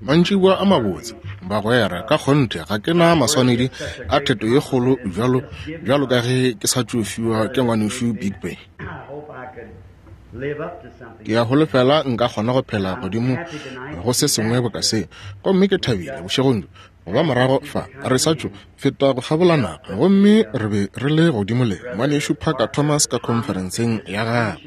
Mantšiboa a mabotse, bagwera. Ka kgonthe ga ke na maswanedi a theto ye kgolo bjalo, bjalo ka ge ke sa tšo fiwa ke Ngwanešu Bigby. Ke a holofela nka kgona go phela godimo go se sengwe boka se. Gomme ke thabile bošegong bjo go ba morago fa. Re sa tšo feta go kgabola naga, gomme re be re le godimo le Ngwanešu Parker Thomas ka khonferenseng ya gagwe.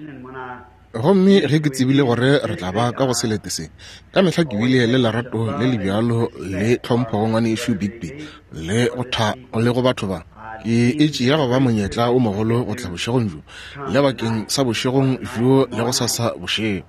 Gomme ge ke tsebile gore re tla ba ka go selete se, ka mehla ke bile le lerato le le bjalo le tlhompho go Ngwanešu Bigby le go tha le go batho ba. Ke e tšea go ba monyetla o mogolo go tla bošegong bjo, le bakeng sa bošegong bjo le gosasa bošego.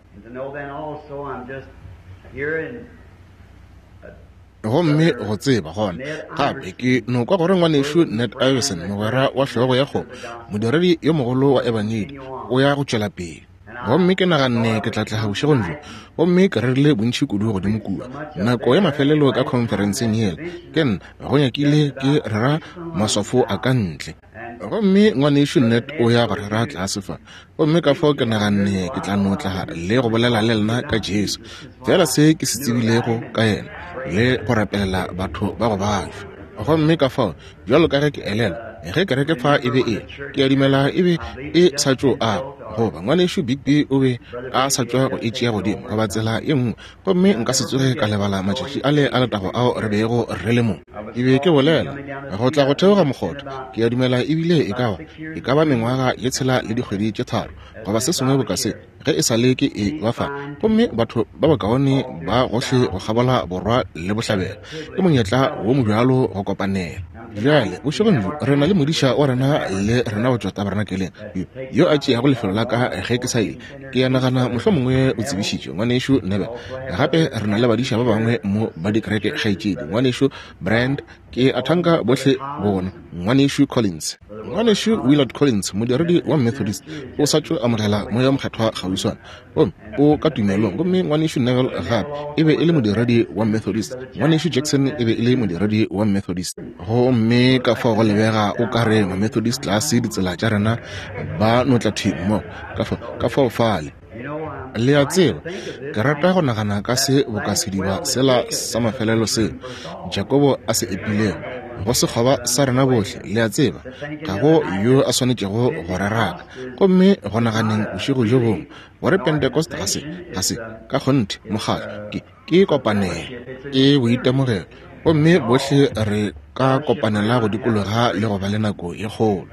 Gomme go tseba gona gape ke no kwa gore Ngwanešu Ned Iverson, mogwera wa hlogo ya kgomo, modiredi yo mogolo wa Ebangedi, o ya go tšwela pele. Gomme ke naganne ke tla tlaga bošegong bjo, gomme ke rerile bontši kudu godimo kua. Nako ya mafelelo ka khonferenseng yela, ke nna go nyakile ke rera maswafo a ka ntle. Gomme Ngwanešu Ned o ya go rera tlase fa. Gomme ka fao ke naganne ke tla no tla le go bolela le lena ka Jesu, feela se ke se tsebilego ka yena, le go rapelela batho ba go babja. Gomme ka fao, bjalo ka ge ke elelwa, ge kereke fa e be e, ke a dumela e be e sa tšo agwa, goba Ngwanešu Bigby o be a sa tšwa go e tšea godimo, goba tsela ye nngwe, gomme nka se tsoge ka lebala matšatši ale a letago ao re bego re le mo. Ke be ke bolela go tla go theoga mokgotha, ke a dumela ebile e ka ba, e ka ba mengwaga ye tshela le dikgwedi tše tharo, goba se sengwe boka se, ge e sa le ke e ba fa. Gomme batho ba bakaone ba gohle go kgabola borwa le bohlabela, ke monyetla wo mobjalo go kopanela. Bjale, bošegong bjo, re na le modiša wa rena le rena go tšwa tabernakeleng, yo, yo a tšeago lefelo la ka ge ke sa ile. Ke a nagana mohlomongwe o tsebišitšwe, Ngwanešu Neville. Gape re na le badiša ba bangwe mo ba dikereke, kgaetšedi, Ngwanešu Brand, ke a thanka bohle bona, Ngwanešu Collins. Ngwanešu Willard Collins, modiredi wa Methodist, o sa tšo amogela Moya wo Mokgethwa kgauswana, gomme o ka tumelong. Gomme Ngwanešu Neville gape e be e le modiredi wa Methodist. Ngwanešu Jackson e be e le modiredi wa Methodist. Gomme ka fao go lebega o ka re Mamethodist tlase ditsela tša rena ba no tla thwi mmogo. Ka fao, ka fao fale. Le a tseba, ke rata go nagana ka se boka sediba sela sa mafelelo seo Jakobo a se epilego go sekgoba sa rena bohle, le a tseba, ga go yo a swanetšego go re raka. Gomme go naganeng bošego bjo bongwe gore Pentecost ga se, ga se, ka kgonthe, mokgatlo, ke, ke kopanelo, ke boitemogelo, gomme bohle re ka kopanela go dikologa le go ba le nako ye kgolo.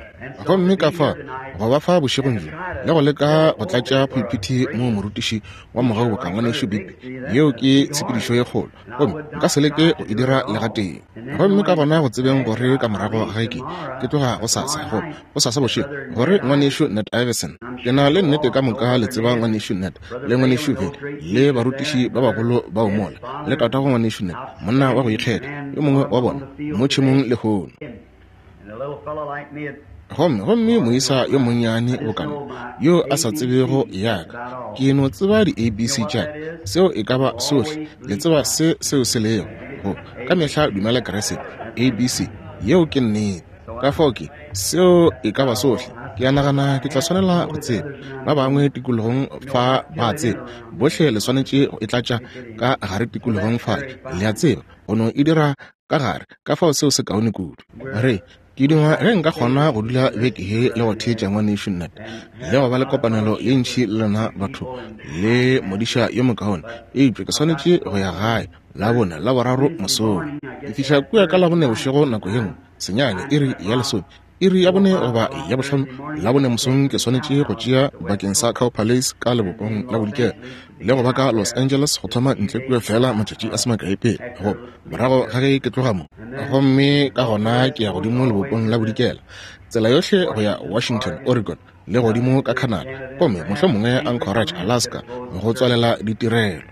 Gomme ka fa go ba fa bošegong bjo le go leka go tlatša phulphithi moo morutiši wa mogau boka Ngwanešu Bigby, yeo ke tshepedišo ye kgolo, gomme nka se leke go e dira le gatee. Gomme ka gona go tsebeng gore ka morago ga ke, ke tloga gosasa, go, gosasa bošego, gore Ngwanešu Ned Iverson, ke na le nnete ka moka le tseba Ngwanešu Ned, le Ngwanešu Veli, le barutiši ba bagolo bao mola, le tatago Ngwanešu Ned, monna wa go ikgetha, yo mongwe wa bona, mo tšhemong lehono. Gomme, gomme moisa yo monnyane boka nna, yo a sa tsebego ya ka, ke no tseba di-ABC tša ka, seo e ka ba sohle, le tseba se seo se lego, go, ka mehla dumela Kriste, ABC, yeo ke nnete. Ka fao ke, seo e ka ba sohle. Ke a nagana ke tla swanela go tseba. Ba bangwe tikologong fa ba a tseba. Bohle le swanetše go e tlatša ka gare tikologong fale, le a tseba, go no e dira ka gare. Ka fao seo se kaone kudu. Re, ke duma ge nka kgona go dula beke ye le go theetša Ngwanešu Ned, le go ba le kopanelo ye ntši le lena batho, le modiša yo mokaone. Eupša ke swanetše go ya gae Labone, Laboraro mosong. Ke fihla kua ka Labone bošego nako ye nngwe, senyane, iri ya lesome, iri ya bone goba ya bohlano Labone mosong ke swanetše go tšea bakeng sa Cow Palace ka lebopong la bodikela le go ba ka Los Angeles go thoma ntle kua feela matšatši a se makae pele goba morago ga ge ke tloga mo. Gomme ka gona ke ya godimo lebopong la bodikela tsela yohle go ya Washington, Oregon, le godimo ka Canada, gomme mohlomongwe Anchorage, Alaska, go tswalela ditirelo.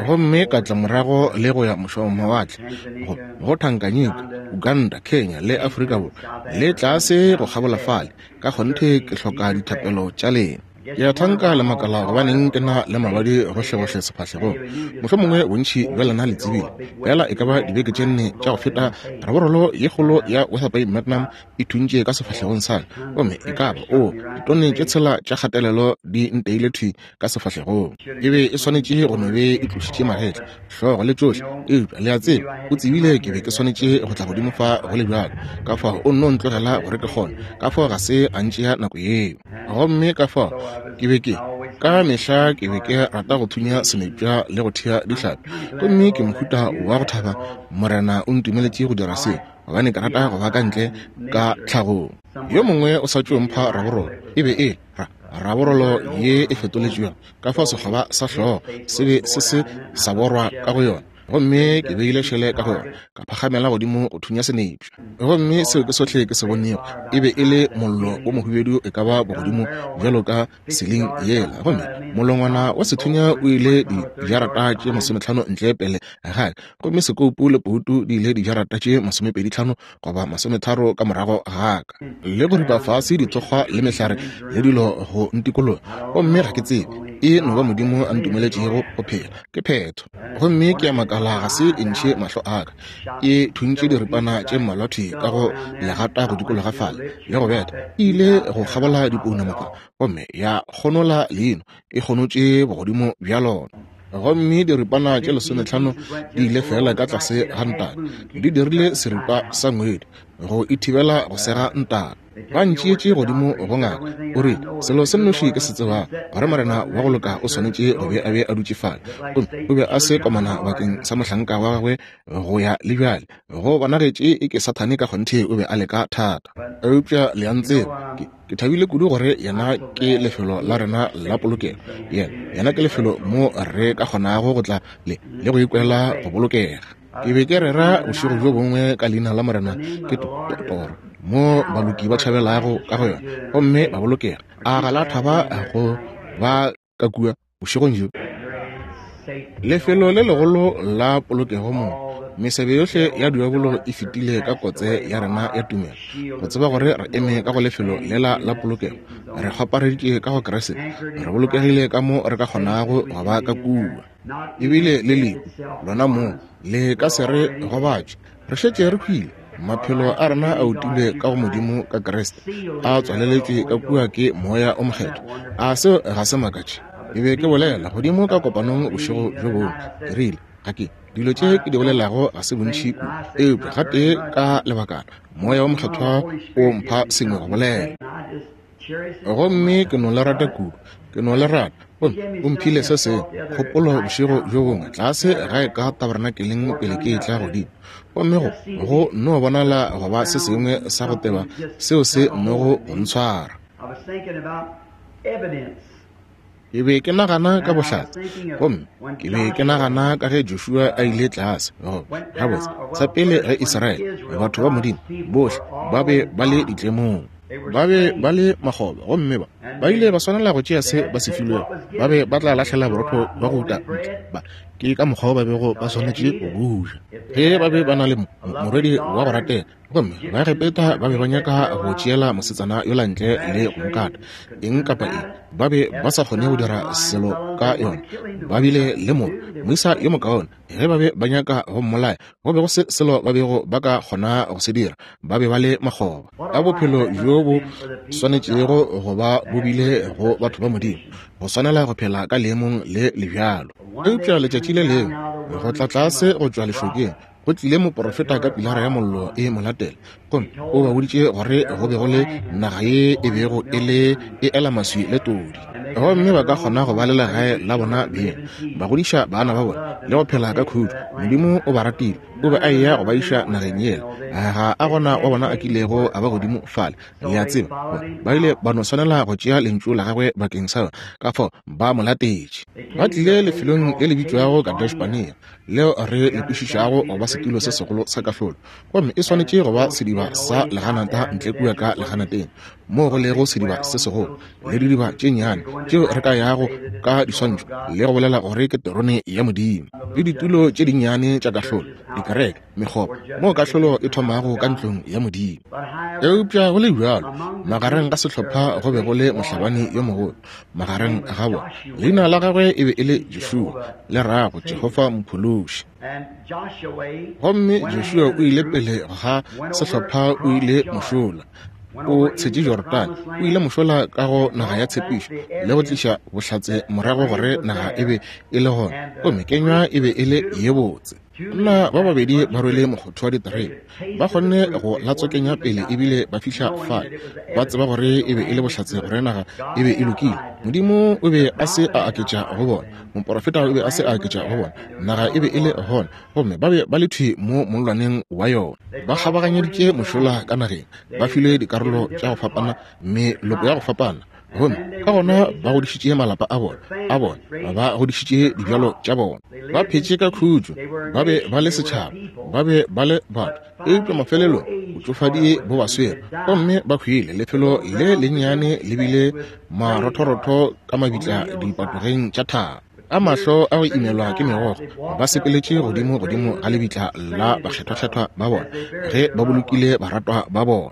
Gomme ka tla morago le go ya mošwamawatle, go, go Tanganyika, Uganda, Kenya, le Afrika Borwa, le tlase go kgabola fale. Ka kgonthe ke hloka dithapelo tša lena. Ke a thanka le makala gobaneng ke na le mabadi gohlegohle sefahlegong. Mohlomongwe bontši bja lena le tsebile. Feela e ka ba dibeke tše nne tša go feta, raborolo ye kgolo ya Weatherby Magnum e thuntše ka sefahlegong sa ka, gomme e ka ba, oo, ditone tše tshela tša kgatelelo di nteile thwi ka sefahlegong. E be e swanetše go no be e tlošitše magetla, hlogo le tšohle, eupša le a tseba, o tsebile ke be ke swanetše go tla godimo fa go le bjalo, ka fao o nno ntlogela gore ke kgone, ka fao ga se a ntšea nako yeo. Gomme ka fao ke be ke, ka mehla ke be ke rata go thunya senepša le go thea dihlapi, gomme ke mohuta wa go thaba Morena o ntumeletše go dira seo, gobane ke rata go ba ka ntle ka tlhagong. Yo mongwe o sa tšo mpha raborolo, e be e ra raborolo ye e fetoletšwego, ka fao sekgoba sa hlogo se be se se sa borwa ka go yona, gomme ke beile šele ka go yona, ka phagamela godimo go thunya senepša. Gomme seo ke sohle ke se bonego, e be e le mollo wo mohubedu e ka ba bogodimo bjalo ka seling yela, gomme molongwana wa sethunya o ile dijarata tše masometlhano ntle pele ga ka, gomme sekoupu le poutu di ile dijarata tše masomepeditlhano goba masometharo ka morago ga ka, le go ripa fase dithokgwa le mehlare le dilo go ntikologa. Gomme ga ke tsebe, e no ba Modimo a ntumeletšego go phela, ke phetho. Gomme ke a makala ga se e ntšhe mahlo a ka. E thuntše diripana tše mmalwa thwi ka go legata go dikologa fale, le go betha. E ile go kgabola dipounama fa, gomme ya kgonola leino, e kgonotše bogodimo bja lona. Gomme diripana tše lesometlhano di ile feela ka tlase ga ntaka, di dirile seripa sa ngwedi go e thibela go sega ntaka. Ba ntšeetše godimo go ngaka, o rile, Selo se nnoši ke se tsebago, gore Morena wa go loka o swanetše go be a be a dutše fale, gomme o be a se komana bakeng sa mohlanka wa gagwe go ya le bjale. Go bonagetše e ke Sathane ka kgonthe o be a leka thata. Eupša le a ntseba, ke, ke thabile kudu gore Yena ke lefelo la rena la polokelo. Yena, Yena ke lefelo mo re ka kgonago go tla le, le go ikwela go bolokega. Ke be ke rera bošego bjo bongwe ka leina la Morena ke to, to, toro, mo baloki ba tšhabelago ka go yona gomme ba bolokega. A ga la thaba go ba ka kua bošegong bjo? Lefelo le legolo la polokego moo mesebe yohle ya diabolo e fetile ka kotse ya rena ya tumelo, go tseba gore re eme ka go lefelo lela la polokego, re kgwapareditše ka go Kriste, re bolokegile ka mo re ka kgonago go ba ka kua. Ebile le lehu lona moo le ka se re gobatše, re šetše re hwile. Maphelo a rena a utilwe ka go Modimo ka Kriste, a tswaleletšwe ka kua ke Moya o Mokgethwa. A seo ga se makatše? Ke be ke bolela godimo ka kopanong bošego bjo bongwe, ke rile, Ga ke, dilo tše ke di bolelago ga se bontši kudu, eupša gatee ka lebakana Moya wo Mokgethwa o mpha sengwe go bolela. Gomme ke no le rata kudu, ke no le rata. Gomme o mphile se sengwe, kgopolo bošego bjo bongwe, tlase gae ka tabernakeleng pele ke etla godimo. Gomme go, go no bonala go ba se sengwe sa go teba seo se nogo go ntshwara. Ke be ke nagana ka bohlatse, gomme ke be ke nagana ka ge Joshua a ile tlase. Goba, gabotse, sa pele ge Israele, batho ba Modimo, bohle ba be ba le ditlemong. Ba be ba le makgoba, gomme ba, ba ile ba swanela go tšea se ba se filwego. Ba be ba tla lahlela borotho bja go uta ntle. Ba, ke ka mokgwa wo ba bego ba swanetše go bo ja. Ge ba be ba na le mo, morwedi wa go ratega, Gomme Baegepeta ba be ba nyaka go tšeela mosetsana yola ntle le go mo kata, eng kapa eng. Ba be ba sa kgone go dira selo ka yona. Ba bile le mo, moisa yo mokaone. Ge ba be ba nyaka go mmolaya, go be go se selo ba bego ba ka kgona go se dira. Ba be ba le makgoba. A bophelo bjo bo swanetšego go ba bo bile go batho ba Modimo, go swanela go phela ka leemong le le bjalo. Eupša letšatši le lengwe, go tla tlase go tšwa lešokeng, Go tlile moprofeta ka pilara ya mollo e mo latela, gomme o ba boditše gore go be go le naga ye e bego e le e ela maswi le todi, gomme ba ka kgona go ba le legae la bona beng, ba godiša bana ba bona le go phela ka khutšo. Modimo o ba ratile, o be a eya go ba iša nageng yela. Ga a gona wa bona a kilego a ba godimo fale, le a tseba. Ba ile ba no swanela go tšea lentšu la gagwe bakeng sa yona, ka fao ba mo latetše. Ba tlile lefelong le le bitšwago Kadesh-Barnea, leo re le kwešišago go ba setulo se segolo sa kahlolo, gomme e swanetše go ba sediba sa leganata ntle kua ka leganateng. moo go lego sediba se segolo le didiba tše nnyane tšeo re ka yago ka diswantšho le go bolela gore ke terone ya Modimo, le ditulo tše dinnyane tša kahlolo, dikereke, mekgoba, moo kahlolo e thomago ka ntlong ya Modimo. Eupša go le bjalo, magareng ga sehlopha go be go le mohlabani yo mogolo magareng ga bona. Leina la gagwe e be e le Joshua, le rago Jehofa Mophološi. Gomme Joshua o ile pele ga sehlopha, o ile mošola, o tshetše Jorodane, o ile mošola ka go naga ya tshepišo le go tliša bohlatse morago gore naga e be e le gona, gomme kenywa e be e le ye botse. Banna ba babedi ba rwele mokgotho wa diterebe, ba kgonne go latswakenya pele ebile ba fihla fale, ba tseba gore e be e le bohlatse gore naga e be e lokile. Modimo o be a se a aketša go bona, moporofeta o be a se a aketša go bona, naga e be e le gona, gomme ba be ba le thwi mo mollwaneng wa yona. Ba kgabaganyeditše mošola ka nageng, ba filwe dikarolo tša go fapana, meloko ya go fapana, gomme ka gona ba godišitše malapa a bona, a bona, ba godišitše dibjalo tša bona, ba phetše ka khutšo, ba be ba le setšhaba, ba be ba le batho. Eupša mafelelong botšofadi bo ba swere, gomme ba hwile. Lefelo le lennyane le bile marothorotho ka mabitla dipatogeng tša thaba. Ka mahlo a go imelwa ke megokgo, ba sepeletše godimo godimo ga lebitla la bakgethwakgethwa ba bona ge ba bolokile baratwa ba bona.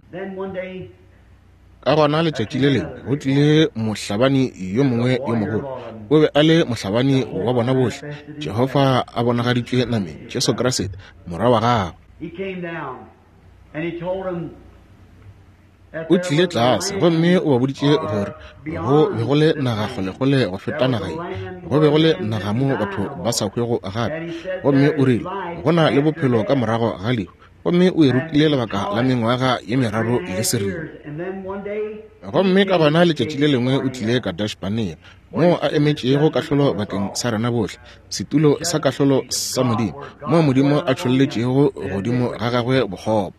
Ka gona letšatši le lengwe go tlile mohlabani yo mongwe yo mogolo. O be a le mohlabani wa bona bohle, Jehofa a bonagaditšwe nameng, Jesu Kriste, Morwa wa gagwe. O tlile tlase gomme o ba boditše gore go be go le naga kgolekgole go feta naga ye, go be go le naga mo batho ba sa hwego gape. Gomme o rile go na le bophelo ka morago ga lehu, gomme o e rutile lebaka la mengwaga ye meraro le seripa. Gomme ka gona letšatši le lengwe o tlile Kadesh-Barnea, moo a emetšego kahlolo bakeng sa rena bohle, setulo sa kahlolo sa Modimo, moo Modimo a tšholletšego godimo ga gagwe bokgopo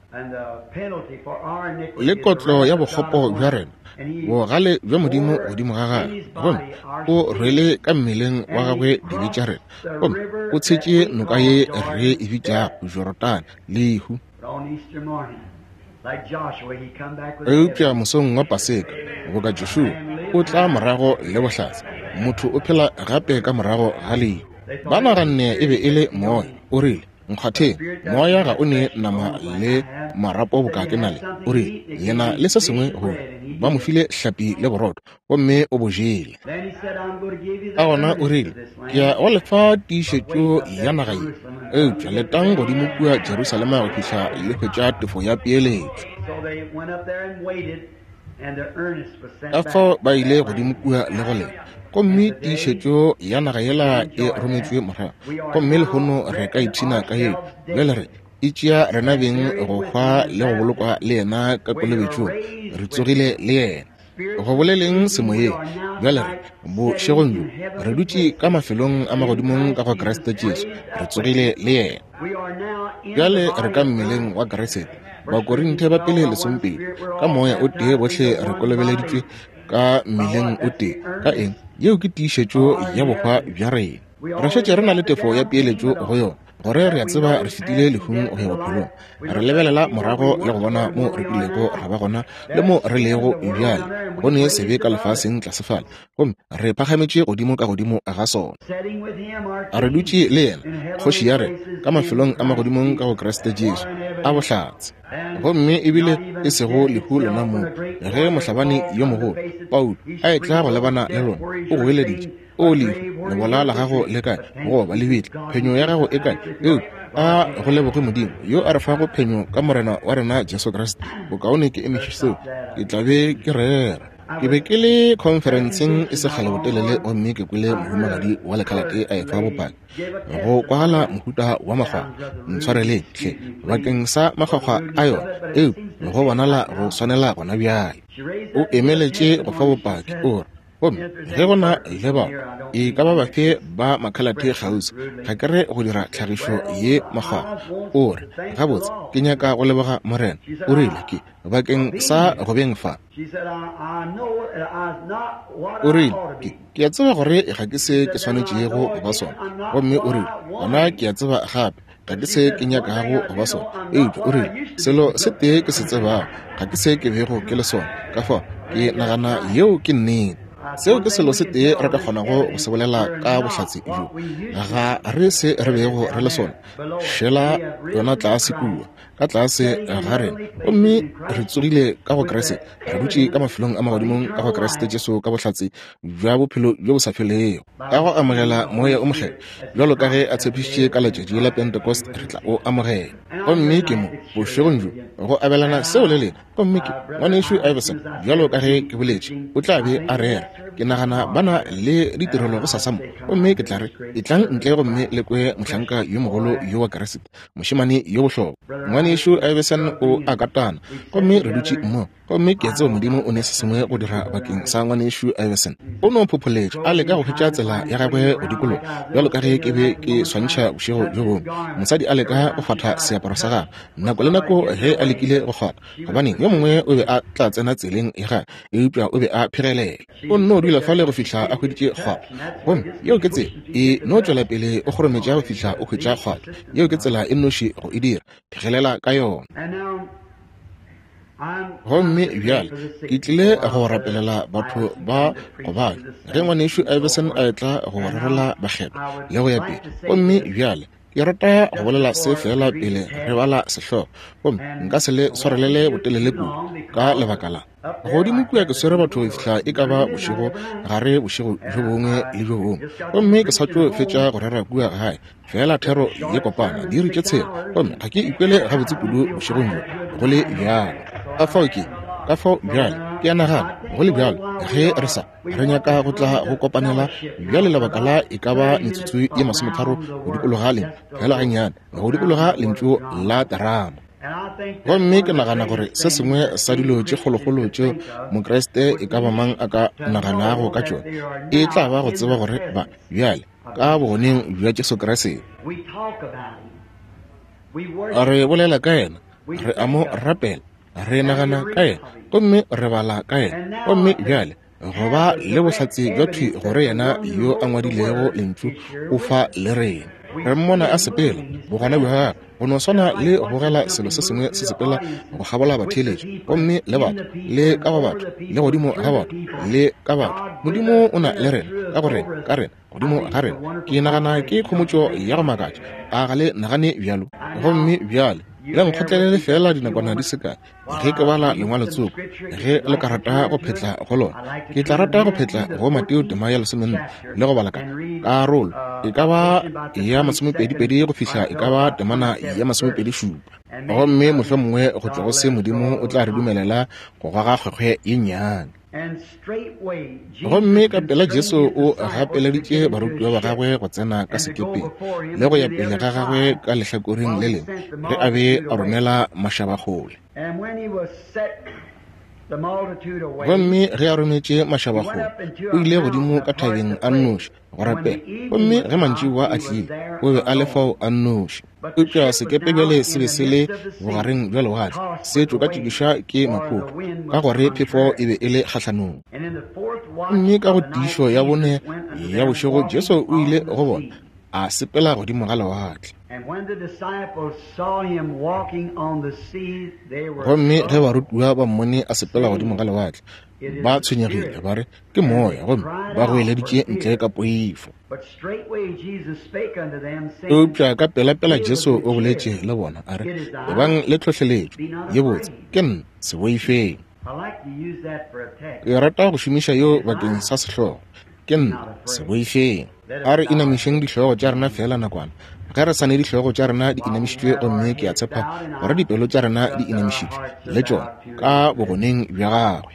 le kotlo ya bokgopo bja rena, bogale bja Modimo godimo ga gagwe, gomme o rwele ka mmeleng wa gagwe dibe tša rena, gomme o tshetše noka ye re e bitšago Jorodane, lehu. Eupša mosong wa Paseka, boka Joshua, o tla morago le bohlatse, motho o phela gape ka morago ga lehu. Ba naganne e be e le moya. O rile, Nkgwatheng, moya ga o ne nama le marapo boka ke na le. O rile, Le na le se sengwe go ja. Ba mo file hlapi le borotho, gomme o bo jele. Ka gona o rile, Ke ya go le fa tiišetšo ya naga ye, eupša letang godimo kua Jerusalema go fihla le hwetša tefo ya peeletšo. Ka fao ba ile godimo kua le go leta, gomme tiišetšo ya naga yela e rometšwe morago, gomme lehono re ka ipshina ka yeo. Bjale re e tšea rena beng go hwa le go bolokwa le yena ka kolobetšong, re tsogile le yena. Go boleleng semoyeng, bjale re bošegong bjo re dutše ka mafelong a magodimong ka go Kriste Jesu, re tsogile le yena. Bjale re ka mmeleng wa Kriste. Bakorinthe ba pele lesomepedi, ka moya o tee bohle re kolobeleditšwe ka mmeleng o tee. Ka eng? Yeo ke tiišetšo ya bohwa bja rena. Re šetše re na le tefo ya peeletšo go yona, gore re a tseba re fetile lehung go ya bophelong. Re lebelela morago le go bona mo re kilego ra ba gona le mo re lego bjale, go ne sebe ka lefaseng tlase fale, gomme re phagametše godimo ka godimo ga sona. A re dutše le yena, kgoši ya rena, ka mafelong a magodimong ka go Kriste Jesu, a bohlatse. Gomme ebile e sego lehu lona moo, ge mohlabani yo mogolo, Paulo, a etla go lebana le lona, o goeleditše, O lehu, lebola la gago le kae? Goba lebitla, phenyo ya gago e kae? Eupša a go leboge Modimo, yo a re fago phenyo ka Morena wa rena Jesu Kriste. Bokaone ke emiše seo, ke tla be ke rera. Ke be ke le khonferenseng e se kgale botelele, gomme ke kwele mohumagadi wa lekhalate a efa bopaki. Go kwagala mohuta wa makgwakgwa, ntshwareleng hle bakeng sa makgwakgwa a yona, eupša go bonala go swanela gona bjale. O emeletše go fa bopaki, o re, Gomme ge go na le bao e ka ba bafe ba makhalate kgauswi, ga ke re go dira tlhagišo ye makgwakgwa. O re, Gabotse, ke nyaka go leboga Morena, o rile, ke bakeng sa go beng fa. O rile, Ke, ke a tseba gore ga ke se ke swanetšego go ba sona. Gomme o rile, Gona ke a tseba gape. Ga ke se ke nyakago go ba sona. Eupša o rile, Selo se tee ke se tsebago, ga ke se ke bego ke le sona. Ka fao, ke nagana yeo ke nnete. Seo ke selo se tee re ka kgonago go se bolela ka bohlatse bjo. Ga re se re bego re le sona. Šela yona tlase kua, ka tlase ga rena, gomme re tsogile ka go Kriste, re dutše ka mafelong a magodimong ka go Kriste Jesu ka bohlatse bja bophelo bjo bo sa felego. Ka go amogela Moya o Mokgethwa, bjalo ka ge a tshepišitše ka letšatši la Pentecost, re tla o amogela. Gomme ke mo, bošegong bjo, go abelana seo le lena. Gomme ke, Ngwanešu Iverson, bjalo ka ge ke boletše, o tla be a rera. Ke nagana ba na le ditirelo gosasa mo. Gomme ke tla re, Etlang ntle gomme le kwe mohlanka yo mogolo yo wa Kriste, mošemane yo bohlokwa. Ngwanešu Iverson o a katana, gomme re dutše mmogo. Gomme ke a tseba Modimo o ne se sengwe go dira bakeng sa Ngwanešu Iverson. O no phopholetša, a leka go hwetša tsela ya gagwe go dikologa, bjalo ka ge ke be ke swantšha bošego bjo bongwe. Mosadi a leka go kgwatha seaparo sa gagwe, nako le nako ge a lekile go kgwatha, gobaneng, yo mongwe o be a tla tsena tseleng ya gagwe, eupša o be a phegelela. O nno dula fale go fihla a hweditše kgwatho. Gomme yeo ke tsela, e no tšwela pele o kgorometša go fihla o hwetša kgwatho. Yeo ke tsela e nnoši go e dira, phegelela ka yona. Gomme bjale ke tlile go rapelela batho ba go babja, ge Ngwanešu Iverson a etla go rerela bakgethwa le go ya pele. Gomme bjale ke rata go bolela se feela pele re bala sehlogo, gomme nka se le swarelele botelele kudu ka lebaka la godimo kua. Ke swere batho go fihla e ka ba bošego gare bošego bjo bongwe le bjo bongwe, gomme ke sa tšo fetša go rera kua gae feela thero ye kopana diiri tše tshela, gomme ga ke ikwele gabotse kudu bošegong bjo go le bjalo. Ka fao ke, ka fao bjale ke a nagana go le bjalo ge re sa re nyaka go tla go kopanela bjale lebaka la e ka ba metsotso ye masometharo go dikologa le fela gannyane go dikologa lentšu la terama. Gomme ke nagana gore se sengwe sa dilo tše kgolokgolo tšeo Mokriste e ka ba mang a ka naganago ka tšona e tla ba go tseba gore ba bjale ka bogoneng bja Jesu Kriste. Re bolela ka yena, re a mo rapela, re nagana ka yena, gomme re bala ka yena. Gomme bjale go ba le bohlatse bja thwi gore yena yo a ngwadilego lentšu o fa le rena. Re mmona a sepela, bogona bja gagwe go no swana le go bogela selo se sengwe se sepela go kgabola batheeletši, gomme le batho, le ka go batho, le godimo ga batho, le ka batho. Modimo o na le rena, ka go rena, ka rena, godimo ga rena. Ke nagana ke khomotšo ya go makatša. A ga le nagane bjalo? Gomme bjale le nkgotlelele feela dinakwana di se kae ge ke bala lengwalo tsoko, ge le ka rata go phetla go lona. Ke tla rata go phetla go Mateo tema ya 14 le go bala ka karolo e ka ba ya masomepedipedi go fihla e ka ba temana ya 27. Gomme mohlomongwe go tšwa go se Modimo o tla re dumelela go goga kgwekgwe ye nnyane. Gomme ka pela Jesu o gapeleditše barutiwa ba gagwe go tsena ka sekepeng le go ya pele ga gagwe ka lehlakoreng le lengwe ge a be a romela mašaba kgole. Gomme ge a rometše mašaba kgole, o ile godimo ka thabeng a nnoši go rapela. Gomme ge mantšiboa a tlile, o be a le fao a nnoši. Eupša sekepe bjale se be se le bogareng bja lewatle, se tšokatšokišwa ke maphoto, ka gore phefo e be e le kgahlanong. Gomme ka go tiišo ya bone ya bošego Jesu o ile go bona, a sepela godimo ga lewatle. Gomme ge barutiwa ba mmone a sepela godimo ga lewatle, ba tshwenyegile, ba re, Ke moya, gomme ba goeleditše ntle ka poifo. Eupša ka pelapela Jesu o boletše le bona, a re, Ebang le tlhohleletšo ye botse, ke nna, se boifeng. Ke rata go šomiša yeo bakeng sa sehlogo, Ke nna, se boifeng. A re inamišeng dihlogo tša rena feela nakwana. Ge re sa ne dihlogo tša rena di inamišitšwe, gomme ke a tshepa gore dipelo tša rena di inamišitšwe le tšona, ka bogoneng bja Gagwe.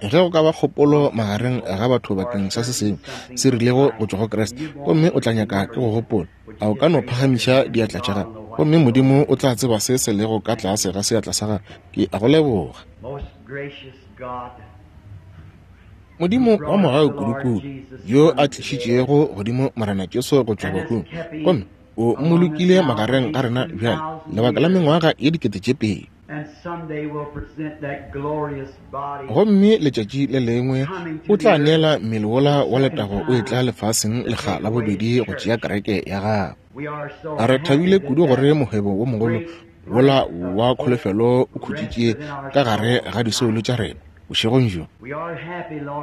Ge go ka ba kgopolo magareng ga batho bakeng sa se sengwe se rilego go tšwa go Kriste, gomme o tla nyaka ke go gopola, a o ka no phagamiša diatla tša gago, gomme Modimo o tla tseba se se lego ka tlase ga seatla sa gago. Ke a go leboga. Modimo wa mogau kudukudu, yo a tlišitšego godimo Morena Jesu go tšwa bahung, gomme o mmolokile magareng ga rena bjale lebaka la mengwaga ye 2000. Gomme letšatši le lengwe o tla neela mmele wola wa letago o etla lefaseng lekga la bobedi go tšea kereke ya gagwe. Re thabile kudu gore mohwebo wo mogolo wola wa kholofelo o khutšitše ka gare ga disoulo tša rena bošegong bjo.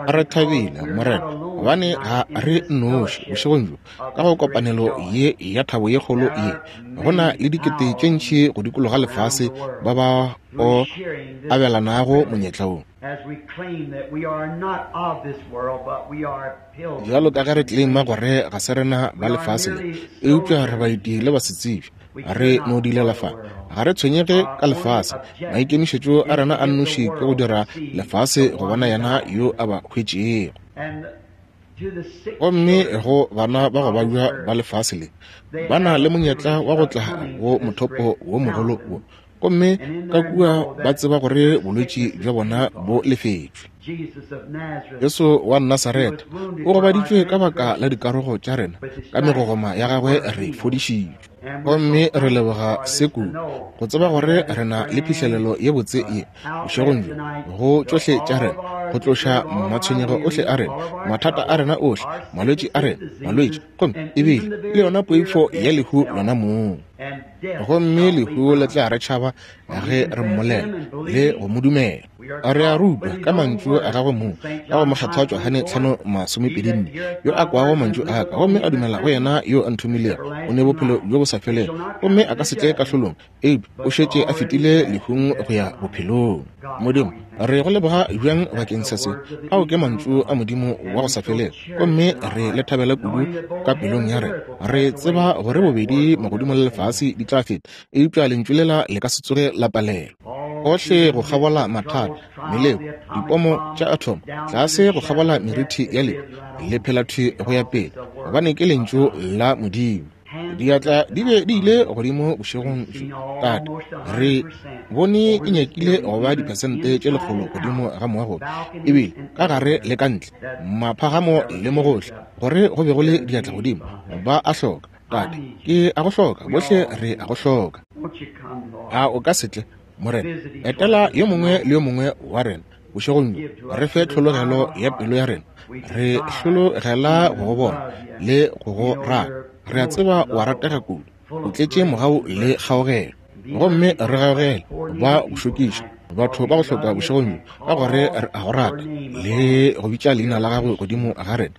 Re thabile, Morena, gobane ga re nnoši bošegong bjo ka go kopanelo ye ya thabo ye kgolo ye. Go na le dikete tše ntši go dikologa lefase ba ba o abelanago monyetla wo. Bjalo ka ge re tleleima gore ga se rena ba lefase le, eupša re baeti le basetsebje, re no dilela fa. Ga re tshwenyege ka lefase. Maikemišetšo a rena a nnoši ke go dira lefase go bona yena yo a ba hwetšego. Gomme go bana ba go babja ba lefase le, ba na le monyetla wa go tla go mothopo wo mogolo wo, gomme ka kua ba tseba gore bolwetši bja bona bo lefetšwe. Jesu wa Nasaretha o gobaditšwe ka baka la dikarogo tša rena, ka megogoma ya gagwe re fodišitšwe. Gomme re leboga se kudu go tseba gore re na le phihlelelo ye botse ye bošegong bjo go tšohle tša rena, go tloša matshwenyego ohle a rena, mathata a rena ohle, malwetši a rena, malwetši, gomme ebile le yona poifo ya lehu lona mong. Gomme lehu le tla re tšhaba ge re mmolela le go mo dumela. Re a rutwa ka mantšu a gagwe mong ka go Mokgethwa Johane 5:24, yo a kwago mantšu a ka gomme a dumela go yena yo a nthomilego, o ne bophelo bjo bo sa felego, gomme a ka se tle kahlolong, eupša o šetše a fetile lehung go ya bophelong. Modimo, re go leboga bjang bakeng sa se. Ao ke mantšu a Modimo wa go sa felego, gomme re le thabela kudu ka pelong ya rena. Re tseba gore bobedi magodimo le lefase di tla feta, eupša lentšu lela le ka se tsoge la palelwa. Gohle go kgabola mathata, meleko, dipomo tša athomo, tlase go kgabola merithi ya lehu, le phela thwi go ya pele, gobane ke lentšu la Modimo. Diatla di be di ile godimo bošegong bjo, Tate. Re bone e nyakile go ba diphesente tše 100 godimo ga moago, ebile ka gare le ka ntle, maphagamo le mo gohle, gore go be go le diatla godimo. Ba a hloka, Tate. Ke a go hloka, bohle re a go hloka. A o ka se tle, Morena? Etela yo mongwe le yo mongwe wa rena bošegong bjo, re fe tlhologelo ya pelo ya rena. Re hlologela go go bona le go go rata. Re a tseba wa ratega kudu, o tletše mogau le kgaogelo. Gomme re gaogele ba go šokiša, batho ba go hloka bošegong bjo, ka gore re a go rata le go bitša leina la gago godimo ga rena.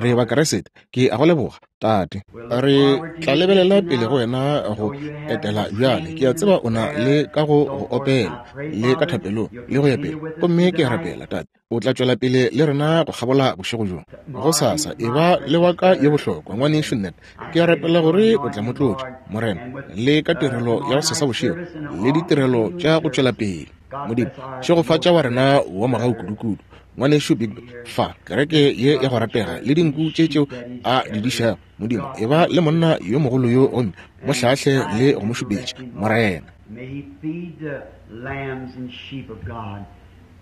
Re Bakriste. Ke a go leboga, Tate. Re tla lebelela pele go wena go etela bjale. Ke a tseba o na le ka go go opela le ka thapelong le go ya pele. Gomme ke a rapela, Tate, o tla tšwela pele le rena go kgabola bošego bjo. Gosasa e ba le wa ka ye bohlokwa, Ngwanešu Ned. Ke a rapela gore o tla mo tlotša, Morena, le ka tirelo ya gosasa bošego le ditirelo tša go tšwela pele. Modimo, šegofatša wa rena wa mogau kudukudu, Ngwanešu Bigby, fa kereke ye ya go ratega le dinku tše tšeo a di dišago. Modimo, e ba le monna yo mogolo yo gomme mo hlahle le go mo šupetša, Morena. May he feed the lambs and sheep of God.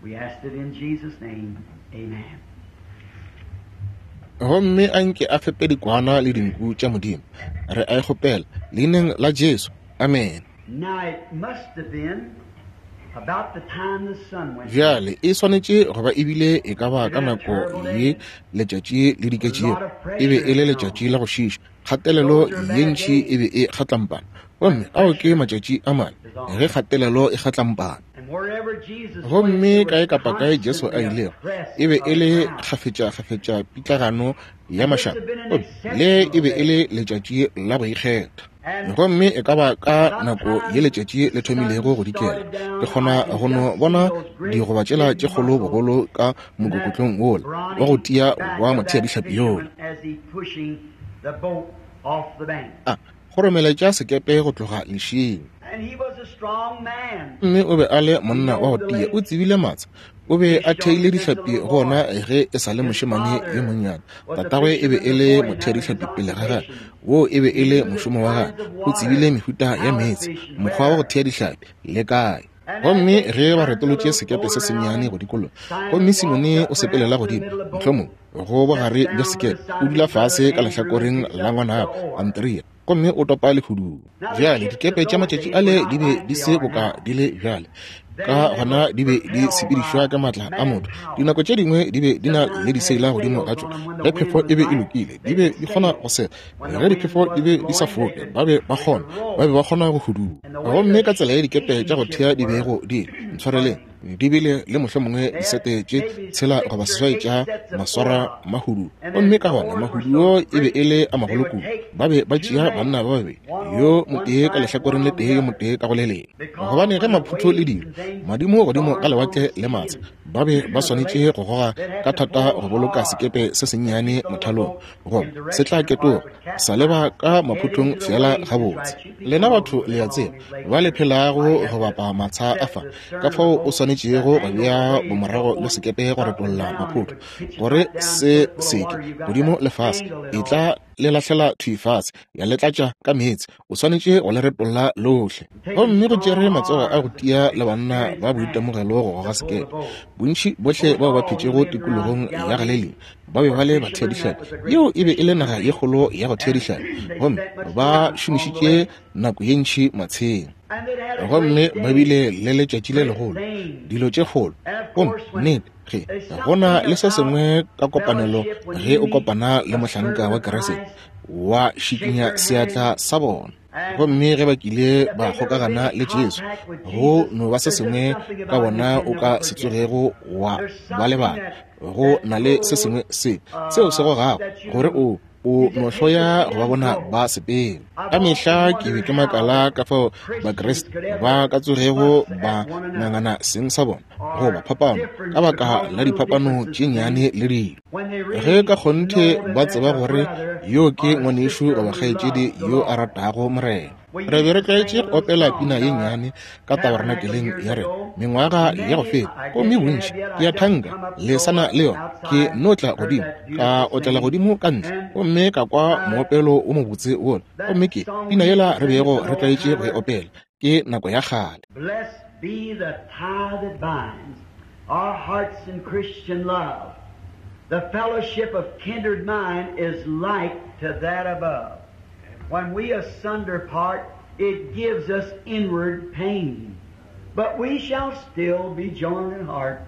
We ask it in Jesus' name. Amen. Gomme a nke a fepe dikwana le dinku tša Modimo. Re a e kgopela leineng la Jesu. Amen. Now it must have been about the time the sun went down. Bjale e swanetše go ba e bile e ka ba ka nako ye letšatši le diketšego. E be e le letšatši la go šiiša, kgatelelo ye ntši e be e kgatlampana. Gomme ao ke matšatši a mane ge kgatelelo e kgatlampana. And wherever Jesus went, Gomme there was kae kapa kae Jesu a constantly a ilego, press e be of e le crowds. kgafetšakgafetša pitlagano ya And this mašaba. had been an Gomme le e exceptional be e day. le letšatši la go ikgetha. And Gomme e ka ba ka about nako ye time letšatši the le thomilego sun go dikela, started ke down, I kgona can go no just see bona those great digoba tšela big tše kgolo muscles bogolo ka and that mokokotlong wola wa go brawny tia back wa of that motheadihlapi yola. fisherman as he pushing the boat off the bank. A kgoromeletša sekepe go tloga lešing. And he was a strong man. Gomme o be a le He monna wa knowed go the tia, o lake, tsebile matsha. O be a fished on theile since a dihlapi little go ona boy. ge e sa le His mošemane yo father monnyane. was a Tatagwe e be fisherman e le before him. That was his motheadihlapi pele ga gagwe. occupation. Woo e be He e le knew the mošomo wa gagwe. kinds of O tsebile water, mehuta ya how to meetse, fish, and mokgwa wa go where. thea dihlapi, le kae. And as Gomme they ge ba turned the retolotše little sekepe boat se sennyane around, go dikologa, Simon gomme walked Simone up o sepelela perhaps to the godimo, middle of the boat mohlomongwe go bogare bja sekepe, o dula fase ka lehlakoreng la ngwanabo Andrea, gomme o topa lehuduo. Bjale dikepe tša matšatši ale di be di se boka di le bjale, ka gona di be di sepedišwa ka matla a motho. Dinako tše dingwe di be di na le diseila godimo ga tšona. Ge phefo e be e lokile, di be di kgona go sela. Ge diphefo di be di sa foke, ba be ba kgona, ba be ba kgona go hudua. Gomme ka tsela ye dikepe tša go thea di bego di le, ntshwareleng, di bile le mohlomongwe disete tše tshela goba seswai tša maswara mahudu. Gomme ka gona mahuduo e be e le a magolo kudu. Ba be ba tšea banna ba babedi, yo motee ka lehlakoreng le tee, yo motee ka go le lengwe. Gobane ge maphutho le dilo, madimo godimo ga lewatle le matsha, ba be ba swanetše go goga ka thata go boloka sekepe se sennyane mothalong, goba se tla ketoga sa leba ka maphuthong feela gabotse. Lena batho le a tseba, ba le phelago go bapa matsha a fa, ka fao o swanetšego go bea bomorago bja sekepe go retolla maphutho, gore se seke godimo le fase, e tla le lahlela thwi fase, ya le tlatša ka meetse. O swanetše go le retolla lohle. Gomme go tšere matsogo a go tia le banna ba boitemogelo go goga sekepe. Bontši bohle bao ba phetšego tikologong ya Galelia ba be ba le batheadihlapi. Yeo e be e le naga ye kgolo ya go thea dihlapi, gomme ba šomišitše nako ye ntši matsheng. Gomme ba bile le letšatši le legolo, dilo tše kgolo. Gomme nnete, ge go na le se sengwe ka kopanelo ge o kopana le mohlanka wa Keresete, wa šikinya seatla sa bona. Gomme ge ba kile ba kgokagana le Jesu, go no ba se sengwe ka bona o ka se tsogego wa ba lebala. Go na le se sengwe se seo se gogago gore o o no hloya go ba bona ba sepela. Ka mehla ke be ke makala ka fao Bakriste ba ka tsogego ba ngangana seng sa bona goba phapano ka baka la diphapano tše nnyane le dilo, ge ka kgonthe ba tseba gore yo ke ngwanešu goba kgaetšedi yo a ratago Morena. Re be re tlwaetše go opela pina ye nnyane ka tabernakeleng ya rena mengwaga ya go feta, gomme bontši ke a thanka le sa na le yona. Ke no tla godimo, ka otlela godimo ka ntle, gomme ka kwa moopelo wo mobotse wola, gomme ke pina yela re bego re tlwaetše go e opela, ke nako ya kgale. Blessed be the tie that binds our hearts in Christian love. The fellowship of kindred mind is like to that above. When we asunder part, it gives us inward pain. But we shall still be joined in heart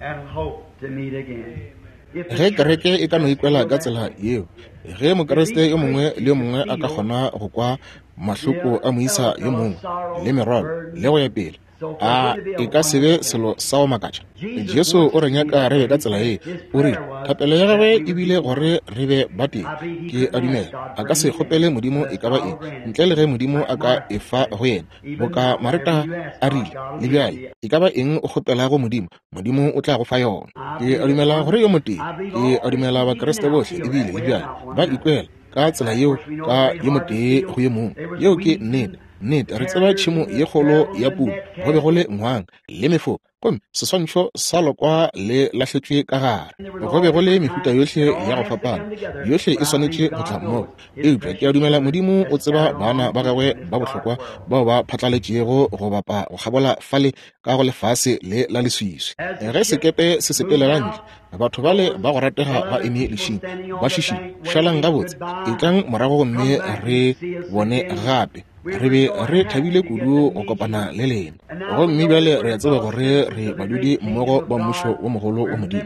and hope to meet again. Ge kereke e ka no ikwela ka tsela yeo, ge Mokriste yo mongwe le yo mongwe a ka kgona go kwa mahloko a moisa yo mongwe le merwalo le go ya pele, a e ka se be selo sa go makatša? Jesu o re nyaka re be ka tsela ye. O rile thapelo ya gagwe e bile gore re be ba tee. Ke a dumela a ka se kgopele Modimo e ka ba eng ntle le ge Modimo a ka e fa go yena, boka Mareta a rile, le bjale e ka ba eng o kgopelago Modimo, Modimo o tla go fa yona. Ke a dumela gore yo motee, ke a dumela Bakriste bohle ebile le bjale ba ikwela ka tsela yeo ka yo motee go yo mongwe. Yeo ke nnete. Nnete, re tseba tšhemo ye kgolo ya puno, go be go le ngwang le mefoka, gomme seswantšho sa lokwa le lahletšwe ka gare. Go be go le mehuta yohle ya go fapana, yohle e swanetše go tla mmogo. Eupša ke a dumela Modimo o tseba bana ba gagwe ba bohlokwa bao ba phatlaletšego go bapa go kgabola fale ka go lefase le la leswiswi. Ge sekepe se sepelela ntle, batho bale ba go ratega ba eme lešing, ba šišing, šalang gabotse, etlang morago gomme re bone gape. Re be re thabile kudu go kopana le lena. Gomme bjale re a tseba gore re badudi mmogo ba mmušo wo mogolo wa Modimo.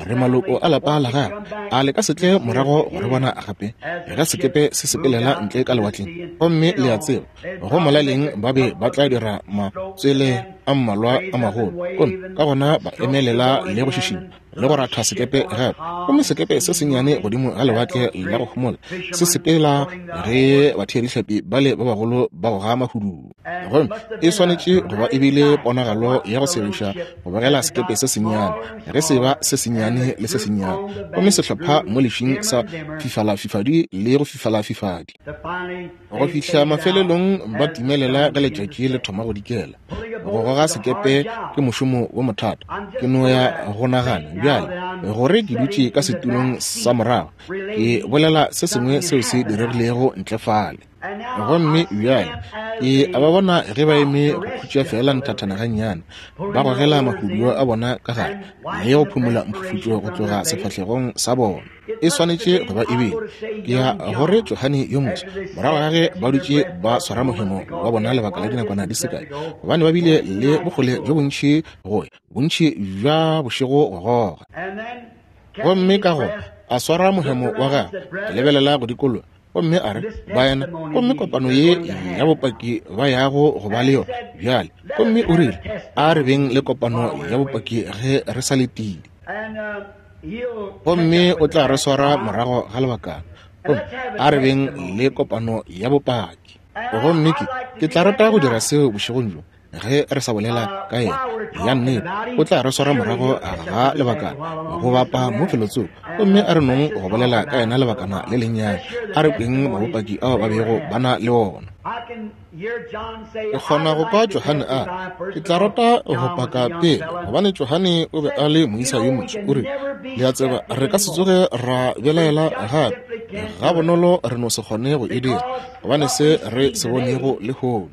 Re maloko a lapa la gagwe. A le ka se tle morago go re bona gape ge sekepe se sepelela ntle ka lewatleng? Gomme le a tseba, go molaleng ba be ba tla dira matswele a mmalwa a magolo, gomme ka gona ba emelela le go šišinya le go ratha sekepe gape. Gomme sekepe se sennyane godimo ga lewatle la go homola se sepela ge batheadihlapi bale ba bagolo ba goga mahuduo. Gomme e swanetše go ba e bile ponagalo ya go segiša go bogela sekepe se sennyane ge se ba se sennyane le se sennyane, gomme sehlopha mo lešing sa fifalafifadi le go fifalafifadi, go fihla mafelelong ba timelela ge letšatši le thoma go dikela. Go goga sekepe ke mošomo wo mothata. Ke no ya go nagana bjale gore ke dutše ka setulong sa morago, ke bolela se sengwe seo se diregilego ntle fale. Gomme bjale Ke a ba bona ge ba eme go khutša feela nthathana gannyane, ba gogela mahuduo a bona ka gare le go phumola mphufutšo go tloga sefahlegong sa bona. E swanetše go ba e bile. Ke ya gore Johane yo moswa, morago ga ge ba dutše ba swara mohemo wa bona lebaka la dinakwana di se kae, gobane ba bile le bokgole bjo bontši go ya, bontši bja bošego go goga. Gomme ka gona a swara mohemo wa gagwe, a lebelela go dikologa, gomme a re, Baena, gomme kopano ye ya bopaki ba yago go ba le yona bjale. Gomme o rile, A re beng le kopano ya bopaki ge re sa letile. Gomme o tla re swara morago ga lebakana. Gomme a re beng le kopano ya bopaki. Gomme ke tla rata go dira seo bošegong bjo. Ge re sa bolela ka yena, ya nnete o tla re swara morago ga lebakana go bapa mo felotsoko, gomme a re nong go bolela ka yena lebakana le lennyane, a re kweng mabopaki ao ba bego ba na le ona. Ke kgona go kwa Johane a re, Ke tla rata go paka pele, gobane Johane o be a le moisa yo moswa. O rile, Le a tseba, re ka se tsoge ra belaela gape. Gabonolo re no se kgone go e dira, gobane se re se bonego lehono.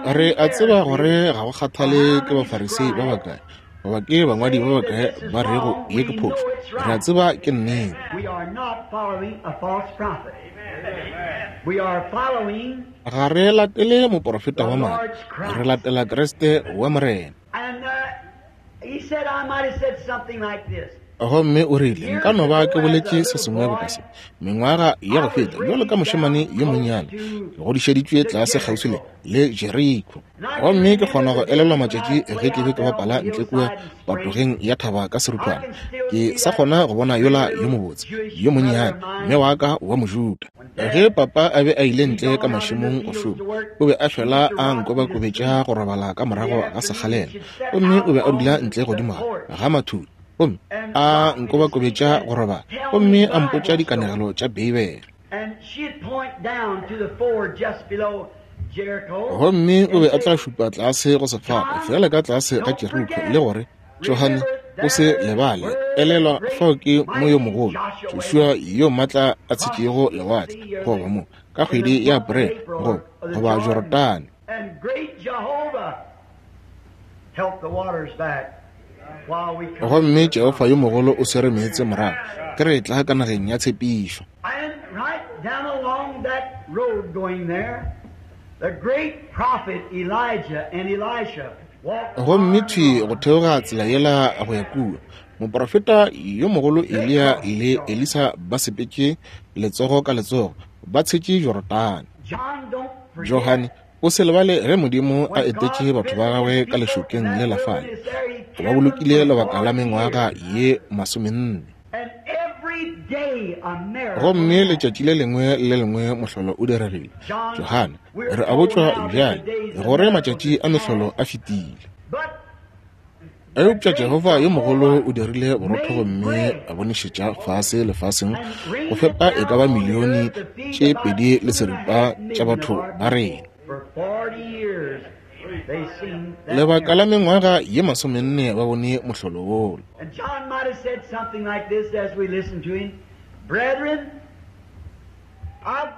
Re a tseba gore ga go kgathale ke Bafarisei ba bakae goba ke bangwadi ba bakae ba rego ye ke phošo, re a tseba ke nnete. Ga re latele moporofeta wa maaka, re latela Kriste wa Morena. Gomme o rile, Nka no ba ke boletše se sengwe boka se mengwaga ya go feta, bjalo ka mošemane yo monnyane, ke godišeditšwe tlase kgauswi le, le Jeriko. Gomme ke kgona go elelwa matšatši ge ke be ke bapala ntle kua patogeng ya thaba ka seruthwana. Ke sa kgona go bona yola yo mobotse, yo monnyane, mme wa ka wa Mojuda. Ge papa a be a ile ntle ka mašemong go šoma, o be a fela a nkobakobetša go robala ka morago ga sekgalela, gomme o be a dula ntle godimo ga mathudi, gomme a nkobakobetša go robala, gomme a mpotša dikanegelo tša Beibele. Gomme o be a tla šupa tlase go sefapa, feela ka tlase ga Jeriko, le gore, Johane, o se lebale, elelwa, fao ke mo yo mogolo, Joshua yo maatla a tshetšego lewatle, goba mo, ka kgwedi ya April, goba, goba Jorodane. Gomme Jehofa yo mogolo o swere meetse morago, ke re tla ka nageng ya tshepišo. The great prophet Elijah and Elisha Gomme thwi go theoga tsela yela go ya kua, moprofeta yo mogolo Eliya le Elisa ba sepetše letsogo ka letsogo, ba tshetše Jorodane. Johane, o se lebale ge Modimo a etetše batho ba gagwe ka lešokeng le la fale, o ba bolokile lebaka la mengwaga ye masomenne. Gomme letšatši le lengwe le lengwe mohlolo o diregile. Johane, re a botšwa bjale gore matšatši a mehlolo a fetile. Eupša Jehofa yo mogolo o dirile borotho gomme a bonišetša fase lefaseng go fepa e ka ba milione tše 2.5 tša batho ba rena. Lebaka la mengwaga ye 40 ba bone mohlolo wola.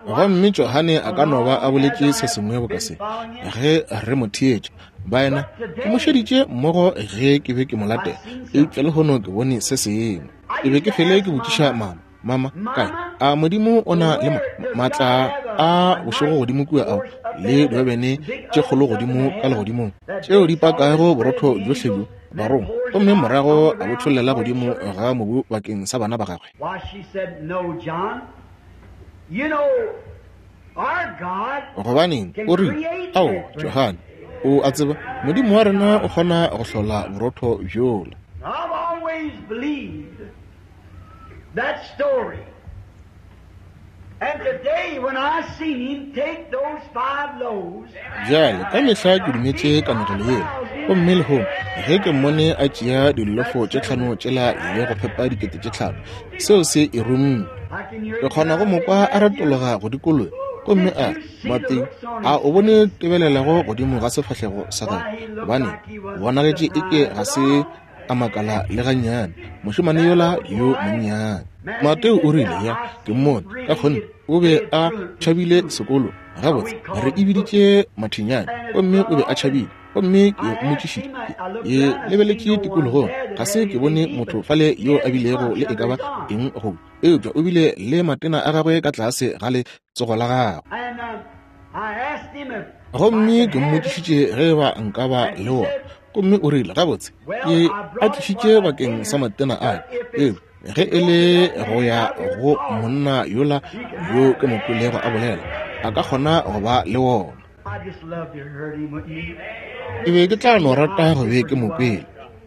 Gomme Johane a ka no ba a boletše se sengwe boka se, ge re mo theetša, Baena, ke mo šeditše mmogo ge ke be ke mo latela, eupša lehono ke bone se sengwe. Ke be ke fele ke botšiša mama, Mama, kae? A Modimo o na le maatla a bošego godimo kua ao le diobene tše kgolo godimo ka legodimong tšeo di pakago borotho bjohle bjo barong, gomme morago a bo tšhollela godimo ga mobu bakeng sa bana ba gagwe? Gobaneng, o rile, Ao, Johane, o a tseba, Modimo wa rena o kgona go hlola borotho bjola. That story. And today when I seen him take those 5 loaves. Bjale, ka mehla ke dumetše kanegelo yela. Gomme lehono, ge ke mmone a tšea dillofo tše 5 tšela le go fepa 5,000, seo se e rumme. Ke kgona go mo kwa a retologa go dikologa, gomme a re, Mateo, a o bone tebelelego godimo ga sefahlego sa gagwe? Gobane, o bonagetše eke ga se a makala le gannyane, mošemane yola yo monnyane. Mateo o rile, Ya, ke mmone, ka kgonthe o be a tšhabile sekolo. Gabotse, re e biditše mathinyane, gomme o be a tšhabile. Gomme ke mmotšišitše, ke lebeletše tikologong, ga se ke bone motho fale yo a bilego le e ka ba eng go, eupša o bile le matena a gagwe ka tlase ga letsogo la gagwe. Gomme ke mmotšišitše ge eba nka ba le wona, gomme o rile, Gabotse, ke a tlišitše bakeng sa matena a ka, eupša ge e le go ya go monna yola yo ke mo kwelego a bolela, a ka kgona go ba le wona. Ke be ke tla no rata go be ke mo kwele.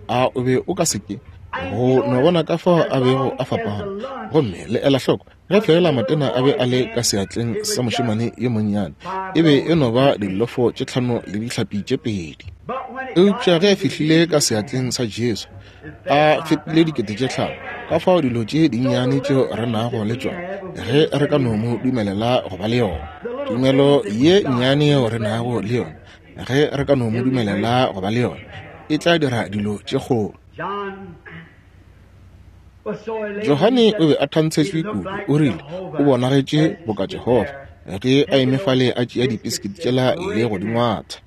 A o be o ka se ke? Go no bona ka fao a bego a fapana. Gomme le ela hloko, ge feela matena a be a le ka seatleng sa mošemane yo monnyane, e be e no ba dillofo tše tlhano le dihlapi tše pedi. Eupša ge a fihlile ka seatleng sa Jesu, a fepile 5000, ka fao dilo tše dinnyane tšeo re nago le tšona, ge re ka no mo dumelela go ba le yona, tumelo ye nnyane yeo re nago le yona, ge re ka no mo dumelela go ba le yona, e tla dira dilo tše kgolo. Johane o be a thantshetšwe kudu, o rile, O bonagetše boka Jehofa, ge a eme fale a tšea dipiskiti tšela le go di ngwatha.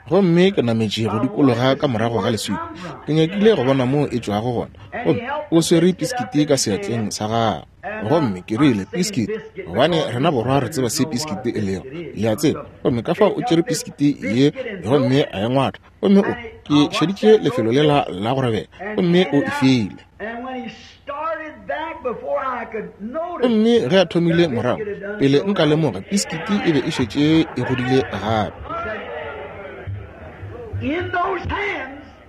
Gomme ke nametše go dikologa ka morago ga leswika, ke nyakile go bona moo e tšwago gona. Gomme o swere piskiti ka seatleng sa gagwe. Gomme ke rile, Piskiti, gobane rena borwa re tseba se piskiti e lego, le a tseba. Gomme ka fao o tšere piskiti ye gomme a e ngwatha. Gomme o, ke šeditše lefelo lela la go robega, gomme o e file. Gomme ge a thomile morago, pele nka lemoga, piskiti e be e šetše e godile gape.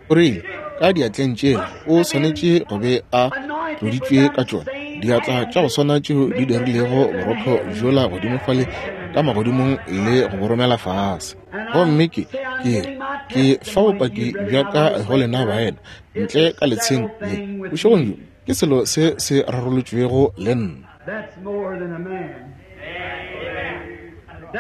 O rile, Ka diatleng tšela o swanetše go be a tloditšwe ka tšona, diatla tša go swana tšeo di dirilego borotho bjola godimo fale ka magodimong le go bo romela fase. Gomme ke, ke re, ke fa bopaki bja ka go lena baena, ntle ka letsheng le, bošegong bjo, ke selo se se rarolotšwego le nna.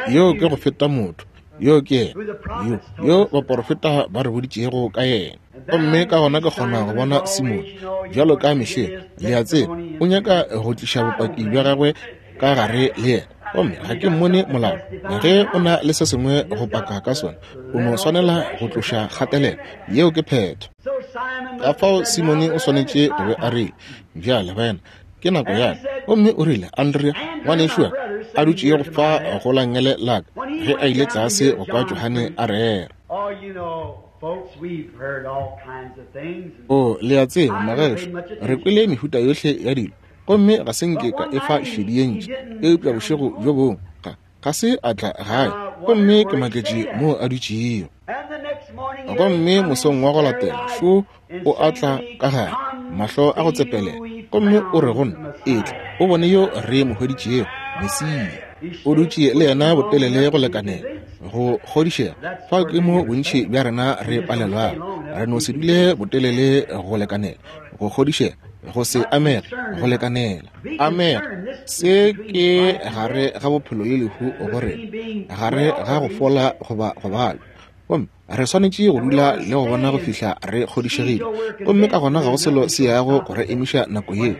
Yeo ke go feta motho, yo ke yena, yo, yo baporofeta ba re boditšego ka yena. Gomme ka gona ke kgona go bona Simone, bjalo ka mehleng, le a tseba, o nyaka go tliša bopaki bja gagwe ka gare le yena. Gomme ga ke mmone molao. Ge o na le se sengwe go paka ka sona, o no swanela go tloša kgatelelo. Yeo ke phetho. Ka fao Simone o swanetše go be a rile, Bjale, baena, ke nako ya ka. Gomme o rile, Andrea, ngwanešu wa ka, a dutšego fa go la nngele la ka, ge a ile tlase go kwa Johane a rera. O, le a tseba, magešo, re kwele mehuta yohle ya dilo, gomme ga se nke ka e fa šedi ye ntši. Eupša bošego bjo bongwe, ga, ga se a tla gae, gomme ke maketše moo a dutšego. Gomme mosong wa go latela, šo o a tla ka gare, mahlo a go tsepelela, gomme o re go nna, Etla, o bone yo re mo hweditšego, Mesia. O dutše le yena botelele go lekanela go kgodišega. Fao ke mo bontši bja rena re palelwago. Re no se dule botelele go lekanela go kgodišega, go se amege go lekanela. Amega, se ke gare ga bophelo le lehu go rena, gare ga go fola goba go balwa. Gomme re swanetše go dula le go bona go fihla re kgodišegile. Gomme ka gona ga go selo se yago go re emiša nako yeo.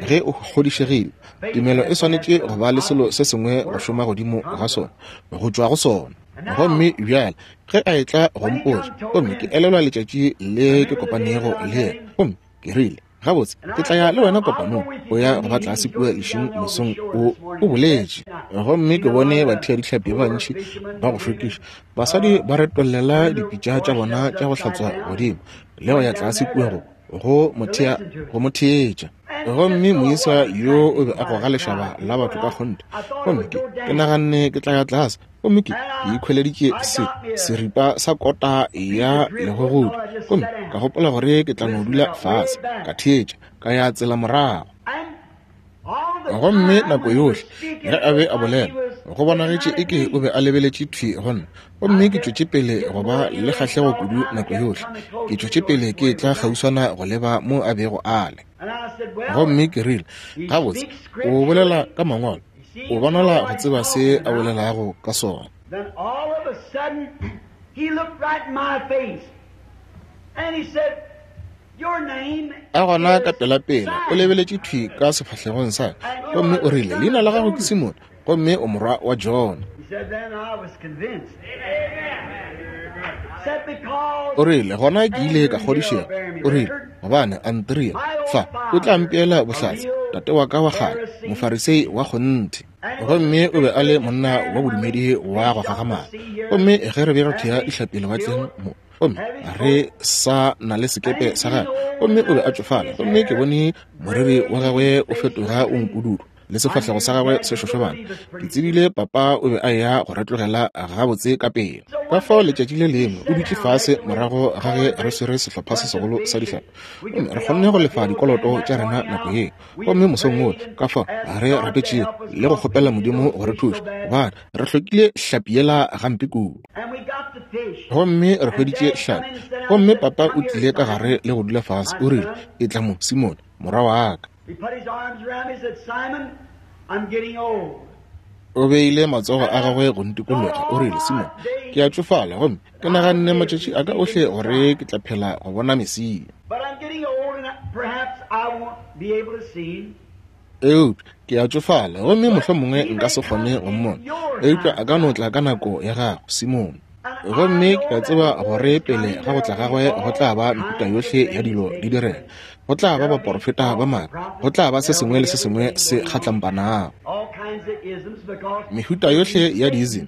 Ge o kgodišegile, tumelo e swanetše go ba le selo se sengwe go šoma godimo ga sona, go tšwa go sona. Gomme bjale ge a etla go mpotša, gomme ke elelwa letšatši le ke kopanego le yena, gomme ke rile, Gabotse, ke tla ya le wena kopanong. O ya go ba tlase kua lešing mosong o, o boletše. Gomme ke bone batheadihlapi ba bantši ba go šokiša, basadi ba retollela dipitša tša bona tša go hlatswa godimo le go ya tlase kua go, go mo thea, go mo theetša. Gomme moisa yo o be a goga lešaba la batho ka kgonthe. Gomme ke, ke naganne ke tla ya tlase. Gomme ke, ke ikhweleditše se, seripa sa kota ya legogodi, gomme ka gopola gore ke tla no dula fase, ka theetša, ka ya tsela morago. Gomme nako yohle ge a be a bolela, go bonagetše eke o be a lebeletše thwi go nna. Gomme ke tšwetše pele go ba le kgahlego kudu nako yohle. Ke tšwetše pele ke etla kgauswana go leba mo a bego a le. Gomme ke rile, Gabotse, o bolela ka Mangwalo. O bonala go tseba se a bolelago ka sona. Then all of a sudden, he looked right in my face. And he said, A gona ka pelapela o lebeletše thwi ka sefahlegong sa ka, gomme o rile, Leina la gago ke Simone, gomme o morwa wa Jona. O rile, Gona ke ile ka kgodišega. O rile, Gobane Andrea fa o tla mpeela bohlatse, tate wa ka wa kgale, Mofarisei wa kgonthe. Gomme o be a le monna wa bodumedi wa go gagamala. Gomme ge re be re thea dihlapi lewatleng mo, gomme re sa na le sekepe sa gagwe, gomme o be a tšofala, gomme ke bone moriri wa gagwe o fetoga o mpududu le sefahlego sa gagwe se šošobana. Ke tsebile papa o be a eya go re tlogela gabotse ka pela. Ka fao letšatši le lengwe o dutše fase morago ga ge re swere sehlopha se segolo sa dihlapi, gomme re kgonne go lefa dikoloto tša rena nako yeo. Gomme mosong woo, ka fao re rapetšego le go kgopela Modimo go re thuša, gobane re hlokile hlapi yela gampe kudu. Gomme re hweditše hlapi. Gomme papa o tlile ka gare le go dula fase, o rile, Etla mo, Simone, morwa wa ka. O beile matsogo a gagwe go ntikologa, o rile, Simone, ke a tšofala, gomme ke naganne matšatši a ka ohle gore ke tla phela go bona Mesia. Eupša ke a tšofala, gomme mohlomongwe nka se kgone go mmona, eupša a ka no tla ka nako ya gago, Simone. Gomme ke a tseba gore pele ga go tla gagwe go tla ba mehuta yohle ya dilo di direga. Go tla ba baporofeta ba maaka, go tla ba se sengwe le se sengwe se kgatlampanago, mehuta yohle ya diism,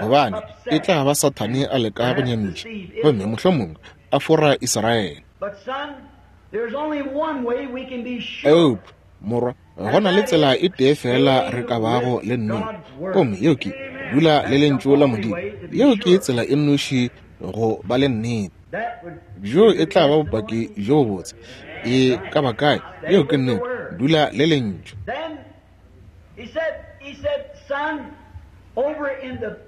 gobane e tla ba Sathane a leka go nyamiša, gomme mohlomongwe a fora Israele. Eupša, morwa, go na le tsela e tee feela re ka bago le nnete, gomme yeo ke dula le Lentšu la Modimo. Yeo ke tsela e nnoši go ba le nnete. Bjo e tla ba bopaki bjo bobotse e ka ba kae. Yeo ke nnete. Dula le Lentšu.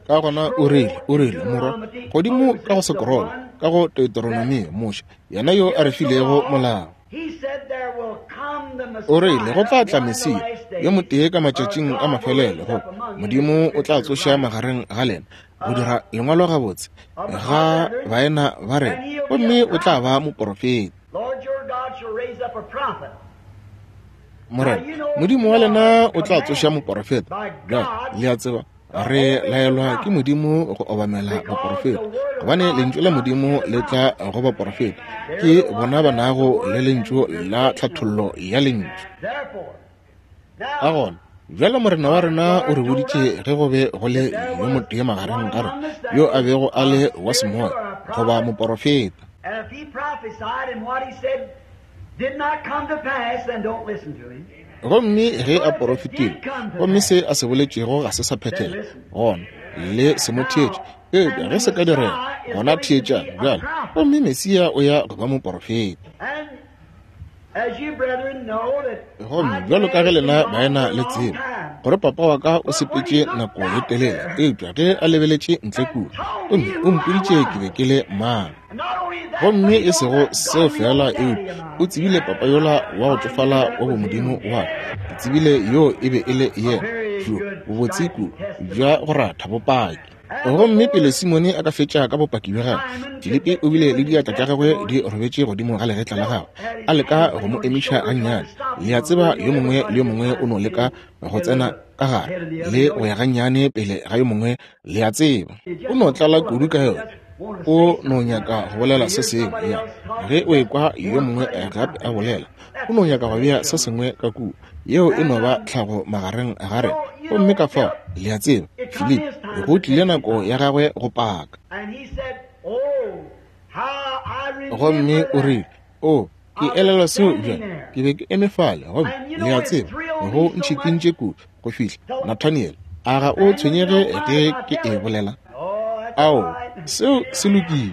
Ka gona o rile, o rile, Morwa, godimo ka go sekorolo, ka go Deuteronomio, Moshe, yena yo a re filego molao. O rile, Go tla tla Mesia, yo motee ka matšatšing a mafelelo, go Modimo o tla tsoša magareng ga lena, go dira lengwalo gabotse ga baena ba rena, gomme o tla ba moporofeta. Morena Modimo wa lena o tla tsoša moporofeta. Bjale le a tseba re laelwa ke Modimo go obamela baporofeta, gobane lentšu la Modimo le tla go baporofeta, ke bona ba nago le lentšu la tlhathollo ya lentšu. Ka gona bjale Morena wa rena o re boditše ge go be go le yo motee magareng ga rena yo a bego a le wa semoya goba moporofeta. Gomme ge a porofetile, gomme se a se boletšego ga se sa phethega, gona le se mo theetše. Eupša ge se ka direga, gona theetšang bjale. Gomme Mesia o ya go ba moporofeta. Gomme bjalo ka ge lena baena le tseba gore papa wa ka o sepetše nako ye telele, eupša ge a lebeletše ntle kua, gomme o mpoditše ke be ke le mang. Gomme e sego seo feela, eupša o tsebile papa yola wa go tšofala wa bomodimo wa ka. Ke tsebile yoo e be e le yena, bjo bobotse kudu bja go ratha bopaki. Gomme pele Simone a ka fetša ka bopaki bja gagwe, Filipi o bile le diatla tša gagwe di robetše godimo ga legetla la gagwe, a leka go mo emiša gannyane. Le a tseba, yo mongwe le yo mongwe o no leka go tsena ka gare le go ya gannyane pele ga yo mongwe, le a tseba. O no tlala kudu ka yona, o no nyaka go bolela se sengwe. Ya, ge o ekwa yo mongwe gape a bolela, o no nyaka go bea se sengwe ka kua. Yeo e no ba tlhago magareng ga rena. Gomme ka fao, le a tseba, Filipi, go tlile nako ya gagwe go paka. Gomme o rile, O, ke elelwa seo bjale. Ke be ke eme fale, gomme, le a tseba, go ntšhikintše kudu go fihla, Nathaniel, a ga o tshwenyege ge ke e bolela? Ao, seo se lokile.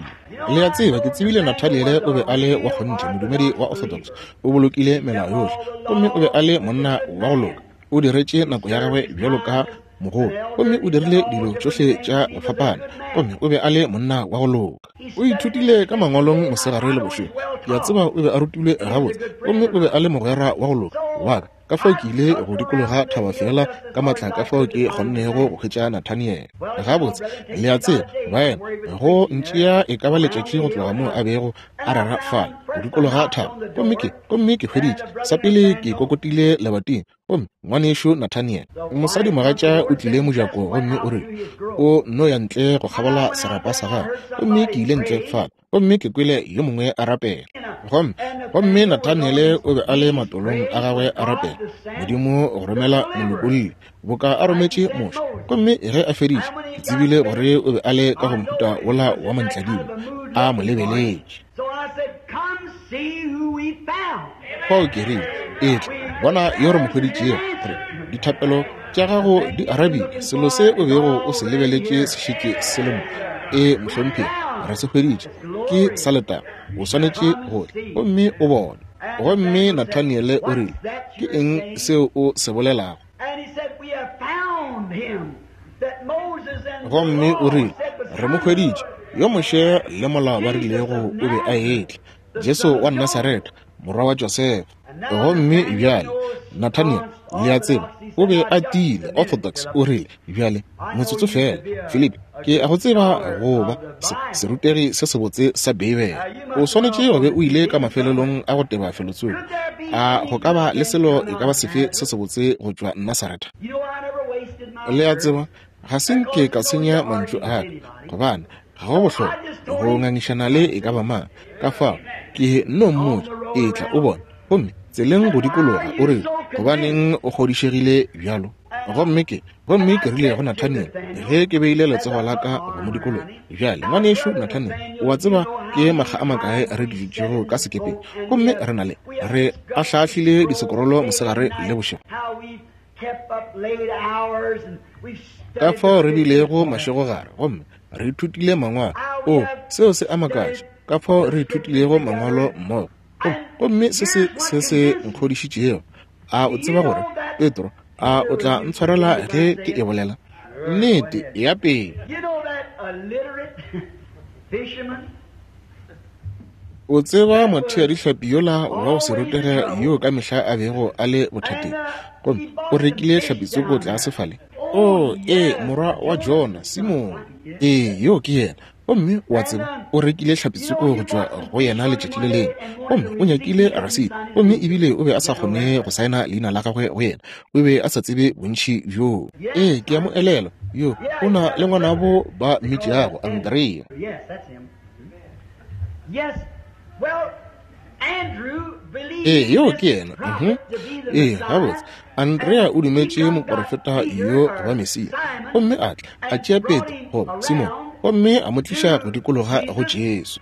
Le a tseba, ke tsebile Nathaniele o be a le wa kgonthe, modumedi wa Orthodox. O bolokile melao yohle, gomme o be a le monna wa go loka. O diretše nako ya gagwe bjalo ka mogolo, gomme o dirile dilo tšohle tša go fapana, gomme o be a le monna wa go loka. O ithutile ka mangwalong mosegare le bošego. Ke a tseba o be a rutilwe gabotse, gomme o be a le mogwera wa go loka wa ka. Ka fao ke ile go dikologa thaba feela ka maatla ka fao ke kgonnego go hwetša Nathaniel. Gabotse, le a tseba, baena, go ntšea e ka ba letšatši go tloga moo a bego a rera fale, go dikologa thaba. Gomme ke, gomme ke hweditše, sa pele ke kokotile lebating, gomme ngwanešu Nathaniel, mosadimogatša o tlile mojako gomme o rile, O nno ya ntle go kgabola serapa sa gagwe. Gomme ke ile ntle fale, gomme ke kwele yo mongwe a rapela. Gomme, gomme Nathaniele o be a le matolong a gagwe a rapela, Modimo go romela molopolli, boka a rometše Moshe. Gomme ge a feditše, ke tsebile gore o be a le ka go mohuta wola wa mantladimo, a mo lebeletše. Fao ke rile, Etla, bona yo re mo hweditšego, gore dithapelo tša gago di arabile. Selo se o bego o se lebeletše se šetše se le mo. Ee, mohlomphegi, re se hweditše. Ke sa letago. O swanetše go tla gomme o bone. Gomme Nathaniele o rile, Ke eng seo o se bolelago? Gomme o rile, Re mo hweditše, yo Moshe le molao ba rilego o be a etla, Jesu wa Nasaretha, morwa wa Josefa. Gomme bjale, Nathaniel, le a tseba, o be a tiile, orthodox, o rile, Bjale, motsotso feela, Filipi, ke a go tseba go ba se, serutegi se sebotse sa Beibele. O swanetše go be o ile ka mafelelong a go teba felotsoko. A go ka ba le selo e ka ba sefe se sebotse go tšwa Nasaretha? Le a tseba, ga se nke ka senya mantšu a ka, gobane ga go bohlokwa go ngangišana le e ka ba mang. Ka fao, ke nno mmotša, Etla o bone. Gomme tseleng go dikologa, o rile, Gobaneng o kgodišegile bjalo? Gomme ke, gomme ke rile go Nathaniel, ge ke beile letsogo la ka go mo dikologa, Bjale, ngwanešu Nathaniel, o a tseba ke makga a makae re dutšego ka sekepeng, gomme re na le, re ahlaahlile disekorolo mosegare le bošego. Ka fao re bilego mašegogare, gomme re ithutile mangwalo. O, seo se a makatša, ka fao re ithutilego mangwalo mmogo. Gomme se se, se se nkgodišitšego. A o tseba gore, Petro, a o tla ntshwarela ge ke e bolela? Nnete, ya pele. O tseba motheadihlapi yola wa go se rutege yoo ka mehla a bego a le bothateng, gomme o rekile hlapitsoko tlase fale? Oo, ee, morwa wa Jona, Simone. Ee, yoo ke yena. Gomme o a tseba, o rekile hlapitsoko go tšwa go yena letšatši le lengwe, gomme o nyakile rasiti, gomme ebile o be a sa kgone go saena leina la gagwe go yena. O be a sa tsebe bontši bjoo. Ee, ke a mo elelwa. Yo, o na le ngwanabo ba mmitšago Andrea. Ee, yoo ke yena. Uh-huh. Ee, gabotse. Andrea o dumetše moporofeta yo go ba Mesia, gomme a tla a tšea Petro goba Simone, gomme a mo tliša go dikologa go Jesu.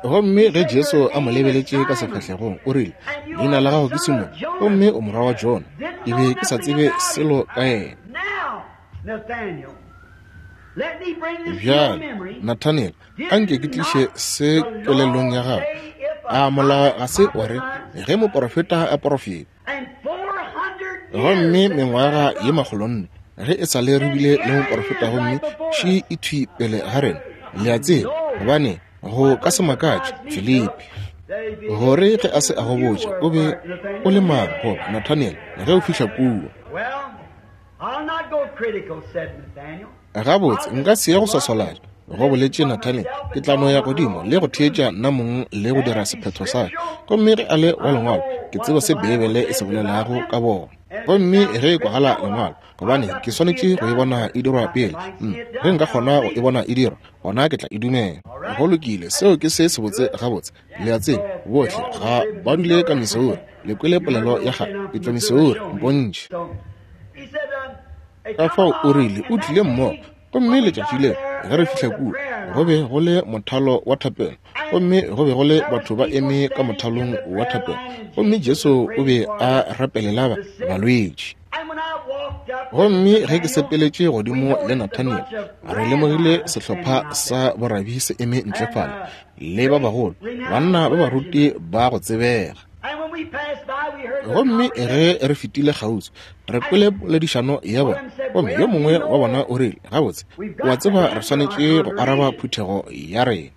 Gomme ge Jesu a mo lebeletše ka sefahlegong, o rile, Leina la gago ke Simone, gomme o morwa wa Jona. Ke be ke sa tsebe selo ka yena. Bjale, Nathaniel, a nke ke tliše se kelellong ya gago. A molao ga se wa re ge moporofeta a porofeta? Gomme mengwaga ye makgolonne ge e sa le re bile le moporofeta, gomme še e thwi pele ga rena. Le a tseba, gobane go ka se makatše Filipi gore ge a se a go botša o be o le mang, goba Nathaniel, ge o fihla kua. Gabotse, nka se ye go swaswalatša, go boletše Nathaniel. Ke tla no ya godimo le go theetša nna mong le go dira sephetho sa ka. Gomme ge a le wa Lengwalo, ke tseba se Beibele e se bolelago ka bona. Gomme ge e kwagala Lengwalo, gobane ke swanetše go e bona e dirwa pele. Ge nka kgona go e bona e dirwa, gona ke tla e dumela. Go lokile, seo ke se sebotse gabotse. Le a tseba, bohle ga ba dule ka Missouri. Le kwele polelo ya kgale, ke tšwa Missouri, mpontšhe. Ka fao o rile o tlile mmogo, gomme letšatši leo ge re fihla kua, go be go le mothalo wa thapelo, gomme go be go le batho ba eme ka mothalong wa thapelo, gomme Jesu o be a rapelela balwetši. Gomme ge ke sepeletše godimo le Nathaniel, re lemogile sehlopha sa borabi se eme ntle fale, le ba bagolo, banna ba baruti ba go tsebega. Gomme ge re fetile kgauswi, re kwele poledišano ya bona, gomme yo mongwe wa bona o rile, Gabotse, o a tseba re swanetše go araba phuthego ya rena.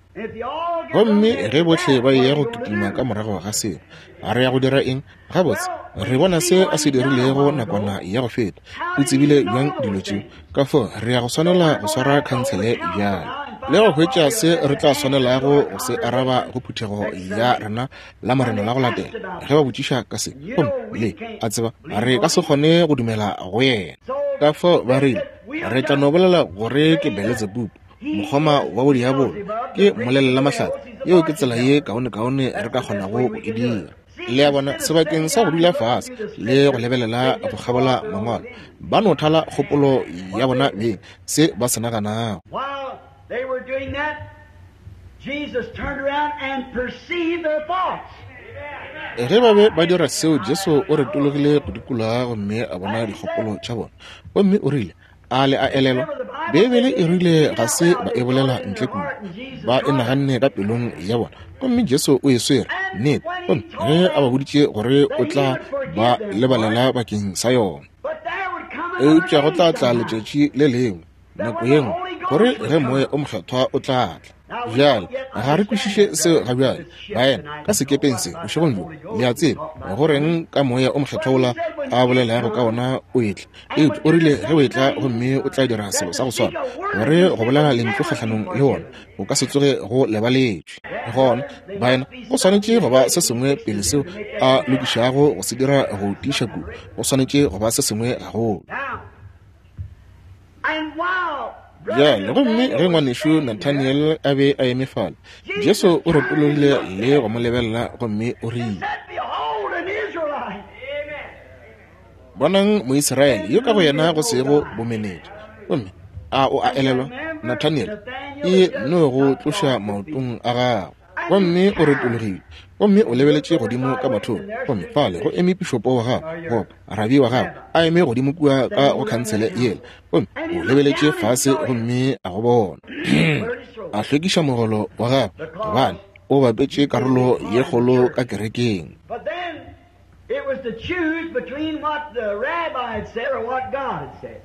Gomme ge bohle ba eya go kitima ka morago ga seo, re ya go dira eng? Gabotse, re bona se a se dirilego nakwana ya go feta. O tsebile bjang dilo tšeo? Ka fao re ya go swanela go swara khansele bjale le go hwetša se re tla swanelago go se araba go phuthego ya rena la Morena la go latela ge ba botšiša ka se. Gomme le a tseba re ka se kgone go dumela go yena. Ka fao ba rile, Re tla no bolela gore ke Beletsebubu, mokgoma wa bodiabolo, ke mmolelelamahlatse. Yeo ke tsela ye kaonekaone re ka kgonago go e dira. Le a bona, sebakeng sa go dula fase le go lebelela go kgabola Mangwalo, ba no thala kgopolo ya bona beng, se ba se naganago. While they were doing that, Jesus turned around and perceived their thoughts. Ge ba be ba dira seo, Jesu o retologile go dikologa gomme a bona dikgopolo tša bona, gomme o rile, A le a elelwa? Beibele e rile ga se ba e bolela ntle kua, ba e naganne ka pelong ya bona, gomme Jesu o e swere nnete, gomme ge a ba boditše gore o tla ba lebalela bakeng sa yona. Eupša go tla tla letšatši le lengwe, nako ye nngwe, gore ge Moya o Mokgethwa o tla tla. Bjale, ga re kwešiše seo ga bjale, baena, ka sekepeng se bošegong bjo, le a tseba, go reng ka Moya o Mokgethwa wola a bolelago ka ona o etla. Eupša o rile ge o etla gomme o tla dira selo sa go swana, gore go bolela lentšu kgahlanong le wona go ka se tsoge go lebaletšwe. Gona, baena, go swanetše go ba se sengwe pele seo a lokišago go se dira go tiiša kudu. Go swanetše go ba se sengwe gagolo. Bjale, gomme ge ngwanešu Nathaniel a be a eme fale, Jesu o retologile le go mo lebelela gomme o rile, Bonang Moisraele yo ka go yena go sego bomenetša. Gomme a o a elelwa, Nathaniel, e no go tloša maotong a gago. Gomme o retologile, gomme o lebeletše godimo ka bathong, gomme fale go eme pišopo wa gago, goba rabi wa gago, a eme godimo kua ka go khansele yela, gomme o lebeletše fase gomme a go bona. A hlwekiša mogolo wa gagwe, gobane o bapetše karolo ye kgolo ka kerekeng. It was to choose between what the rabbi had said or what God had said.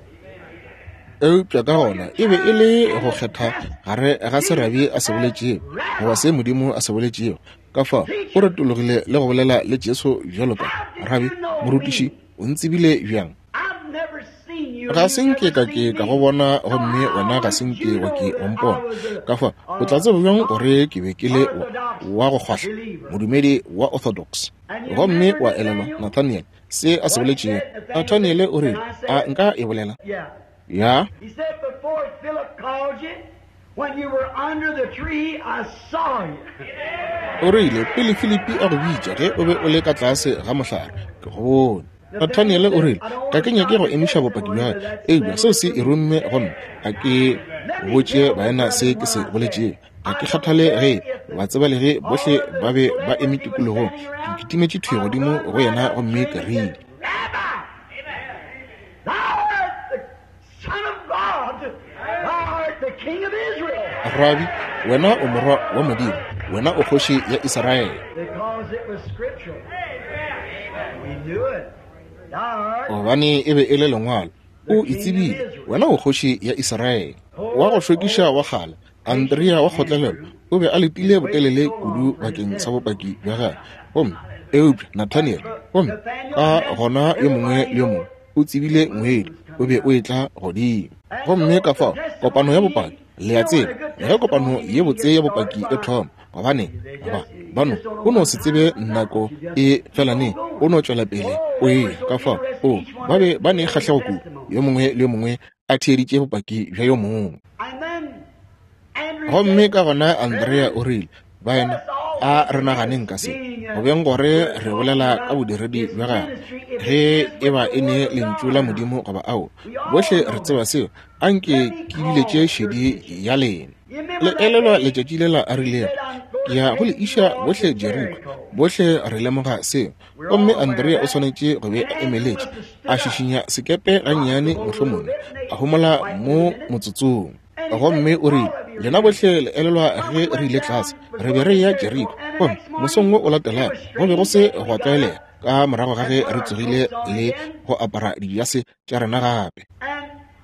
Eupša ka gona e be e le go kgetha gare ga se rabi a se boletšego goba se Modimo a se boletšego. Ka fao o retologile le go bolela le Jesu bjalo ka rabi, morutiši, o ntsebile bjang? Ga se nke ka ke ka go bona, gomme wena ga se nke wa ke wa mpona. Ka fao o tla tseba bjang gore ke be ke le wa go kgwahla, modumedi wa Orthodox? Gomme wa elelwa Nathaniel se a se boletšego? Nathaniele o rile, A nka e bolela? Ya. O rile, Pele Filipi a go bitša, ge o be o le ka tlase ga mohlare, ke go bone. Nathaniele o rile, Ga ke nyake go emiša bopaki bja ka, eupša seo se e romme go nna. A ke botše baena se ke se boletšego. Ga ke kgathale ge batsebalegi bohle ba be ba eme tikologong. Ke kitimetše thwi godimo go yena gomme ke rile, Rabi, wena o Morwa wa Modimo, wena o Kgoši ya Israele. Gobane e be e le Lengwalo, o e tsebile, wena o Kgoši ya Israele. Wa go šokiša wa kgale, Andrea wa kgotlelelo, o be a letile botelele kudu bakeng sa bopaki bja gagwe. Gomme, eupša Nathaniel, gomme ka gona yo mongwe le yo mongwe o tsebile ngwedi o be o etla godimo. Gomme ka fao kopano ya bopaki, le a tseba, ge kopano ye botse ya bopaki e thoma, gobane ba ba no o no se tsebe nako e fela neng, o no tšwela pele o eya. Ka fao o ba be ba ne kgahlego kudu, yo mongwe le yo mongwe a theeditše bopaki bja yo mongwe. Gomme ka gona Andrea o rile, Baena, a re naganeng ka se, go beng gore re bolela ka bodiredi bja gagwe, ge e ba e ne lentšu la Modimo goba ao. Bohle re tseba seo. A nke ke biletše šedi ya lena. Le elelwa letšatši lela a rilego, Ke ya go le iša bohle Jeriko. Bohle re lemoga seo. Gomme Andrea o swanetše go be a emeletše, a šišinya sekepe gannyane mohlomongwe, a homola mo motsotsong. Gomme o rile, Lena bohle le elelwa ge re ile tlase, re be re eya Jeriko. Gomme mosong wo o latelago, go be go se gwa tlwaelega, ka morago ga ge re tsogile le go apara dijase tša rena gape.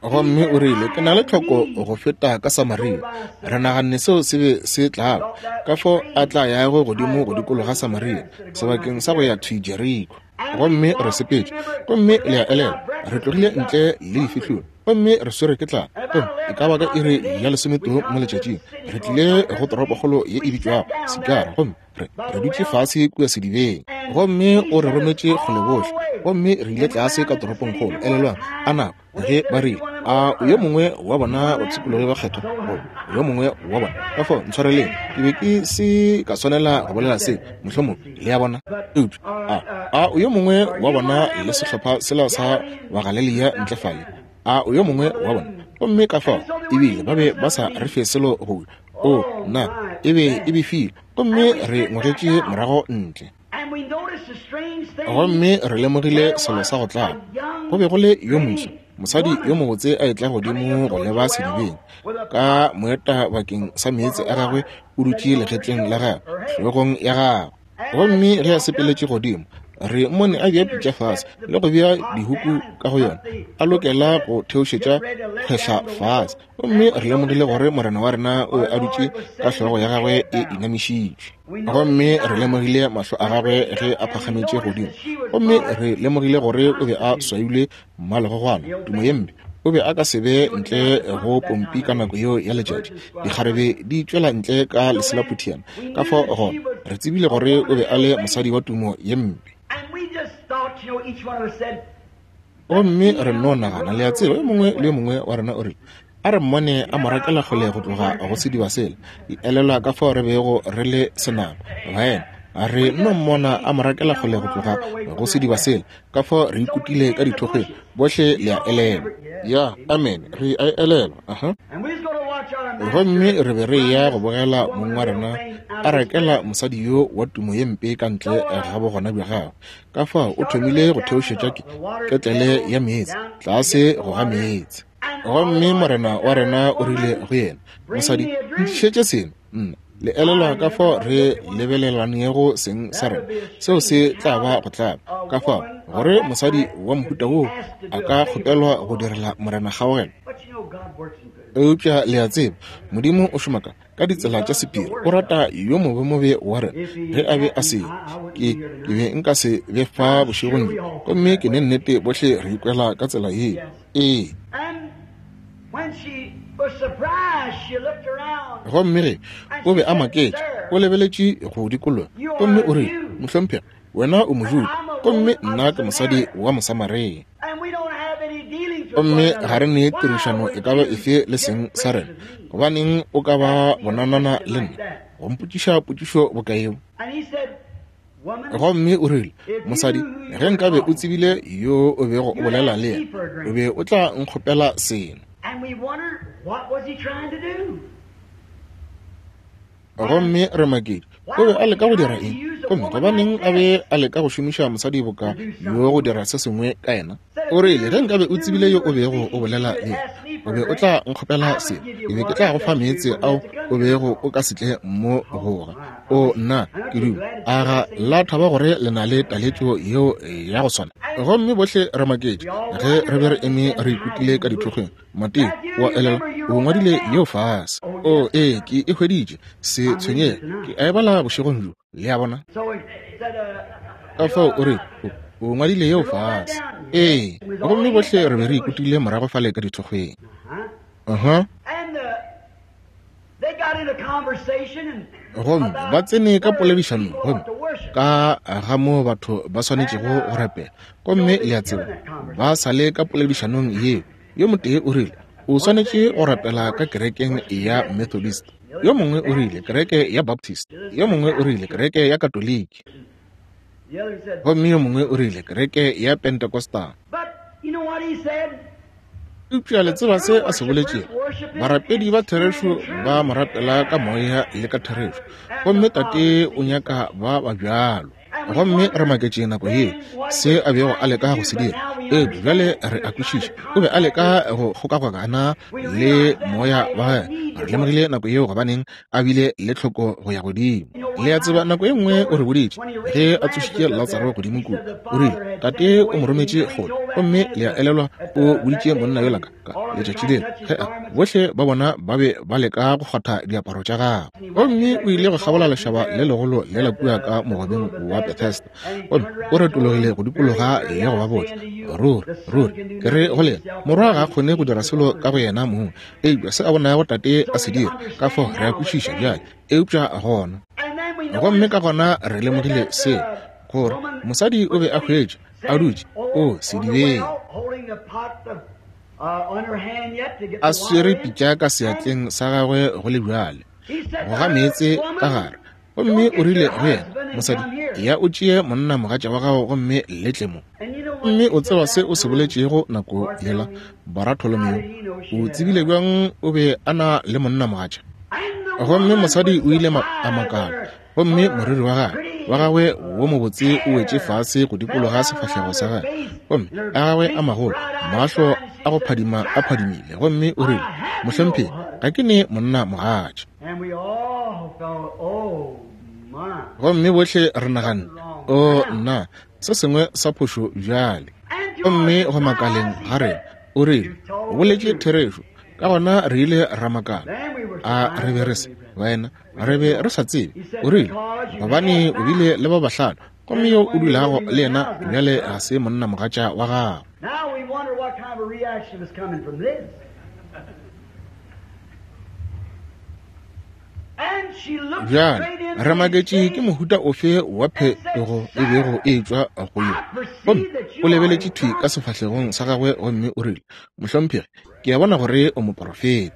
Gomme o rile, Ke na le tlhoko go feta ka Samaria. Re naganne seo se be se tla ba, ka fao a tla yago godimo go dikologa Samaria, sebakeng sa go ya thwi Jeriko. Gomme re sepetše. Gomme le a elelwa, re tlogile ntle le difihlolo, gomme re swere ke tlala. Gomme e ka ba ka iri ya lesometee mo letšatšing, re tlile go toropokgolo ye e bitšwago Sikara, gomme re, re dutše fase kua sedibeng. Gomme o re rometše kgole bohle, gomme re ile tlase ka toropongkgolo. Elelwang, a nako ge ba rile, A o yo mongwe wa bona bapshikologi ba kgethwa? Goba yo mongwe wa bona? Ka fao, ntshwareleng, ke be ke se ka swanela go bolela se, mohlomongwe, le a bona. Eupša a, a o yo mongwe wa bona le sehlopha sela sa Bagalelia ntle fale? A o yo mongwe wa bona? Gomme ka fao, ebile ba be ba sa re fe selo go ja. O, nna, e be e befile. Gomme re ngwegetše morago ntle. Gomme re lemogile selo sa go tlaba. Go be go le yo moswa, mosadi yo mobotse a etla godimo go leba sedibeng, ka moeta bakeng sa meetse a gagwe o dutše legetleng la gagwe, hlogong ya gagwe. Gomme ge a sepeletše godimo, re mmone a bea pitša fase le go bea dihuku ka go yona, a lokela go theošetša kgwehla fase. Gomme re lemogile gore Morena wa rena o be a dutše ka hlogo ya gagwe e inamišitšwe. Gomme re lemogile mahlo a gagwe ge a phagametše godimo. Gomme re lemogile gore o be a swailwe mmalegogwana, tumo ye mpe. O be a ka se be ntle go pompi ka nako yeo ya letšatši, dikgarebe di tšwela ntle ka leselaputhiana. Ka fao gona re tsebile gore o be a le mosadi wa tumo ye mpe. Gomme re nno nagana, le a tseba, yo mongwe le yo mongwe wa rena o rile, A re mmone a mo rakela kgole go tloga go sediba sela. Le elelwa ka fao re bego re le senama, baena. Re nno mmona a mo rakela kgole go tloga go sediba sela, ka fao re ikutile ka dithokgweng. Bohle le a elelwa. Ya, amene, re a e elelwa. Aha. Gomme re be re eya go bogela mong wa rena a rakela mosadi yo wa tumo ye mpe ka ntle ga bogona bja gagwe. Ka fao o thomile go theošetša ke, ketlele ya meetse tlase go ga meetse. Gomme Morena wa rena o rile go yena, Mosadi, ntlišetše seno. Nna, le elelwa ka fao re lebelelanego seng sa rena? Seo se tla ba go tlaba. Ka fao gore mosadi wa mohuta woo a ka kgopelwa go direla Morena kgaogelo. Eupša le a tseba, Modimo o šoma ka ka ditsela tša sephiri. O rata yo mobemobe wa rena. Ge a be a se, ke, ke be nka se be fa bošegong bjo. Gomme ke ne nnete bohle re ikwela ka tsela yeo. Ee. Gomme ge o be a maketše, o lebeletše go dikologa, gomme o rile, Mohlomphegi, wena o Mojuda, gomme nna ke mosadi wa Mosamaria. Gomme ga re ne tirišano e ka ba efe le seng sa rena. Gobaneng o ka ba bonanana le nna, go mpotšiša potšišo boka yeo? Gomme o rile, Mosadi, ge nkabe o tsebile yo o bego o bolela le yena, o be o tla nkgopela seno. Gomme re maketše, o be a leka go dira eng? Gomme gobaneng a be a leka go šomiša mosadi boka yo go dira se sengwe ka yena? O rile, ge nkabe o tsebile yo o bego o bolela le yena, o be o tla nkgopela se, ke be ke tla go fa meetse ao o bego o ka se tle mo go ga. O, nna, ke duma, a ga la thaba gore le na le taletšo yeo ya go swana? Gomme bohle re maketše ge re be re eme re ikutlile ka dithokgweng. Mateo, o a elelwa, o ngwadile yeo fase. O, ee, ke e hweditše. Se tshwenyege, ke a e bala bošegong bjo. Le a bona? Ka fao o re, o, o ngwadile yeo fase. Ee, gomme bohle re be re ikutile morago fale ka dithokgweng. Uh-huh. Gomme ba tsene ka poledišanong gomme ka ga moo batho ba swanetšego go rapela. Gomme le a tseba, ba sa le ka poledišanong yeo, yo motee o rile, O swanetše go rapela ka kerekeng ya Methodist. Yo mongwe o rile, kereke ya Baptist. Yo mongwe o rile, kereke ya Katoliki. Gomme yo mongwe o rile, kereke ya Pentecostal. Eupša le tseba se a se boletšego? Barapedi ba therešo ba mo rapela ka moya le ka therešo, gomme Tate o nyaka ba ba bjalo. Gomme re maketše nako yeo se a bego a leka go se dira. Eupša bjale re a kwešiša, o be a leka go kgokagokana le moya wa gagwe. Re lemogile nako yeo gobaneng a bile le tlhoko go ya godimo. Le a tseba, nako ye nngwe o re boditše, ge a tsošitše Latsaro godimo kua, o rile, Tate o mo rometše kgole. Gomme le a elelwa, o boditše monna yola ka, ka letšatši lela, ge a, bohle ba bona ba be ba leka go kgwatha diaparo tša gagwe. Gomme o ile go kgabola lešaba le legolo lela kua ka mogobeng wa Bethesda, gomme o retologile go dikologa le go ba botša, Ruri, ruri, ke re go lena, Morwa ga a kgone go dira selo ka go yena mong, eupša se a bonago Tate a se dira. Ka fao re a kwešiša bjale. Eupša gona, gomme ka gona re lemogile se, gore mosadi o be a hwetša a dutše o sedibeng, a swere pitša ka seatleng sa gagwe go le bjale, go ga meetse ka gare. Gomme o rile go yena, Mosadi, ya o tšee monna mogatša wa gago gomme le tle mo. Gomme o tseba se o se boletšego nako yela, Baratholomeo? O tsebile bjang o be a na le monna mogatša? Gomme mosadi o ile a makala, gomme moriri wa gagwe, wa gagwe wo mobotse o wetše fase go dikologa sefahlego sa gagwe, gomme a gagwe a magolo, mahlo a go phadima a phadimile, gomme o rile, Mohlomphegi, ga ke ne monna mogatša. Gomme bohle re naganne, O nna, se sengwe sa phošo bjale. Gomme go makaleng ga rena, o rile, O boletše therešo. Ka gona re ile ra makala. A re be re se, baena, re be re sa tsebe. O rile, Gobane o bile le ba bahlano, gomme yo o dulago le yena bjale ga se monna mogatša wa gago. Bjale re maketše ke mohuta ofe wa phetogo e bego e etšwa go yo. Gomme o lebeletše thwi ka sefahlegong sa gagwe gomme o rile, Mohlomphegi, ke a bona gore o moporofeta.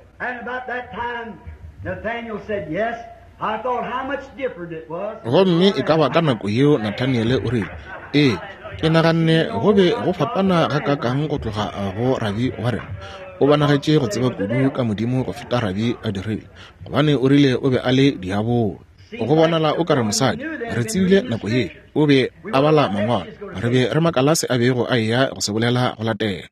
Gomme e ka ba ka nako yeo Nathaniele o rile, Ee, ke naganne go be go fapana gakaakang go tloga go rabi wa rena. O bonagetše go tseba kudu ka Modimo go feta rabi a dirile, gobane o rile o be a le diabolo. Go bonala o ka re mosadi, re tsebile nako ye, o be a bala mangwalo. Re be re makala se a bego a eya go se bolela go latela.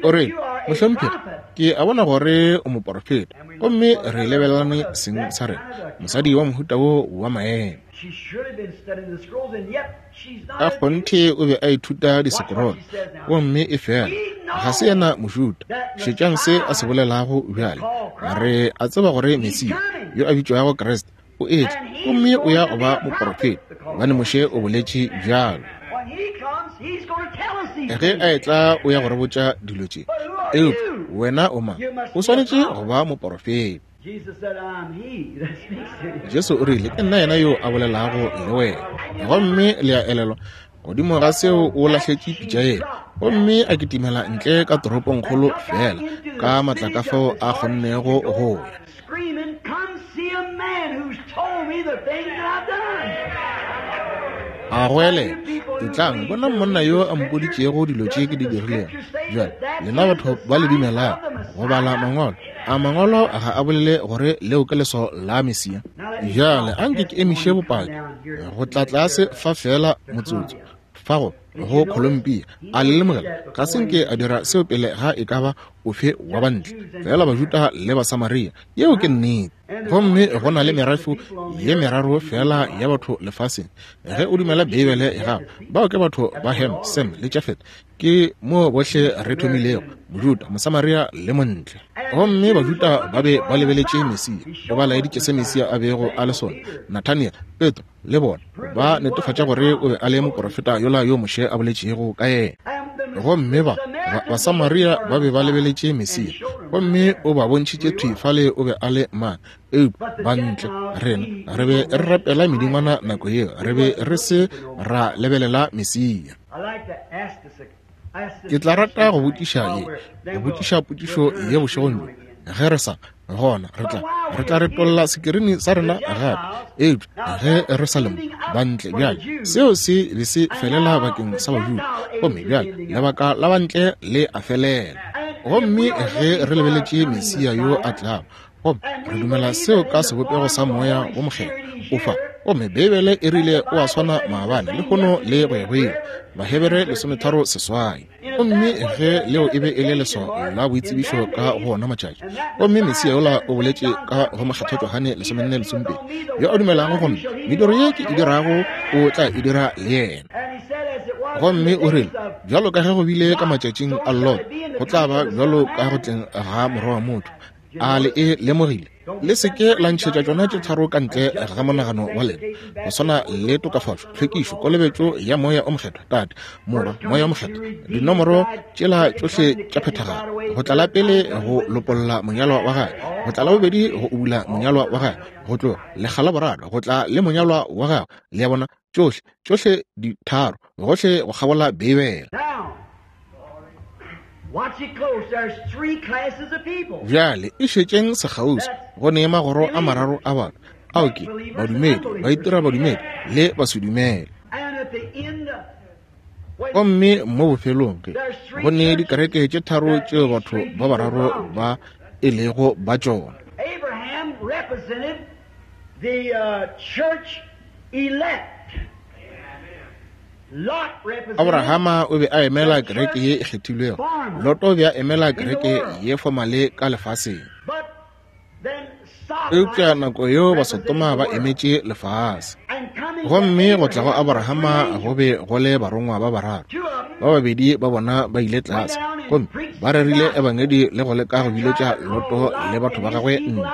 O re, Mohlomphegi, ke a bona gore o moporofeta. Gomme re lebelelane seng sa rena, mosadi wa mohuta wo wa maemo. Ka kgonthe o be a ithuta disekorolo, gomme e fela ga se yena Mojuda. Šetšang se a se bolelago bjale. Re a tseba gore Mesia, yo a bitšwago Kriste, o etla, gomme o ya go ba moporofeta, gobane Moshe o boletše bjalo. Ge a etla o ya go re botša dilo tše. Eupša wena o mang? O swanetše go ba moporofeta. Jesu o rile, Ke nna yena yo a bolelago le wena. Gomme le a elelwa, godimo ga seo o lahletše pitša yela, gomme a kitimela ntle ka toropongkgolo feela ka matla ka fao a kgonnego go ya. A goelela, Etlang, bonang monna yo a mpoditšego dilo tše ke di dirilego. Bjale, lena batho ba le dumelago go bala Mangwalo, a Mangwalo ga a bolele gore leo ke leswao la Mesia? Bjale, anke ke emiše bopaki go tla tlase fa feela motsotso, fa go, go Columbia. A le lemogela? Ga se nke a dira seo pele ga e ka ba ofe wa bantle, fela Bajuda le Basamaria. Yeo ke nnete. Gomme go na le merafo ye meraro fela ya batho lefaseng. Ge o dumela Beibele ya gago, bao ke batho ba Ham, Sem le Jafet. Ke mo bohle re thomilego, Mojuda, Mosamaria le Montle. Gomme Bajuda ba be ba lebeletše Mesia. O ba laeditše se Mesia a bego a le sona. Nathaniel, Petro le bona ba netefatša gore o be a le moporofeta yola yo Moshe a boletšego ka yena. Gomme ba, ba Basamaria ba be ba lebeletše Mesia, gomme o ba bontšhitše thwi fale o be a le mang. Eupša bantle, rena re be re rapela medingwana nako yeo, re be re se ra lebelela Mesia. Ke tla rata go botšiša ye, go botšiša potšišo ye bošegong bjo, ge re sa gona re tla re tla retolla sekirini sa rena gape. Eupša ge re sa le mo bantle bjale, seo se be se felela bakeng sa Bajuda, gomme bjale lebaka la bantle le a felela. Gomme ge re lebeletše Mesia yo a tlago, gomme re dumela seo ka sebopego sa Moya wo Mokgethwa, o fa. Gomme Beibele e rile o a swana maabane, lehono le go ya go ile. Bahebere 13:8. Gomme ge leo e be e le leswao la boitsebišo ka go ona matšatši, gomme Mesia yola o boletše ka go Mokgethwa Johane 14:12, Yo a dumelago go nna, mediro ye ke e dirago o tla e dira le yena. Gomme o rile, Bjalo ka ge go bile ka matšatšing a Lot, go tla ba bjalo ka go tleng ga Morwa wa motho. A le e lemogile? Le se ke la ntšhetša tšona tše tharo ka ntle ga monagano wa lena, go swana le tokafatšo, tlhwekišo, kolobetšo ya Moya o Mokgethwa, Tate, Morwa, Moya o Mokgethwa, dinomoro tšela tšohle tša phethagalo. Go tla la pele go lopolla monyalwa wa gagwe, go tla la bobedi go ubula monyalwa wa gagwe, go tloga lekga la boraro go tla le monyalwa wa gagwe. Le a bona, tšohle, tšohle ditharo, gohle go kgabola Beibele. Bjale e šetšeng sekgauswi, go ne magoro a mararo a batho, ao ke badumedi, baitira badumedi, le basedumele. Gomme mo bofelong ge go ne dikereke tše tharo tšeo batho ba bararo ba e lego ba tšona. Abraham represented the church elect. Abrahama o be a emela kereke ye e kgethilwego. Loto o be a emela kereke ye fomale ka lefaseng. Eupša nako yeo Basotoma ba emetše lefase. Gomme go tla go Abrahama go be go le barongwa ba bararo. Ba babedi ba bona ba ile tlase gomme ba rerile ebangedi le go leka go biletša Loto le batho ba gagwe ntle.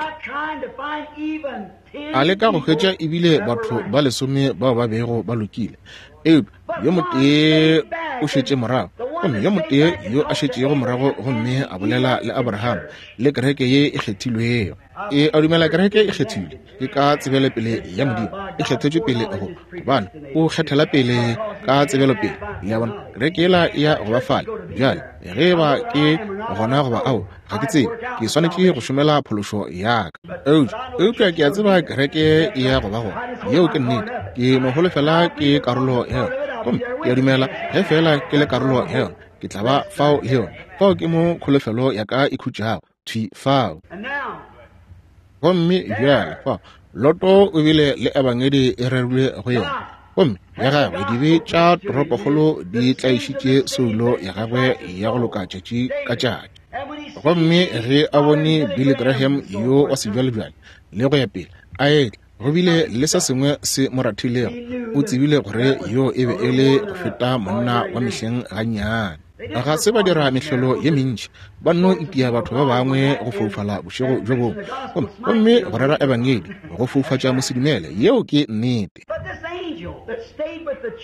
A leka go hwetša ebile batho ba lesome bao ba bego ba lokile, eupša yo motee o šetše morago, gomme yo motee yo a šetšego morago gomme a bolela le Abraham le kereke ye e kgethilwego. E a dumela kereke e kgethilwe ke ka tsebelopele ya Modimo, e kgethetšwe pele go, gobane o kgethela pele ka tsebelopele. Le a bona, kereke yela e ya go ba fale bjale, ge e ba ke gona goba ao, ga ke tsebe. Ke swanetše go šomela phološo ya ka. Eupša, eupša ke a tseba kereke e ya go ba gona. Yeo ke nnete. Ke no holofela ke karolo ya yona. Gomme ke a dumela ge feela ke le karolo ya yona, ke tla ba fao le yona. Fao ke mo kholofelo ya ka e khutšago, thwi fao. Gomme bjale fa, Loto o bile le ebangedi e rerilwe go yena, gomme ya gagwe dibe tša toropokgolo di tlaišitše soulo ya gagwe ya go loka tšatši ka tšatši. Gomme ge a bone Billy Graham yo wa sebjalebjale le go ya pele a etla, go bile le se sengwe se mo rathilego. O tsebile gore yo e be e le go feta monna wa mehleng gannyane. Ga se ba dira mehlolo ye mentši, ba nno itia batho ba bangwe go foufala bošego bjo bongwe, gomme, gomme go rera ebangedi go foufatša mosedumele. Yeo ke nnete.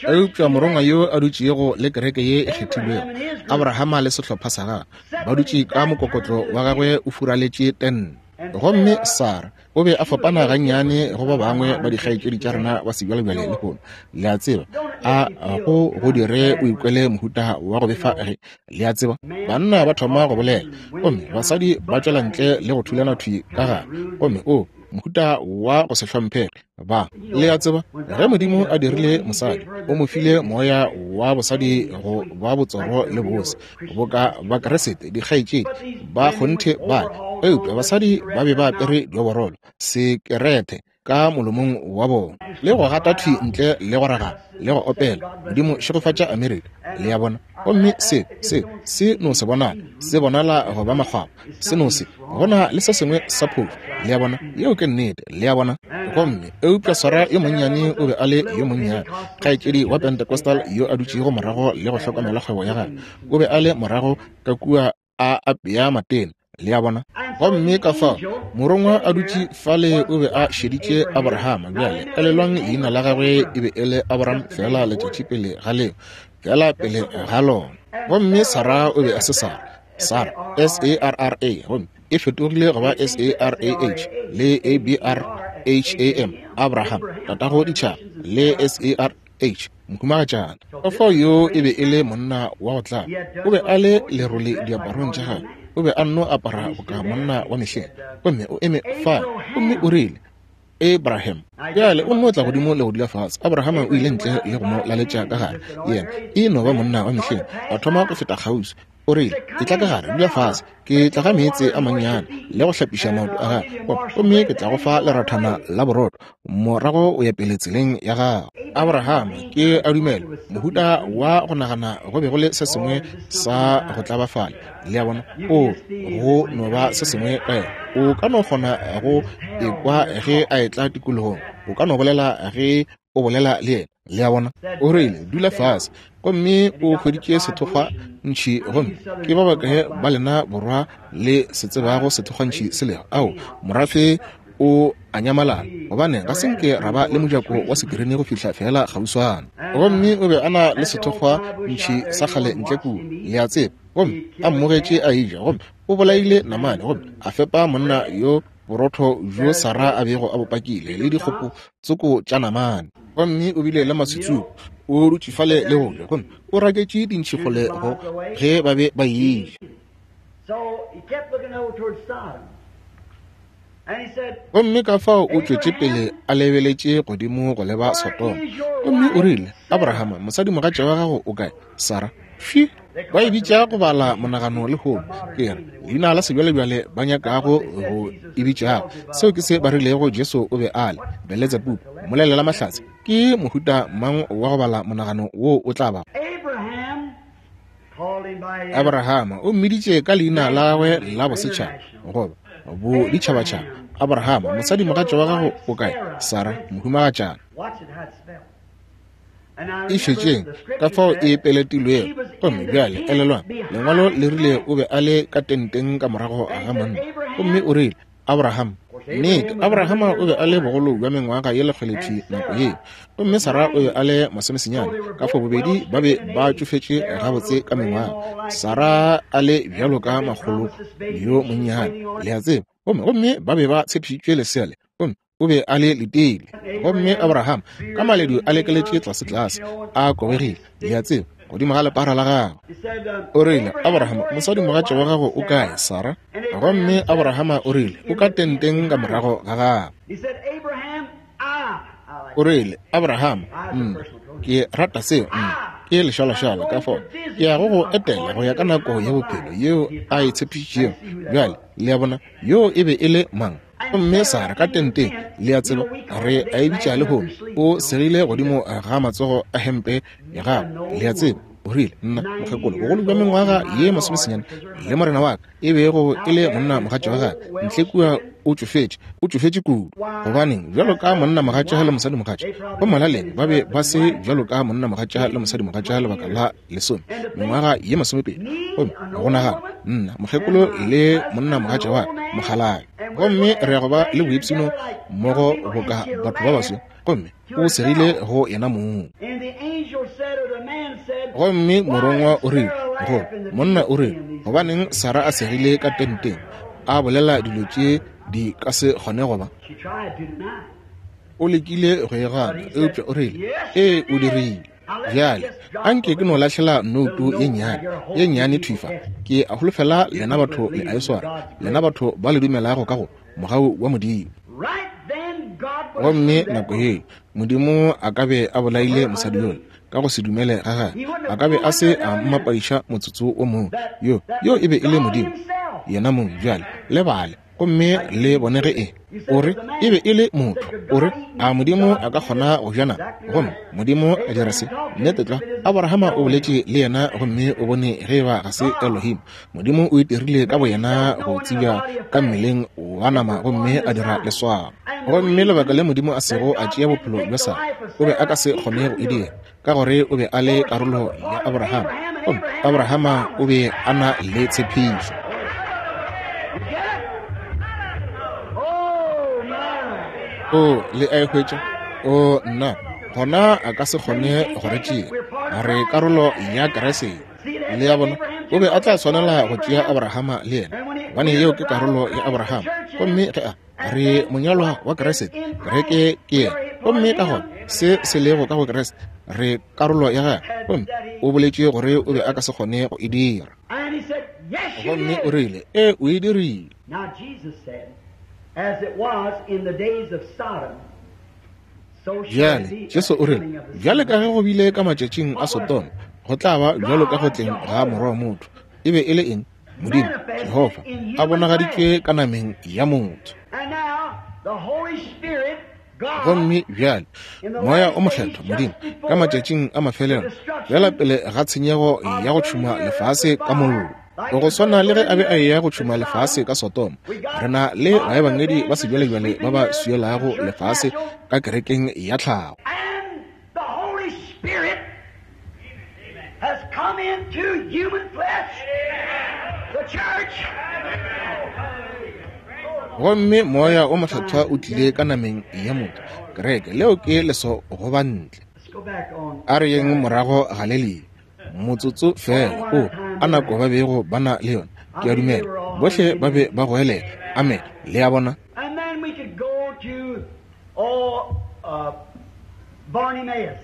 Eupša morongwa yo a dutšego le kereke ye e kgethilwego, Abrahama le sehlopha sa gagwe, ba dutše ka mokokotlo wa gagwe o furaletše tente. Gomme Sara o be a fapana gannyane go ba bangwe ba dikgaetšedi tša rena ba sebjalebjale lehono. Le a tseba, a go go dire o ikwele mohuta wa go befa ge, le a tseba, banna ba thoma go bolela, gomme basadi ba tšwela ntle le go thulana thwi ka gare, gomme o mohuta wa go se hlomphege. Ba, le a tseba, ge Modimo a dirile mosadi, o mo file moya wa bosadi go ba botsoro le bose, boka Bakriste, dikgaetšedi ba kgonthe ba, eupša basadi ba be ba apere dioborolo, sekerete ka molomong wa bona, le go gata thwi ntle le go ragana le go opela, Modimo šegofatša Amerika. Le a bona? Gomme se, se, se no se bonala, se bonala go ba makgwakgwa, se no se, go na le se sengwe sa phošo. Le a bona? Yeo ke nnete. Le a bona? Gomme, eupša Sarah yo monnyane o be a le yo monnyane, kgaetšedi wa Pentecostal yo a dutšego morago le go hlokomela kgwebo ya gagwe, o be a le morago ka kua a apea matena. Le a bona? Gomme ka fao morongwa a dutše fale o be a šeditše Abrahama. Bjale elelwang, leina la gagwe e be e le Abraham feela letšatši pele ga leo, feela pele ga lona. Gomme Sarah o be a se Sarah, Sarah, S-A-R-R-A, gomme e fetogile go ba S-A-R-A-H le A-B-R-H-A-M, Abraham, tatago ditšhaba, le S-A-R-H, mohumagatšana. Ka fao yo e be e le monna wa go tlaba, o be a le lerole diaparong tša gagwe, o be a nno apara boka monna wa mehleng, gomme o eme fale gomme o rile, Abraham. Bjale o nno tla godimo le go dula fase. Abraham o ile ntle le go mo laletša ka gare. Yena e no ba monna wa mehleng. A thoma go feta kgauswi. O rile, Etla ka gare, dula fase. Ke tla ga meetse a mannyane le go hlapiša maoto a gago, gomme ke tla go fa lerathana la borotho. Morago o ya pele tseleng ya gago. Abraham, ke a dumela, mohuta wa go nagana go be go le se sengwe sa go tlaba fale. Le a bona? O, go no ba se sengwe ka yena. O ka no kgona go ekwa ge a etla tikologong. O ka no bolela ge o bolela le yena. Le a bona? O rile, Dula fase. Gomme o hweditše sethokgwa ntšhi. Gomme ke ba bakae ba lena borwa le se tsebago sethokgwa ntšhi se lego? Ao, morafe o a nyamalala, gobane ga se nke ra ba le mojako wa sekirini go fihla feela kgauswana. Gomme o be a na le sethokgwa ntšhi sa kgale ntle kua, le a tseba. Gomme a mmogetše a eja, gomme o bolaile namane, gomme a fepa monna yo borotho bjo Sara a bego a bo pakile, le dikgopo tsoko tša namane. Gomme o bile le maswitsupo, o dutše fale le go ja, gomme o raketše dintšhi kgole go ge ba be ba eja. Gomme ka fao o tšwetše pele a lebeletše godimo go leba Sodoma. Gomme o rile, Abrahama, mosadimogatša wa gago o kae? Sara. Fše! Ba e bitša go bala monagano lehono. Ke re, leina la sebjalebjale ba nyakago go e bitšago. Seo ke se ba rilego Jesu o be a le, Beletsebubu, mmolelela mahlatse. Ke mohuta mang wa go bala monagano woo o tla bago? Abrahama o mmiditše ka leina la gagwe la bosetšhaba, goba boditšhabatšhaba. Abrahama, mosadimogatša wa gago o kae? Sara, mohumagatšana. E šetšeng ka fao e peletilwego. Gomme bjale elelwang, Lengwalo le rile o be a le ka tenteng ka morago ga monna. Gomme o rile, Abraham, nnete, Abrahama o be a le bogolo bja mengwaga ye lekgolethwi nako yeo, gomme Sara o be a le masomesenyane. Ka fao bobedi ba be ba tšofetše gabotse ka mengwaga, Sara a le bjalo ka makgolo yo monnyane, le a tseba. Gomme, gomme ba be ba tshepišitšwe lesea le, gomme o be a le letile. Gomme Abraham, ka maledu a lekeletše tlasetlase, a kobegile, le a tseba, godimo ga lepara la gagwe. O rile, Abraham, mosadimogatša wa gago o kae, Sara? Gomme Abrahama o rile, O ka tenteng ka morago ga gago. O rile, Abraham, nna, ke rata seo, nna, ke lešalašala, ka fao ke ya go go etela go ya ka nako ya bophelo yeo a e tshepišitšego. Bjale, le a bona, yoo e be e le mang? Gomme Sara ka tenteng, le a tseba, re a e bitša lehono, o segile godimo ga matsogo a hempe ya gagwe, le a tseba. O rile, Nna, mokgekolo, bogolo bja mengwaga ye masomesenyane, le morena wa ka e bego e le monna mogatša wa gagwe, ntle kua o tšofetše, o tšofetše kudu. Gobaneng, bjalo ka monna mogatša le mosadi mogatša, go molaleng ba be ba se bjalo ka monna mogatša le mosadi mogatša lebaka la lesome, mengwaga ye masomepedi. Gomme go nagana, nna, mokgekolo le monna mogatša wa ka, mokgalabje, gomme re ya go ba le boipshino mmogo boka batho ba baso. Gomme o segile go yena mong. Gomme morongwa o rile go monna, o rile, Gobaneng Sara a segile ka tenteng, a bolela dilo tše di ka se kgone go ba? O lekile go e gana, eupša o rile, Ee, o dirile. Bjale, a nke ke no lahlela nouto ye nnyane, ye nnyane thwi fa. Ke a holofela lena batho le a e swara, lena batho ba le dumelago ka go mogau wa Modimo. Gomme nako yeo Modimo a ka be a bolaile mosadi yola ka go se dumele ga gagwe, a ka be a se a mmapadiša motsotso wo mongwe. Yo, yo e be e le Modimo yena mong. Bjale le bale gomme le bone ge e o re e be e le motho. O re, a Modimo a ka kgona go ja nama? Gomme Modimo a dira se. Nnete tlwa, Abrahama o boletše le yena gomme o bone ge eba ga se Elohim. Modimo o itirile ka boyena go tsebja ka mmeleng wa nama gomme a dira leswao. Gomme lebaka le Modimo a sego a tšea bophelo bja Sara, o be a ka se kgone go e dira, ka gore o be a le karolo ya Abrahama, gomme Abrahama o be a na le tshepišo. O, le a e hwetša? O, nna, gona a ka se kgone go re tšea. Re karolo ya Keresete. Le a bona, o be a tla swanela go tšea Abrahama le yena, gobane yeo ke karolo ya Abrahama. Gomme ge a re monyalwa wa Kriste, kereke ke yena. Gomme ka gona se se lego ka go Kriste, re karolo ya gagwe. Gomme o boletše gore o be a ka se kgone go e dira. Gomme o rile, Ee, o e dirile. As it was in the days of Sodom, Bjale, Jesu o rile, Bjale ka ge go bile ka matšatšing a Sodoma, go tla ba bjalo ka go tleng ga Morwa wa motho. E be e le eng? Modimo, Jehofa, a bonagaditšwe ka nameng ya motho. Gomme bjale Moya o Mokgethwa, Modimo, ka matšatšing a mafelelo, bjala pele ga tshenyego ya go tšhuma lefase ka mollo, go swana le ge a be a eya go tšhuma lefase ka Sodoma, re na le baebangedi ba sebjalebjale ba ba swielago lefase ka kerekeng ya tlhago. Has come into human flesh, the church. Gomme Moya o Mokgethwa o tlile ka nameng ya motho, kereke. Leo ke leso go ba ntle. A re yeng morago Galelia motsotso feela. O, a nako ba bego ba na le yona. Ke a dumela bohle ba be ba goelela amen. Le a bona? And then we could go to, oh, Bartimaeus.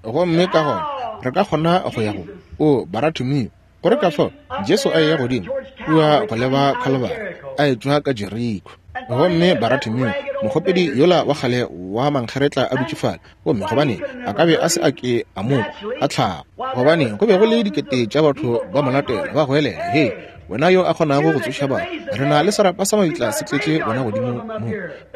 Gomme ka gona re ka kgona go ya go o Baratimeo, gore ka fao Jesu a eya godimo kua go leba Khalibari, a etšwa ka Jeriko. Gomme Baratimeo, mokgopedi yola wa kgale wa mankgeretla a dutše fale, gomme gobane a ka be a se a ke a mo a tlhago, gobane go be go le dikete tša batho ba mo latela ba goelela, Hei, wena yo a kgonago go tsoša batho, re na le serapa sa mabitla se tletše wena godimo mo,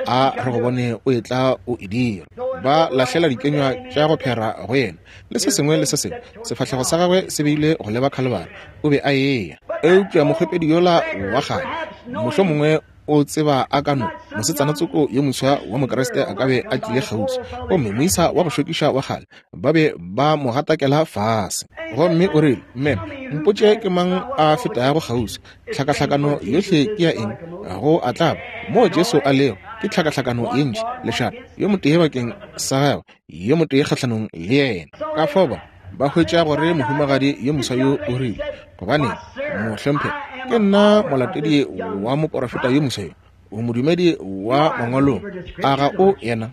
a re go bone o etla o e dira. Ba lahlela dikenywa tša go phera go yena le se sengwe le se sengwe. Sefahlego sa gagwe se beile go leba Khalibari, o be a eya. Eupša mokgopedi yola wa kgale, mohlomongwe o tseba a ka no, mosetsana tsoko yo moswa wa Mokriste a ka be a tlile kgauswi, gomme moisa wa go šokiša wa kgale, ba be ba mo gatakela fase. Gomme o rile, Mme, mpotše ke mang a fetago kgauswi. Tlhakahlakano yohle ke ya eng? Go a tlaba moo Jesu a lego, ke tlhakahlakano ye ntši, lešata, yo motee bakeng sa gagwe, yo motee kgahlanong le yena. Ka fao ba, ba hwetša gore mohumagadi yo moswa yo o rile, Gobane, mohlomphegi, ke nna molatedi wa moporofeta yo moswa yo. O modumedi wa mangwalong, a ga o yena?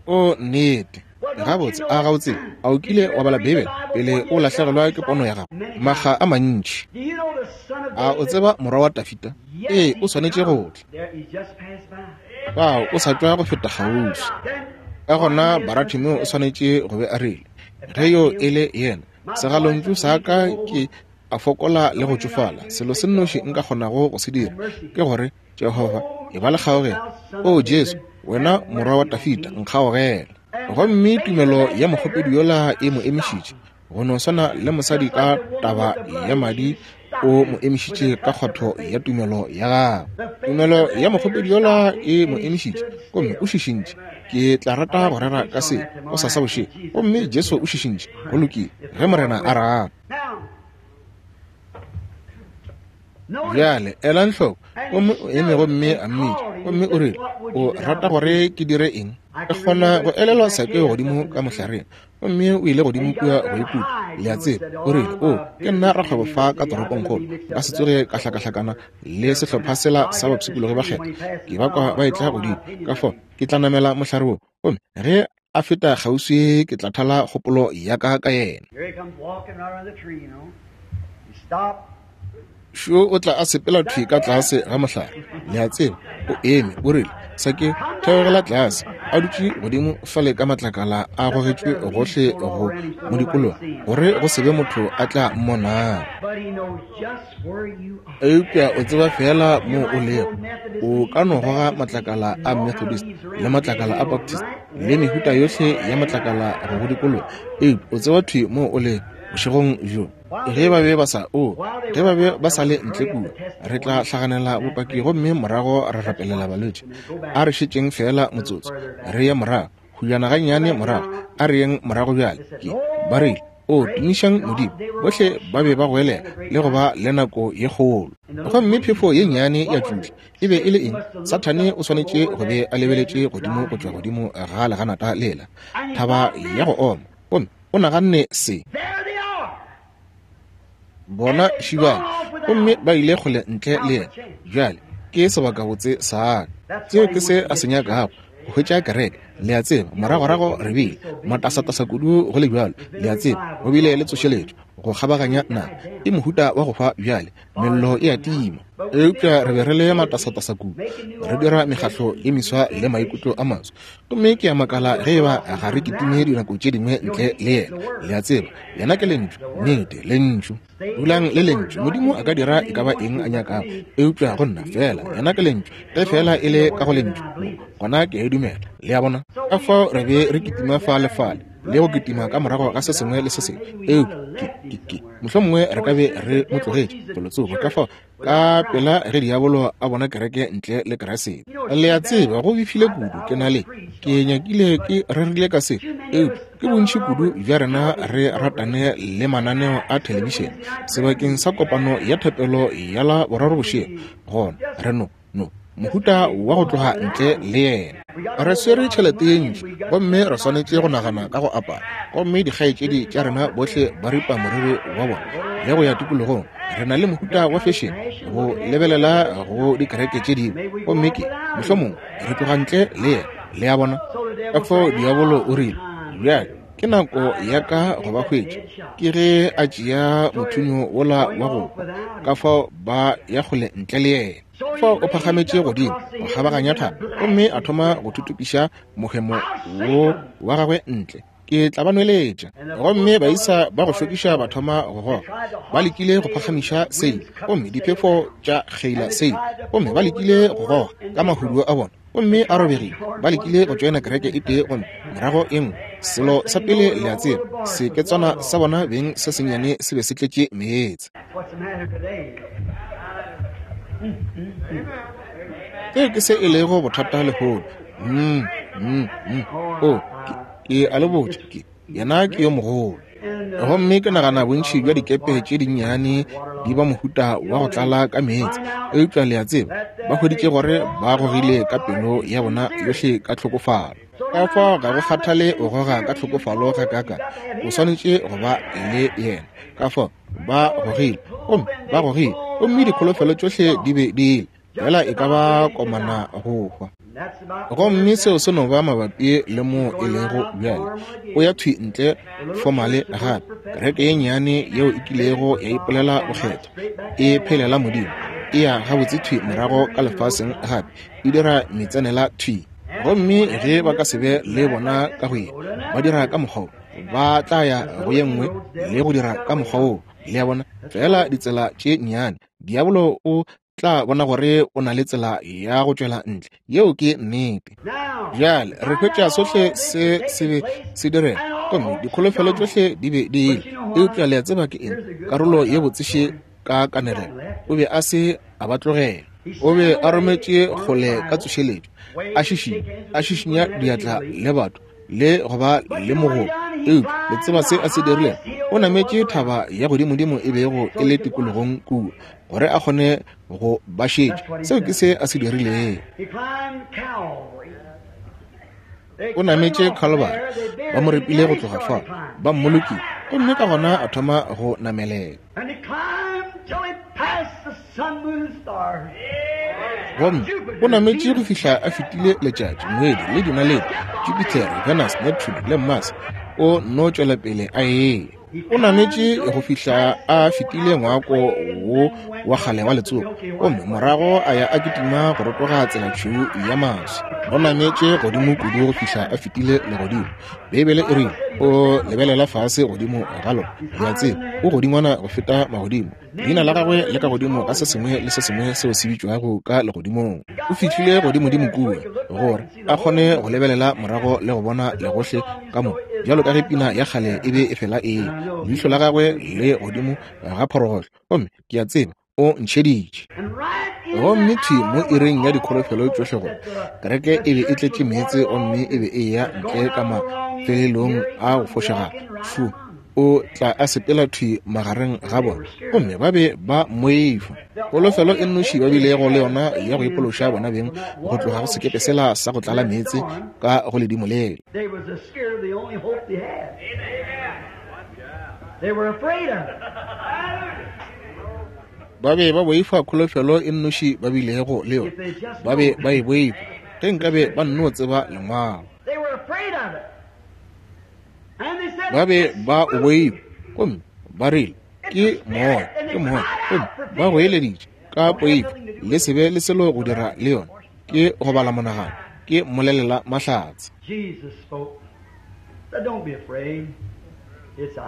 O nnete. Gabotse, a ga o tsebe? A o kile wa bala Beibele pele o lahlegelwa ke pono ya gago? Makga a mantši. A o tseba morwa wa Dafida? Ee, o swanetše go tla. Fao o sa tšwa go feta kgauswi. Ka gona Baratimeo o swanetše go be a rile, Ge yo e le yena, segalontšu sa ka ke a fokola le go tšofala. Selo se nnoši nka kgonago go se dira ke gore, Jehofa, e ba le kgaogelo. O Jesu, wena morwa wa Dafida, nkgaogela. Gomme tumelo ya mokgopedi yola e mo emišitše, go no swana le mosadi ka taba ya madi o mo emišitše ka kgwatho ya tumelo ya gagwe. Tumelo ya mokgopedi yola e mo emišitše, gomme o šišintše. Ke tla rata go rera ka se gosasa bošego. Gomme Jesu o šišintše. Go lokile, ge Morena a rata. Bjale elang hloko, gomme o eme gomme a mmitša, gomme o rile, O rata gore ke dire eng? Ke kgona go elelwa Sakeo godimo ka mohlareng, gomme o ile godimo kua go ikuta, le a tseba. O rile, O, ke nna rakgwebo fa ka toropongkgolo, nka se tsoge ka hlakahlakana le sehlopha sela sa bapshikologi ba kgetho. Ke ba kwa ba etla godimo, ka fao ke tla namela mohlare wo, gomme ge a feta kgauswi ke tla thala kgopolo ya ka ka yena. Šo o tla a sepela thwi ka tlase ga mohlare, le a tseba, o eme, o rile, Sakeo, theogela tlase. A dutše godimo fale ka matlakala a gogetšwe gohle go mo dikologa, gore go se be motho a tla mmonago. Eupša o tseba feela moo o lego. O ka no goga matlakala a Methodist le matlakala a Baptist le mehuta yohle ya matlakala go go dikologa, eupša o tseba thwi moo o lego bošegong bjo. Ge ba be ba sa, o, ge ba be ba sa le ntle kua, re tla hlaganela bopaki gomme morago ra rapelela balwetši. A re šetšeng feela motsotso, re ye morago, hujana gannyane morago, a re yeng morago bjale. Ke, ba rile, O, tumišang Modimo. Bohle ba be ba goelela le go ba le nako ye kgolo. Gomme phefo ye nnyane ya tšutla. E be e le eng? Sathane o swanetše go be a lebeletše godimo go tšwa godimo ga leganata lela, thaba ya go oma, gomme o naganne se. Bona šibana, gomme ba ile kgole ntle le yena. Bjale ke sebakabotse sa ka. Seo ke se a se nyakago, go hwetša kereke. Le a tseba, moragorago re bile matasatasa kudu go le bjalo, le a tseba, go bile le tsošeletšo. go kgabaganya naga. E mohuta wa go hwa bjale, mello e a tima. Eupša re be re le matasatasa kudu, re dira mekgahlo ye miswa le maikutlo a maswa. Gomme ke a makala ge eba ga re kitime dinako tše dingwe ntle le Yena. Le a tseba, Yena ke Lentšu, nnete, Lentšu. Dulang le Lentšu. Modimo a ka dira e ka ba eng a nyakago, eupša go nna feela Yena ke Lentšu. Ge feela e le ka go Lentšu, gona ke a e dumela. Le a bona? Ka fao re be re kitima fa le fale, le go kitima ka morago ga se sengwe le se sengwe, eupša ke, ke, ke, mohlomongwe re ka be re mo tlogetše felotsoko. Ka fao ka pela ge diabolo a bona kereke ntle le Kriste. Le a tseba, go befile kudu. Ke na le, ke nyakile ke rerile ka se, eupša ke bontši kudu bja rena re ratane le mananeo a thelebišene sebakeng sa kopano ya thapelo ya la boraro bošego. Gona re no, no mohuta wa go tloga ntle le yena. Re swere tšhelete ye ntši, gomme re swanetše go nagana ka go apara. Gomme dikgaetšedi tša rena bohle ba ripa moriri wa bona le go ya tikologong. Re na le mohuta wa fešene go lebelela go dikereke tše dingwe, gomme ke mohlomongwe re tloga ntle le yena. Le a bona? Ka fao diabolo o rile, Bjale ke nako ya ka go ba hwetša. Ke ge a tšea mothunyo wola wa go hwa, ka fao ba ya kgole ntle le yena. Fao o phagametše godimo go kgabaganya thaba gomme a thoma go thuthupiša mohemo wo wa gagwe ntle. Ke tla ba nweletša. Gomme baisa ba go šokiša ba thoma go goga. Ba lekile go phagamiša seile, gomme diphefo tša kgeila seile. Gomme ba lekile go goga ka mahuduo a bona, gomme a robegile. Ba lekile go tšoena kereke e tee gomme morago e nngwe. Selo sa pele le a tseba, seketswana sa bona beng se sennyane se be se tletše meetse. Seo ke se e lego bothata lehono. Mm, mm, mm. Oh, ke, ke a le botša, ke, yena ke yo mogolo. Gomme ke nagana bontši bja dikepe tše dinnyane di ba mohuta wa go tlala ka meetse. Eupša le a tseba, ba hweditše gore ba gogile ka pelo ya bona yohle ka tlhokofalo. Ka fao ga go kgathale o goga ka tlhokofalo gakaakang, o swanetše go ba le yena. Ka fao ba gogile, gomme ba gogile, gomme dikholofelo tšohle di be di ile, fela e ka ba komana go hwa. Gomme seo se no ba mabapi le moo e lego bjale. O ya thwi ntle fomale gape. Kereke ye nnyane yeo e kilego ya ipolela bokgethwa, e phelela Modimo, e ya gabotse thwi morago ka lefaseng gape, e dira metsenela thwi. Gomme ge ba ka se be le bona ka go ye, ba dira ka mokgwa wo, ba tla ya go ye nngwe le go dira ka mokgwa woo. Le a bona? Feela ditsela tše nnyane. Diabolo o tla bona gore o na le tsela ya go tšwela ntle. Yeo ke nnete. Bjale re hwetša sohle se se be se direga, gomme dikholofelo tšohle di be di ile. Eupša le a tseba ke eng? Karolo ye botseše ka kanegelo, o be a se a ba tlogela. O be a rometše kgole ka tsošeletšo, a šišinya, a šišinya diatla le batho, le go ba le mogopo. Eupša le tseba se a se dirilego? O nametše thaba ya godimodimo e bego e le tikologong kua, gore a kgone go ba šetša. Seo ke se a se dirilego. O nametše Calvary, ba mo repile go tloga fao, ba mmolokile, gomme ka gona a thoma go namelela. Gomme o nametše go fihla a fetile letšatši, ngwedi, le dinaledi, Jupiter, Venus, Neptune, le Mars. O no tšwela pele a eya. O nametše go fihla a fetile ngwako wo wa kgale wa letsopa, gomme morago a ya a kitima go rotoga tselatšhweu ya maswi. O nametše godimo kudu go fihla a fetile legodimo. Beibele e rile o lebelela fase godimo ga lona. Le a tseba, o godingwana go feta magodimo. Leina la gagwe le ka godimo ga se sengwe le se sengwe seo se bitšwago ka legodimong. O fihlile godimodimo kua gore a kgone go lebelela morago le go bona legohle ka moka, bjalo ka ge pina ya kgale e be e fela e. Leihlo la gagwe le godimo ga phorogohlo, gomme ke a tseba o ntšheditše. Gomme thwi mo iring ya dikholofelo tšohle gore kereke e be e tletše meetse gomme e be e eya ntle ka mafelelong a go fošagala, fu o tla a sepela thwi magareng ga bona, gomme ba be ba mmoifa. Kholofelo e nnoši ba bilego le yona ya go ipološa bona beng go tloga go sekepe sela sa go tlala meetse ka go ledimo lela. Ba be ba boifa kholofelo e nnoši ba bilego le yona. Ba be ba e boifa. Ge nkabe ba nno tseba Lengwalo. Ba be ba o boifa, gomme Ba rile, Ke moya, ke moya. Gomme ba goeleditše ka poifo, Le se be le selo go dira le yona. Ke go bala monagano. Ke mmolelela mahlatse. Jesus spoke. Said, Don't be afraid. It's I.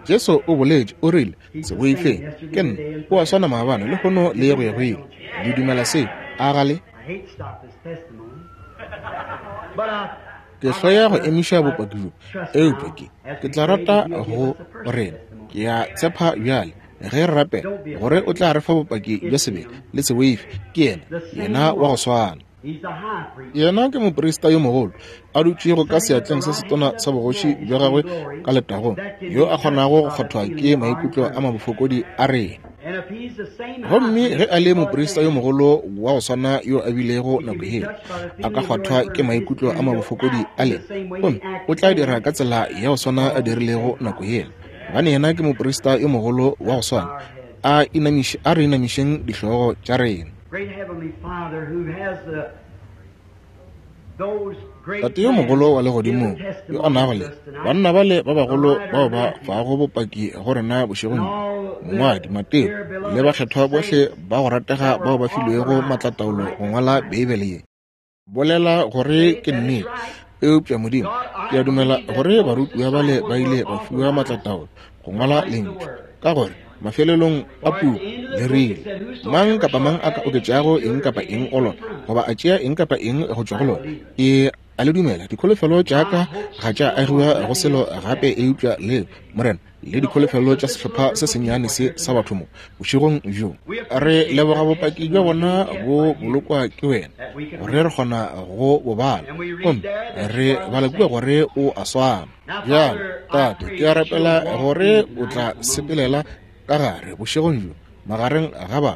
Jesu o boletše, o rile, Se boifeng, ke nna. O a swana maabane, lehono, le go ya go ile. Le dumela seo, a ga le? I hate to stop this testimony. But I Ke hloya go emiša bopaki bjo, eupša ke, ke tla rata go rena. Ke a tshepa bjale, ge re rapela, gore o tla re fa bopaki bja sebele. Le se boife, ke yena, yena wa go swana. He's the high priest. Yena ke moprista yo mogolo, a dutšego ka seatleng se setona sa bogoši bja gagwe ka letagong, yo a kgonago go kgwathwa ke maikutlo a mabofokodi a rena. And if he's the same high Gomme ge priest a le was moprista yo then, mogolo wa go swana yo a bilego nako yela, a ka kgwathwa ke maikutlo a mabofokodi a lena, gomme o tla dira ka tsela ya go swana a dirilego nako yela, gobane yena ke moprista yo mogolo wa go swana. A inamiše, a re inamišeng dihlogo tša rena. Great Heavenly Father who has the those great Tate yo mogolo wa legodimong, yo a nago le banna bale ba bagolo bao ba fago bopaki go rena bošegong bjo, mongwadi Mateo le bakgethwa bohle ba go ratega bao ba filwego maatlataolo go ngwala Beibele ye, bolela gore ke nnete. Eupša Modimo, ke a dumela gore barutiwa bale ba ile ba fiwa maatlataolo go ngwala Lentšu, ka gore mafelelong a puku le rile, Mang kapa mang a ka oketšago eng kapa eng go lona, goba a tšea eng kapa eng go tšwa go lona, ke a le dumela. Dikholofelo tša ka ga tša agiwa go selo gape eupša leo, Morena, le dikholofelo tša sehlopha se sennyane se sa batho mo bošegong bjo. Re leboga bopaki bja bona bo bolokwa ke wena, gore re kgona go bo bala, gomme re bala kua gore o a swana. Bjale, Tate, ke a rapela gore o tla sepelela ka gare bošegong bjo magareng ga ba.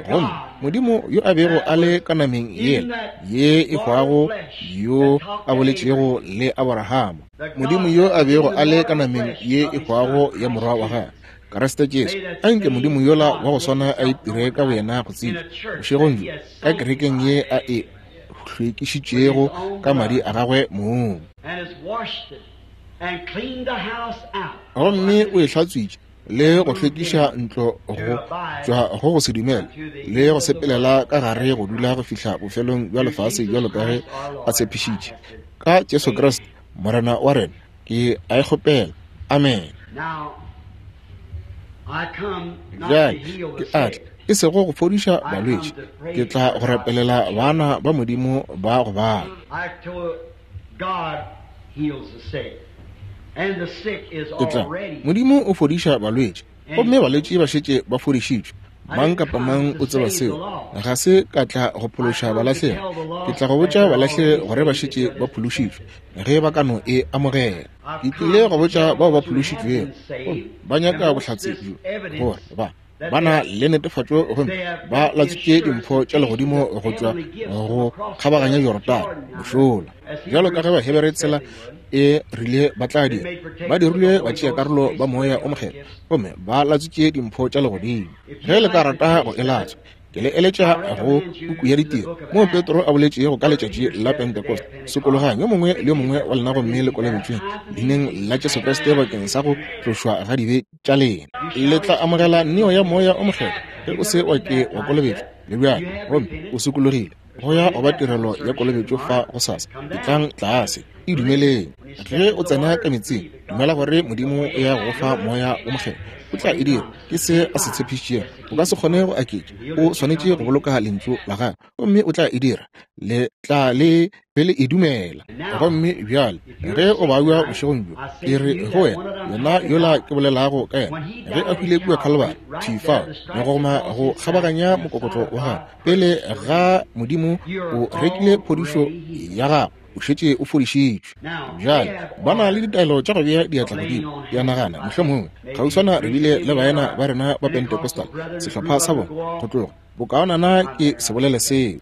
Gomme Modimo yo a bego a le ka nameng yela ye e hwago, yo a boletšego le Aborahama, Modimo yo a bego a le ka nameng ye e hwago ya morwa wa gagwe, Kriste Jesu, a nke Modimo yola wa go swana a itire ka boyena go tsebja bošegong bjo ka kerekeng ye a e hlwekišitšego ka madi a gagwe mong. and has washed it and cleaned the house out. Gomme o e hlatswitše le go hlwekiša ntlo go tšwa go go se dumele le go sepelela ka gare go dula go fihla bofelong bja lefase bjalo ka ge a tshepišitše. Ka Jesu Kriste Morena wa rena ke a e kgopela. Amen. Now, I come not to Bjale heal the ke a tla, sick. e sego go fodiša balwetši, ke tla go rapelela bana ba Modimo ba go bala. I told God heals the sick. And the sick is Ke tla, already. Modimo o fodiša balwetši, gomme balwetši ba šetše ba fodišitšwe. Mang kapa mang o tseba seo. Ga se ka tla go phološa balahlegi, ke tla go botša balahlegi gore ba šetše ba phološitšwe, ge ba ka no e amogela. Ke tlile go botša bao ba phološitšwego, gomme ba nyaka bohlatse bjo, gore ba ba na le netefatšo gomme ba latswitše dimpho tša legodimo go tšwa go kgabaganya Jorodane mošola, bjalo ka ge Bahebere tsela e rile ba tla dira. Ba dirilwe batšeakarolo ba Moya o Mokgethwa gomme ba latswitše dimpho tša legodimo. Ge le ka rata go e latswa, ke le eletša go puku ya Ditiro, moo Petro a boletšego ka letšatši la Pentekoste, Sokologang yo mongwe le yo mongwe wa lena gomme le kolobetšweng leineng la Jesu Kriste bakeng sa go tlošwa ga dibe tša lena. Le tla amogela neo ya Moya o Mokgethwa ge o se wa ke wa kolobetšwa le bjale gomme o sokologile. Go ya go ba tirelo ya kolobetšo fa gosasa. Etlang tlase, e dumeleng. Ge o tsena ka meetseng, dumela gore Modimo o ya go fa Moya o Mokgethwa. O tla e dira. Ke se a se tshepišitšego. O ka se kgone go aketša. O swanetše go boloka Lentšu la Gagwe, gomme o tla e dira. Le tla le be le e dumela. Gomme bjale ge o babja bošegong bjo, ke re go wena, yena yola ke bolelago ka yena, ge a hwile kua Calvary, thwi fao, megogoma go kgabaganya mokokotlo wa gagwe, pele ga Modimo, o rekile phodišo ya gago, o šetše o fodišitšwe. Bjale ba na le ditaelo tša go bea diatla godimo. Ke a nagana mohlomongwe kgauswana re bile le baena ba rena ba Pentecostal, sehlopha sa bona, go tloga. Bokaonana ke se bolele seo.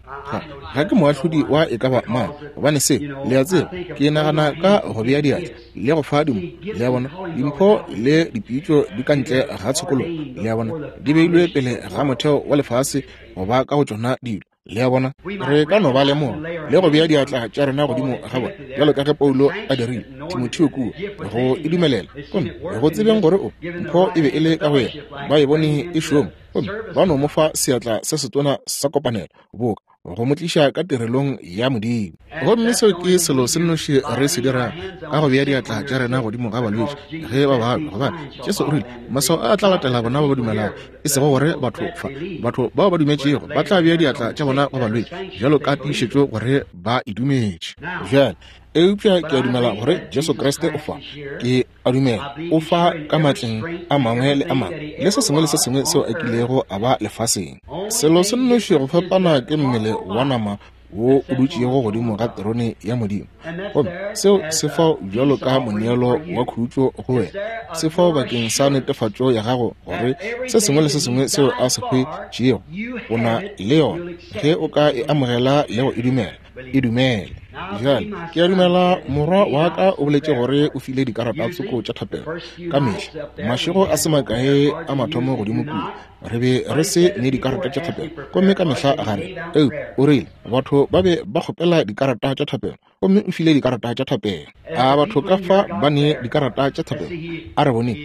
Ga ke moahlodi wa e ka ba mang, gobane seo, le a tseba, ke nagana ka go bea diatla le go fa dimpho. Le a bona, dimpho le dipitšo di ka ntle ga tshokologo, le a bona, di beilwe pele ga motheo wa lefase go ba ka go tšona dilo. Le a bona? Re ka no ba lemoga le go bea diatla tša rena godimo ga bona, bjalo ka ge Paulo a dirile Timotheo kua, go e dumelela. Gomme go tsebeng gore o mpho e be e le ka go yena, ba e bone e šoma, gomme ba no mo fa seatla se setona sa kopanelo, boka go mo tliša ka tirelong ya Modimo. Gomme seo ke selo se nnoši re se dirago, ka go bea diatla tša rena godimo ga balwetši ge ba babja, gobane Jesu o rile, Maswao a tla latela bona ba ba dumelago. E sego gore batho fa, batho bao ba dumetšego ba tla bea diatla tša bona go balwetši bjalo ka tiišetšo gore ba e dumetše. Bjale, eupša ke a dumela gore Jesu Kriste o fa. Ke a dumela o fa ka matleng a mangwe le a mangwe le se sengwe le se sengwe seo a kilego a ba lefaseng. Selo se nnoši go fapana ke mmele wa nama wo o dutšego godimo ga terone ya Modimo. Gomme seo se fao bjalo ka moneelo wa khutšo go wena, se fao bakeng sa netefatšo ya gago gore se sengwe le se sengwe seo a se hwetšego o na le yona. Ge o ka e amogela le go e dumela, e dumele. Bjale, ke a dumela morwa wa ka o boletše gore o file dikarata tsoko tša thapelo ka mehla. Mašego a se makae a mathomo godimo kua, re be re se ne dikarata tša thapelo, gomme ka mehla ga re. Eu, o rile batho ba be ba kgopela dikarata tša thapelo, gomme o file dikarata tša thapelo. A batho ka fa ba ne dikarata tša thapelo? A re bone,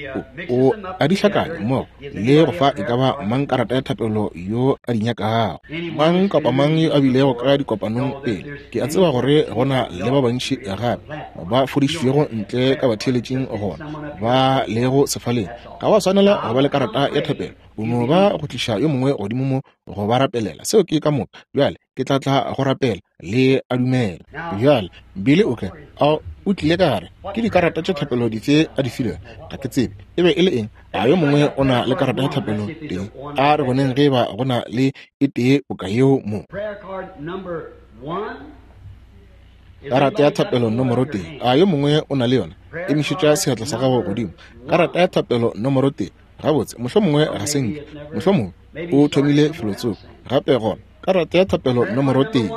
o a di hlakanya mmogo le go fa e ka ba mang karata ya thapelo yo a di nyakago. Mang kapa mang yo a bilego ka dikopanong pele, ke a tseba gore go na le ba bantši gape ba fodišitšwego ntle ka batheeletšing gona ba lego sefaleng. Ga wa swanela go ba le karata ya thapelo, o no ba go tliša yo mongwe godimo mo go ba rapelela. Seo ke ka moka. Bjale ke tla tla go rapela, le a dumela. Bjale Billy o kae? A o tlile ka gare? Ke dikarata tša thapelo dife a di filego? Ga ke tsebe e be e le eng. A yo mongwe o na le karata ya thapelo tee? A re boneng ge e ba go na le e tee boka yeo mo. Karata ya thapelo nomoro tee. A yo mongwe o na le yona? Emišetša seatla sa gago godimo. Karata ya thapelo nomoro tee. Gabotse, mohlomongwe ga se nke. Mohlomongwe o thomile felotsoko gape gona. Karata ya thapelo nomoro tee.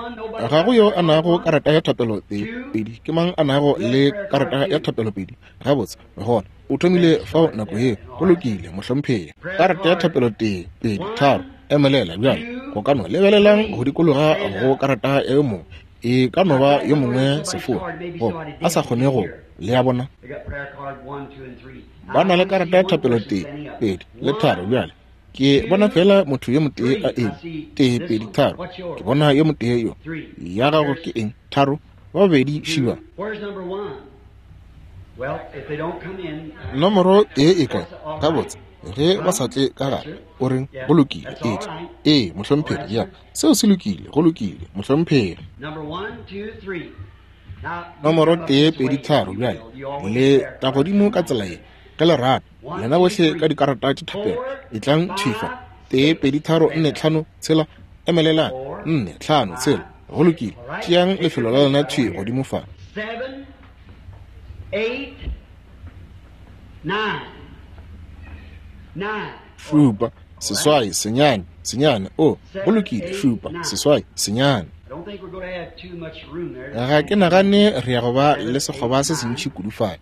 Ga go yo a nago karata ya thapelo tee, pedi. Ke mang a nago le karata ya thapelo pedi? Gabotse, gona o thomile fao nako yeo. Go lokile, mohlomphegi. Karata ya thapelo tee, pedi, tharo. Emelela bjale. Go ka no lebelelang go dikologa go karata ya yo mongwe. E ka no ba yo mongwe sefoa goba a sa kgone go. Le a bona? Ba na le karata ya thapelo tee, pedi, le tharo bjale. Ke bona fela motho yo motee a eme. Tee, pedi, tharo. Ke bona yo motee yo. Ya gago ke eng? Tharo. Ba babedi šiba. Nomoro tee e kae? Gabotse, ge ba sa tle ka gare, o reng? Go lokile, etla. Ee, mohlomphegi, ya. Seo se lokile, go lokile, mohlomphegi. Nomoro tee, pedi, tharo, bjale le tla godimo ka tsela ye, ge le rata. Lena bohle ka dikarata tša thapelo, etlang thwi fa. Tee, pedi, tharo, nne, tlhano, tshela, emelelang. Nne, tlhano, tshela. Go lokile. Tšeang lefelo la lena thwi godimo fa. 7, 8, 9. 9. Šupa, seswai, senyane, senyane. O, go lokile. Šupa, seswai, senyane. I don't think we're going to have too much room there. Ga ke nagane re ya go ba le sekgoba se sentši kudu fale,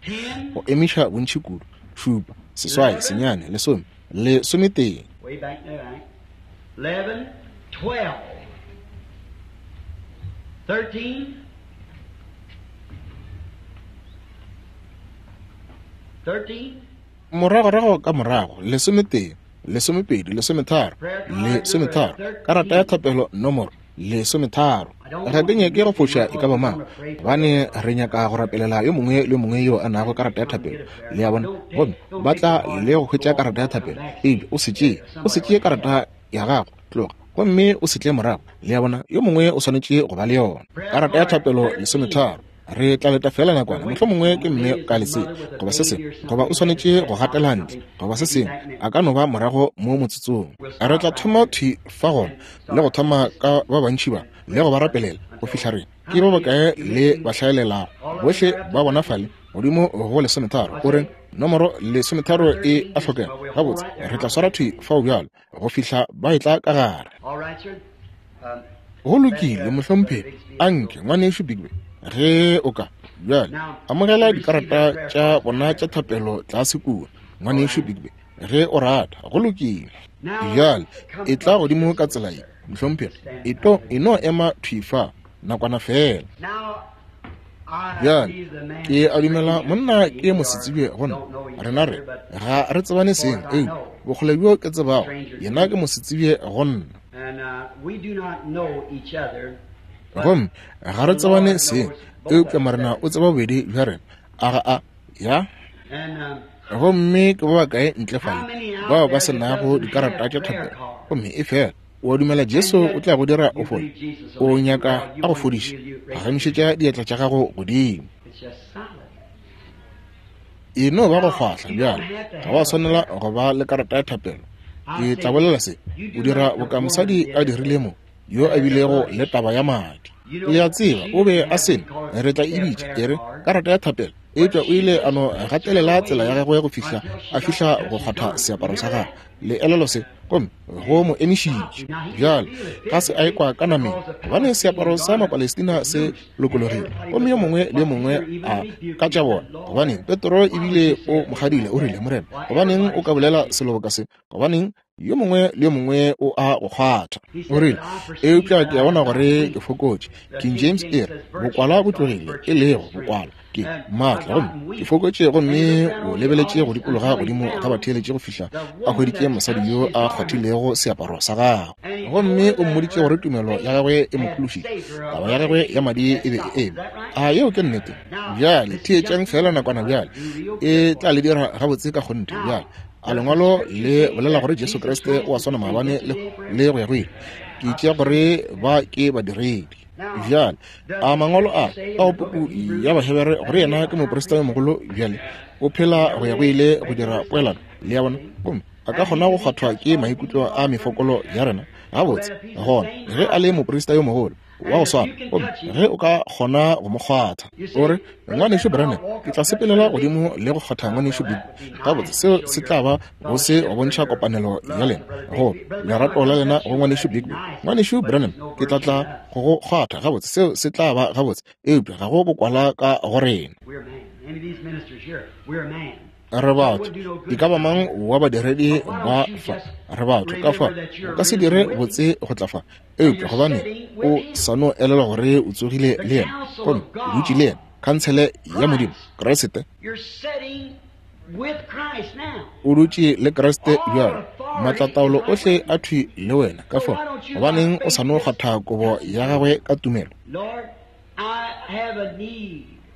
go emiša bontši kudu. Šupa, seswai, senyane, lesome, lesometee. Way back there, right? 11, 12, 13, 13, Moragorago ka morago, lesometee, lesomepedi, lesometharo, lesometharo. Karata ya thapelo nomoro lesometharo. Ga ke nyake go foša e ka ba mang, gobane re nyaka go rapelela yo mongwe le yo mongwe yo a nago karata ya thapelo. Le a bona? Gomme ba tla le go hwetša karata ya thapelo, eupša o se tšee, o se tšee karata ya gago, tloga gomme o se tle morago. Le a bona? Yo mongwe o swanetše go ba le yona. Karata ya thapelo lesometharo. Re tla leta feela nakwana, mohlomongwe ke mme ka lesea goba se sengwe, goba o swanetše go gatela ntle goba se sengwe, a ka no ba morago mo motsotsong. Re tla thoma thwi fa gona le go thoma ka ba bantši ba le go ba rapelela go fihla re ke ba bakae le ba hlaelelago bohle ba bona fale godimo go lesometharo. O reng? Nomoro lesometharo e a hlokega. Gabotse, re tla swara thwi fao bjalo go fihla ba etla ka gare. All right, sir. Go lokile, mohlomphegi. Anke, ngwanešu Bigby, ge o ka bjale amogela dikarata tša bona tša thapelo tlase kua, ngwanešu Bigby, ge o rata. Go lokile. Bjale etla godimo ka tsela ye. Mohlomphegi, e e no ema thwi fa nakwana feela. Bjale, ke a dumela monna ke mosetsebje go nna. Rena re, ga re tsebane seng, eupša bokgole bjo ke tsebago, yena ke mosetsebje go nna. Gomme ga re tsebane seng, eupša Morena o tseba bobedi bja rena. A ga a? Ya. Gomme ke ba bakae ntle fale bao ba se nago dikarata tša thapelo, gomme efela o a dumela Jesu o tla go dira o fole, o nyaka a go fodiša, phagamišetša diatla tša gago godimo. E no ba go fahla bjale, ga wa swanela go ba le karata ya thapelo. Ke tla bolela se, o dira boka mosadi a dirile mo, yo a bilego le taba ya madi. Le a tseba, o be a se ne, re tla e bitša, e re, karata ya thapelo, eupša o ile a no gatelela tsela ya gagwe go fihla a fihla go kgwatha seaparo sa gagwe. Le elelwa se, gomme go mo emišitše. Bjale, ga se a ekwa ka nameng, gobane seaparo sa Mapalestina se lokologile, gomme yo mongwe le yo mongwe a ka tša bona. Gobaneng, Petro ebile o mo kgadile, o rile, Morena, gobaneng o ka bolela selo boka se? Gobaneng, yo mongwe le yo mongwe o a go kgwatha. O rile, Eupša ke a bona gore ke fokotše. King James e re, Bokwala bo tlogile, e lego bokwala ke maatla, gomme ke fokotše. Gomme o lebeletše go dikologa godimo ga batheeletši go fihla a hweditše mosadi yo a kgwathilego seaparo sa gagwe, gomme o mmoditše gore tumelo ya gagwe e mo phološitše, taba ya gagwe ya madi e be e eme. A yeo ke nnete? Bjale theetšang feela nakwana bjale, e tla le dira gabotse ka kgonthe. Bjale, a lengwalo le bolela gore Jesu Kriste o a swana maabane le go ya go ile? Ke tšea gore ba ke badiredi. Bjale, a mangwalo a ka go puku ya Bahebere gore yena ke moprista yo mogolo bjale o phela go ya go ile go dira poelano, le ya bona, gomme a ka kgona go kgwathwa ke maikutlo a mefokolo ya rena. Gabotse, gona ge a le moprista yo mogolo wa go swana, gomme ge o ka kgona go mo kgwatha, o re, Ngwanešu Branham, ke tla sepelela godimo le go kgwatha Ngwanešu Big. Gabotse, seo se tla ba go se go bontšha kopanelo ya lena, go lerato la lena go Ngwanešu Big. Ngwanešu Branham, ke tla tla go go kgwatha. Gabotse, seo se tla ba gabotse, eupša ga go bokwala ka go rena. Re batho, e ka ba mang wa badiredi ba fa, re batho, ka fa o ka se dire botse go tla fa, eupša gobane o sa no elelwa gore o tsogile le yena, gomme o dutše le yena, khantshele ya Modimo, Kriste. O dutše le Kriste bjalo, maatlataolo ohle a thwi le wena, ka fao gobaneng o sa no kgwatha kobo ya gagwe ka tumelo?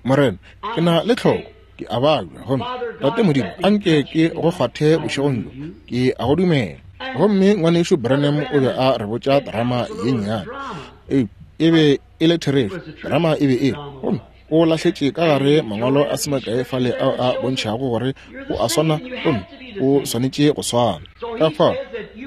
Morena, ke na le tlhoko, ke a babja, gomme Tate Modimo, a nke ke go kgwathe bošegong bjo, ke a go dumela. Gomme Ngwanešu Branham o be a re botša terama ye nnyane, e be e le therešo, terama e be e le, gomme o lahletše ka gare mangwalo a se makae fale ao a bontšhago gore o a swana gomme o swanetše go swana. Ka fao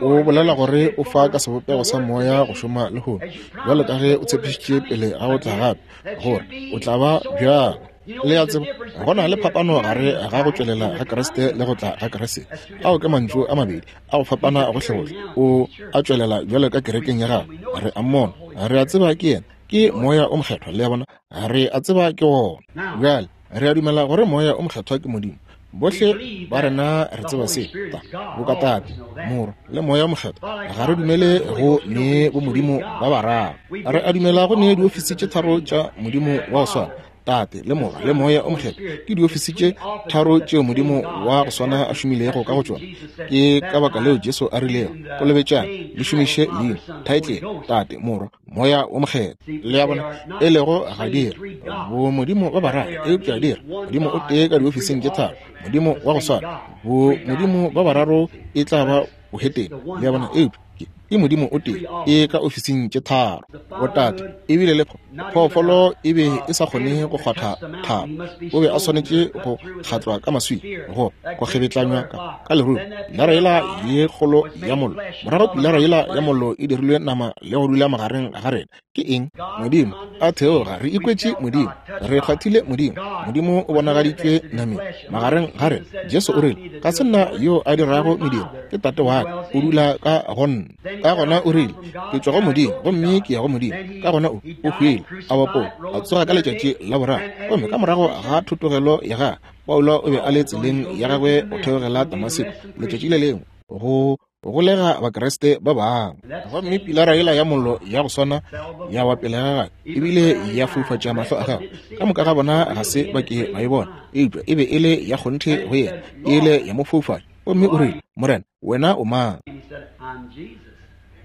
o bolela gore o fa ka sebopego sa moya go šoma lehono, bjalo ka ge o tshepišitše pele ga go tla gape gore o tla ba bjalo. Le a tseba, go na le phapano gare ga go tšwelela ga Kriste le go tla ga Kriste. Ao ke mantšu a mabedi a go fapana gohlegohle. O a tšwelela bjalo ka kerekeng ya gagwe, re a mmona, re a tseba ke yena, ke Moya o Mokgethwa. Le a bona, re a tseba ke wona. Bjale re a dumela gore Moya o Mokgethwa ke Modimo. Bohle ba rena re tseba se, ta, boka Tate, Morwa, le Moya o Mokgethwa. Ga re dumele go ne bomodimo ba bararo. Re a dumela go ne diofisi tše tharo tša Modimo wa go swana, Tate, le Morwa, le Moya o Mokgethwa. Ke diofisi tše tharo tšeo Modimo wa go swana a šomilego ka go tšona. Ke ka baka leo Jesu a rilego, Kolobetšang, le šomiše leina, thaetlele, Tate, Morwa, Moya wo Mokgethwa. Le a bona? E lego ga di re bomodimo ba bararo, eupša di re Modimo o tee ka diofising tše tharo, Modimo wa go swana. Bomodimo ba bararo e tla ba bohetene, le a bona, eupša ke Modimo o tee e ka ofising tše tharo. Botate ebile le phoofolo e be e sa kgone go kgwatha thaba, o be a swanetše go kgatlwa ka maswika, go kgebetlanywa ka lerumo, pilara yela ye kgolo ya mollo. Morago pilara yela ya mollo e dirilwe nama le go dula magareng ga rena. Ke eng? Modimo a theoga. Re ikwetše Modimo, re kgwathile Modimo. Modimo o bonagaditšwe nameng magareng ga rena. Jesu o rile, Ga se nna yo a dirago mediro, ke Tate wa ka o dula ka go nna. Ka gona o rile, Ke tšwa go Modimo gomme ke ya go Modimo. Ka gona o hwile, a bapolwa, a tsoga ka letšatši la boraro. Gomme ka morago ga thotogelo ya gagwe, Paulo o be a le tseleng ya gagwe go theogela Damaseko letšatši le lengwe go. Golega Bakriste ba bangwe. Gomme Pilara yela ya Mollo ya go swana ya wa pele ga gagwe, ebile ya foufatša mahlo a gagwe. Ka moka ga bona ga se ba ke ba e bona, eupša e be e le ya kgonthe go yena, e ile ya mo foufatša. Gomme o rile, Morena, Wena o mang?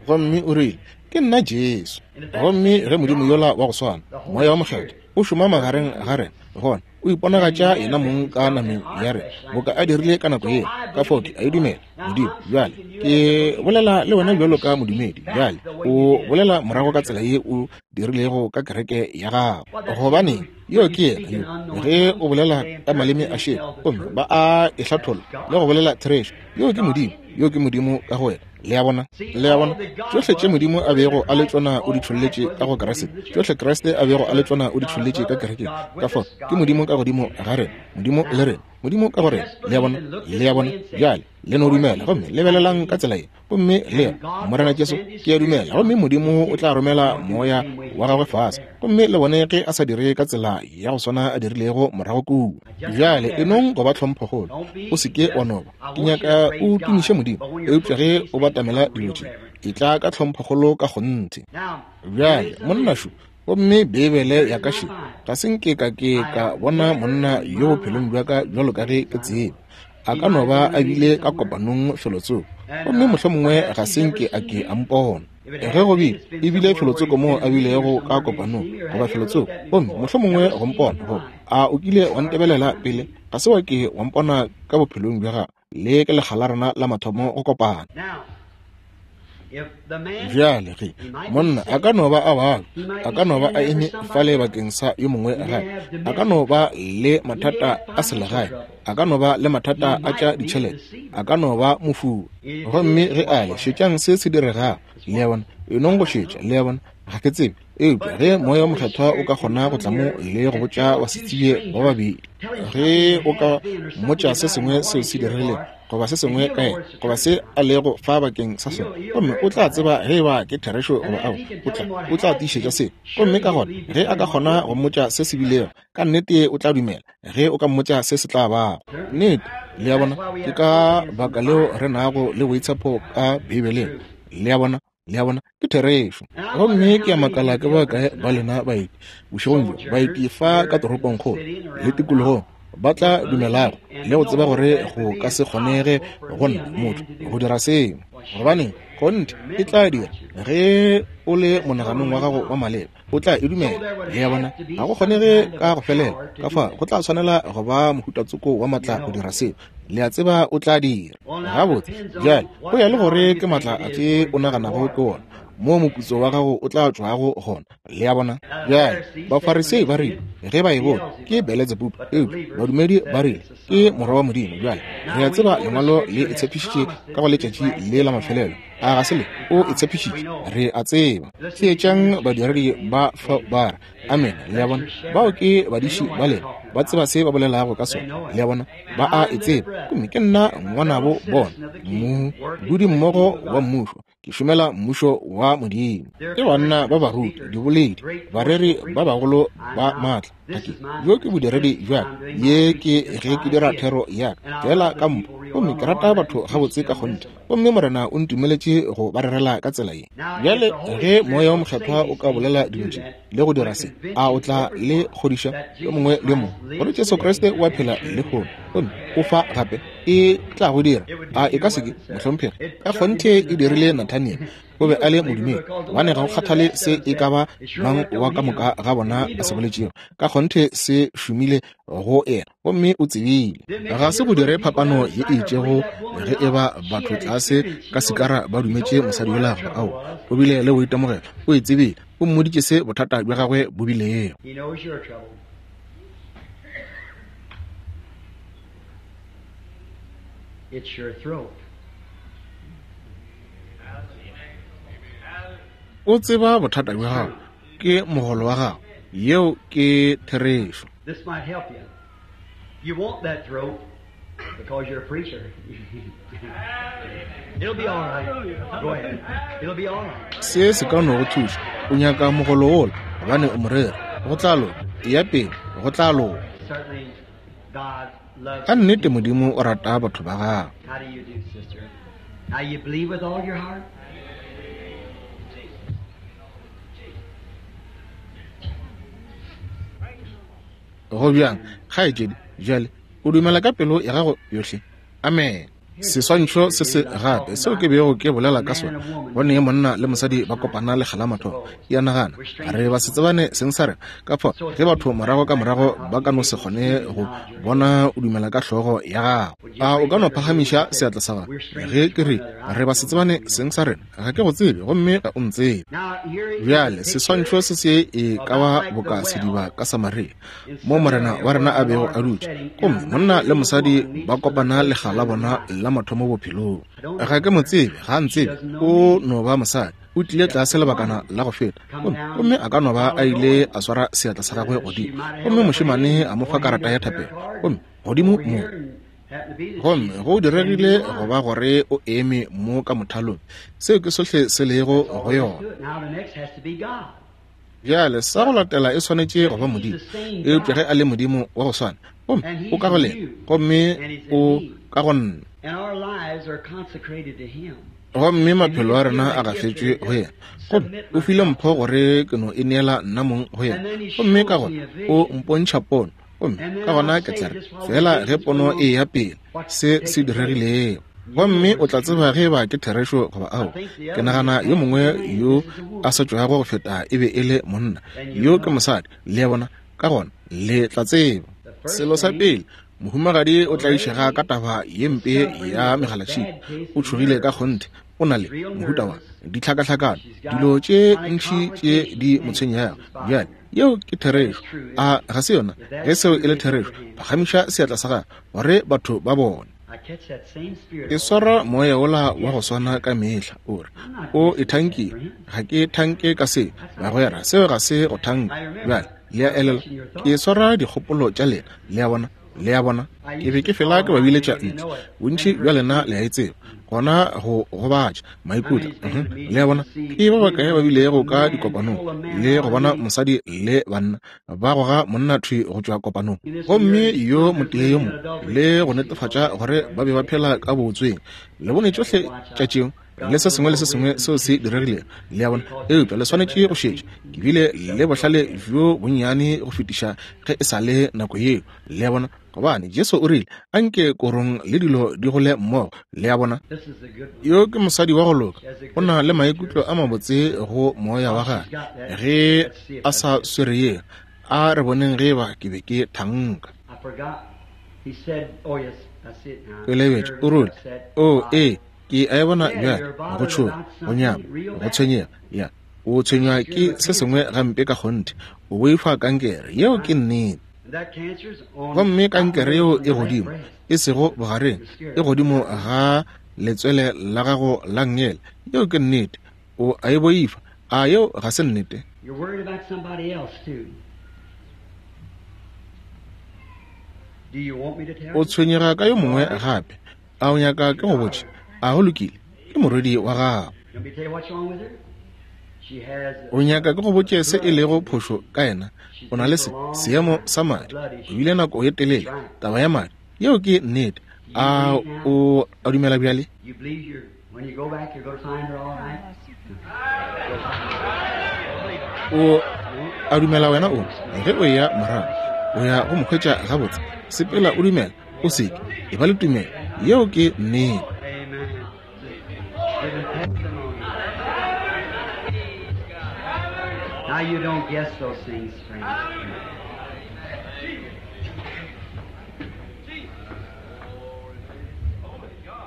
Gomme o rile, Ke nna Jesu. Gomme ge Modimo yola wa go swana, Moya wa Mokgethwa, o šoma magareng ga rena, gona O iponagatša Yena mong ka nameng ya rena, boka A dirile ka nako yela. Ka fao ke a e dumela, Modimo. Bjale, ke bolela le wena bjalo ka modumedi. Bjale, o bolela morago ka tsela ye o dirilego ka kereke ya gago. Gobaneng, yo ke yena yo, ge o bolela ka maleme a šele, gomme ba a e hlatholla le go bolela therešo. Yo ke Modimo, yo ke Modimo ka go wena. Le a bona? Le a bona? Tšohle tše Modimo a bego a le tšona o di tšholletše ka go Kriste. Tšohle Kriste a bego a le tšona o di tšholletše ka kerekeng. Ka fao, ke Modimo ka godimo ga rena, Modimo le rena, Modimo ka go rena. Le a bona? Le a bona? Bjale, le no dumela, gomme lebelelang ka tsela ye, gomme le re, Morena Jesu, ke a dumela, gomme Modimo o tla romela Moya wa Gagwe fase, gomme le bone ge A sa dire ka tsela ya go swana A dirilego morago kua. Bjale, e nong go ba tlhomphokgolo. O se ke wa no ba. Ke nyaka o tumiše Modimo, eupša ge o batamela dilo tše, etla ka tlhomphokgolo ka kgonthe. Bjale, monna šo, gomme Beibele ya ka še, ga se nke ka ke ka bona monna yo bophelong bja ka bjalo ka ge ke tseba. A ka no ba a bile ka kopanong felotsoko, gomme mohlomongwe ga se nke a ke a mpona. Ge go bile, e bile felotsoko moo a bilego ka kopanong, goba felotsoko, gomme mohlomongwe go mpona, goba a o kile wa ntebelela pele? Ga se wa ke wa mpona ka bophelong bja gago. Le ke lekga la rena la mathomo go kopana. Bjale ge monna a ka no ba a babja, a ka no ba a eme fale bakeng sa yo mongwe gape, a ka no ba le mathata a selegae, a ka no ba le mathata a tša ditšhelete, a ka no ba mofuwa. Gomme ge a le, šetšang se se diregago. Le a bona? E nong go šetša, le a bona? Ga ke tsebe. Eupša ge Moya wo Mokgethwa o ka kgona go tla mo le go botša basetsebje ba babedi, ge o ka mmotša se sengwe seo se diregilego, goba se sengwe ka yena, goba se a lego fa bakeng sa sona, gomme o tla tseba ge eba ke therešo goba aowa, o tla, o tla tiišetša seo. Gomme ka gona ge a ka kgona go mmotša se se bilego, ka nnete o tla dumela ge o ka mmotša se se tla bago. Nnete, le a bona, ke ka baka leo re nago le boitshepo ka Beibeleng. Le a bona? Le a bona, ke therešo. Gomme ke a makala ke ba kae ba lena baeti bošegong bjo, baeti fa ka toropongkgolo le tikologong, ba tla dumelago le go tseba gore go ka se kgonege go nna motho go dira seo. Gobane kgonthe e tla dira ge o le monaganong wa gago wa maleba, o tla e dumela. Le a bona, ga go kgonege ka go felela, ka fa go tla swanela go ba mohutatsoko wa matla go dira seo. Le a tseba o tla dira. Gabotse, bjale, go ya le gore ke matla afe o naganago ke wona, moo moputso wa gago o tla tšwago gona. Le a bona? Bjale, Bafarisei ba rile, ge ba e bone, ke Beletsebubu, eupša badumedi ba rile, ke Morwa wa Modimo. Bjale, re a tseba Lengwalo le e tshepišitše ka go letšatši le la mafelelo. A ga se le? O e tshepišitše. Re a tseba. Theetšang badiredi ba fa ba re, Amene. Le a bona? Bao ke badiši ba lena. Ba tseba se ba bolelago ka sona. Le a bona? Ba a e tseba. Gomme ke nna ngwanabo bona, modudi mmogo wa Mmušo. Ke šomela Mmušo wa Modimo. Ke banna ba baruti, diboledi, bareri ba bagolo ba maatla. Ga ke, bjo ke bodiredi bja ka. Ye ke ge ke dira thero ya ka, feela ka mpho. Gomme ke rata batho gabotse ka kgonthe. Gomme Morena o ntumeletše go ba rerela ka tsela ye. Bjale, ge Moya wo Mokgethwa o ka bolela dilo tše le go dira se, a o tla le kgodiša yo mongwe le yo mongwe gore Jesu Kriste o a phela lehono gomme o fa gape? E tla go dira. A e ka se ke, mohlomphegi? Ka kgonthe e dirile Nathaniel. O be a le modumedi, gobane ga go kgathale se e ka ba mang wa ka moka ga bona a se boletšego, ka kgonthe se šomile go yena, gomme o tsebile. Ga se go dire phapano ye e itšego ge e ba batho tlase ka sikara ba dumetše mosadi yola goba aowa. O bile le boitemogelo, o e tsebile, o mmoditše se bothata bja gagwe bo bilego. It's your throat. O tseba bothata bja gago, ke mogolo wa gago. Yeo ke therešo. This might help you. You want that throat because you're a preacher. It'll be all right. Go ahead. It'll be all right. Se se ka no go thuša. O nyaka mogolo wola gobane o moreri. Go tla loka. Eya pele. Go tla loka. Certainly God loves Ka nnete Modimo o rata batho ba gagwe. How do you do, sister? Now you believe with all your heart? Go bjang, kgaetšedi, bjale o dumela ka pelo ya gago yohle? Amen. Seswantšho se se gape seo ke bego ke bolela ka sona, bone monna le mosadi ba kopana lekga la mathomo. Ya nagana, re ba se tsebane seng sa rena. Ka fao ge batho morago ka morago ba ka no se kgone go bona o dumela ka hlogo ya gago. A o ka no phagamiša seatla sa gago ge ke re re ba se tsebane seng sa rena? Ga ke go tsebe gomme ga o ntsebe. Bjale seswantšho se se e ka ba boka sediba ka Samaria, mo Morena wa rena a bego a dutše, gomme monna le mosadi ba kopana lekga la bona la mathomo bophelong. Ga ke mo tsebe, ga a ntsebe, o no ba mosadi. O tlile tlase lebakana la go feta, gomme a ka no ba a ile a swara seatla sa gagwe godimo, gomme mošemane a mo fa karata ya thapelo, gomme godimo mo. Gomme go diregile go ba gore o eme mo ka mothalong. Seo ke sohle se lego go yona. Bjale sa go latela e swanetše go ba Modimo. Eupša ge a le Modimo wa go swana, gomme o ka go lena, gomme o ka go nna, gomme maphelo a rena a gafetšwe go yena, gomme o file mpho gore ke no e neela nna mong go yena, gomme ka gona o mpontšha pono, gomme ka gona ke tla re fela ge pono e ya pele se se diregilego, gomme o tla tseba ge ba ke therešo goba ao. Ke nagana yo mongwe yo a sa tšwago go feta e be e le monna, yo ke mosadi, le a bona. Ka gona le tla tseba. Selo sa pele, mohumagadi o tlaišega ka taba ye mpe ya megalatšhika. O tšhogile ka kgonthe. O na le mohuta wa ditlhakahlakano, dilo tše ntši tše di mo tshwenyago. Bjale, yeo ke therešo, a ga se yona? Ge seo e le therešo, phagamiša seatla sa gago gore batho ba bone. Ke swara moya wola wa go swana ka mehla. O re, O ithankile. Ga ke thanke ka seo, bagwera. Seo ga se go thanka. Bjale, le a elelwa, ke swara dikgopolo tša lena. Le a bona? Le a bona? Ke be ke fela ke ba biletša ntle. Bontši bja lena le a e tseba. Gona go gobatša maikutlo. Le a bona? Ke ba bakae ba bilego ka dikopanong le go bona mosadi le banna ba goga monna thwi go tšwa kopanong, gomme yo motee yo mongwe, le go netefatša gore ba be ba phela ka bootsweng. Le bone tšohle tša tšeo le se sengwe le se sengwe seo se diregilego. Le a bona? Eupša le swanetše go šetša. Ke bile le bohlale bjo bonnyane go fetiša ge e sa le nako yeo. Le a bona? Gobane Jesu o rile, Anke korong le dilo di gole mmogo. Le a bona? Yo ke mosadi wa go loka. O na le maikutlo a mabotse go moya wa gagwe ge a sa swere yeo. A re boneng ge eba ke be ke thanka. Ke lebetše. O rile, O, ee, ke a e bona bjale. Go tšhoga, go nyama, go tshwenyega. Ya, o tshwenywa ke se sengwe gampe ka kgonthe. O boifa kankere. Yeo ke nnete. Gomme kankere yeo e godimo, e sego bogareng, e godimo ga letswele la gago la nngele. Yeo ke nnete. O a e boifa. A yeo ga se nnete? O tshwenyega ka yo mongwe gape. A o nyaka ke go botše? A go lokile? Ke morwedi wa gago. O nyaka ke go botše se e lego phošo ka yena? O na le se, seemo sa madi. O bile nako ye telele, taba ya madi. Yeo ke nnete. A o a dumela bjale? O a dumela wena o, ge o eya morago, o ya go mo hwetša gabotse. Sepela o dumela, o se ke. E ba le tumelo. Yeo ke nnete. Now you don't guess those things, friends.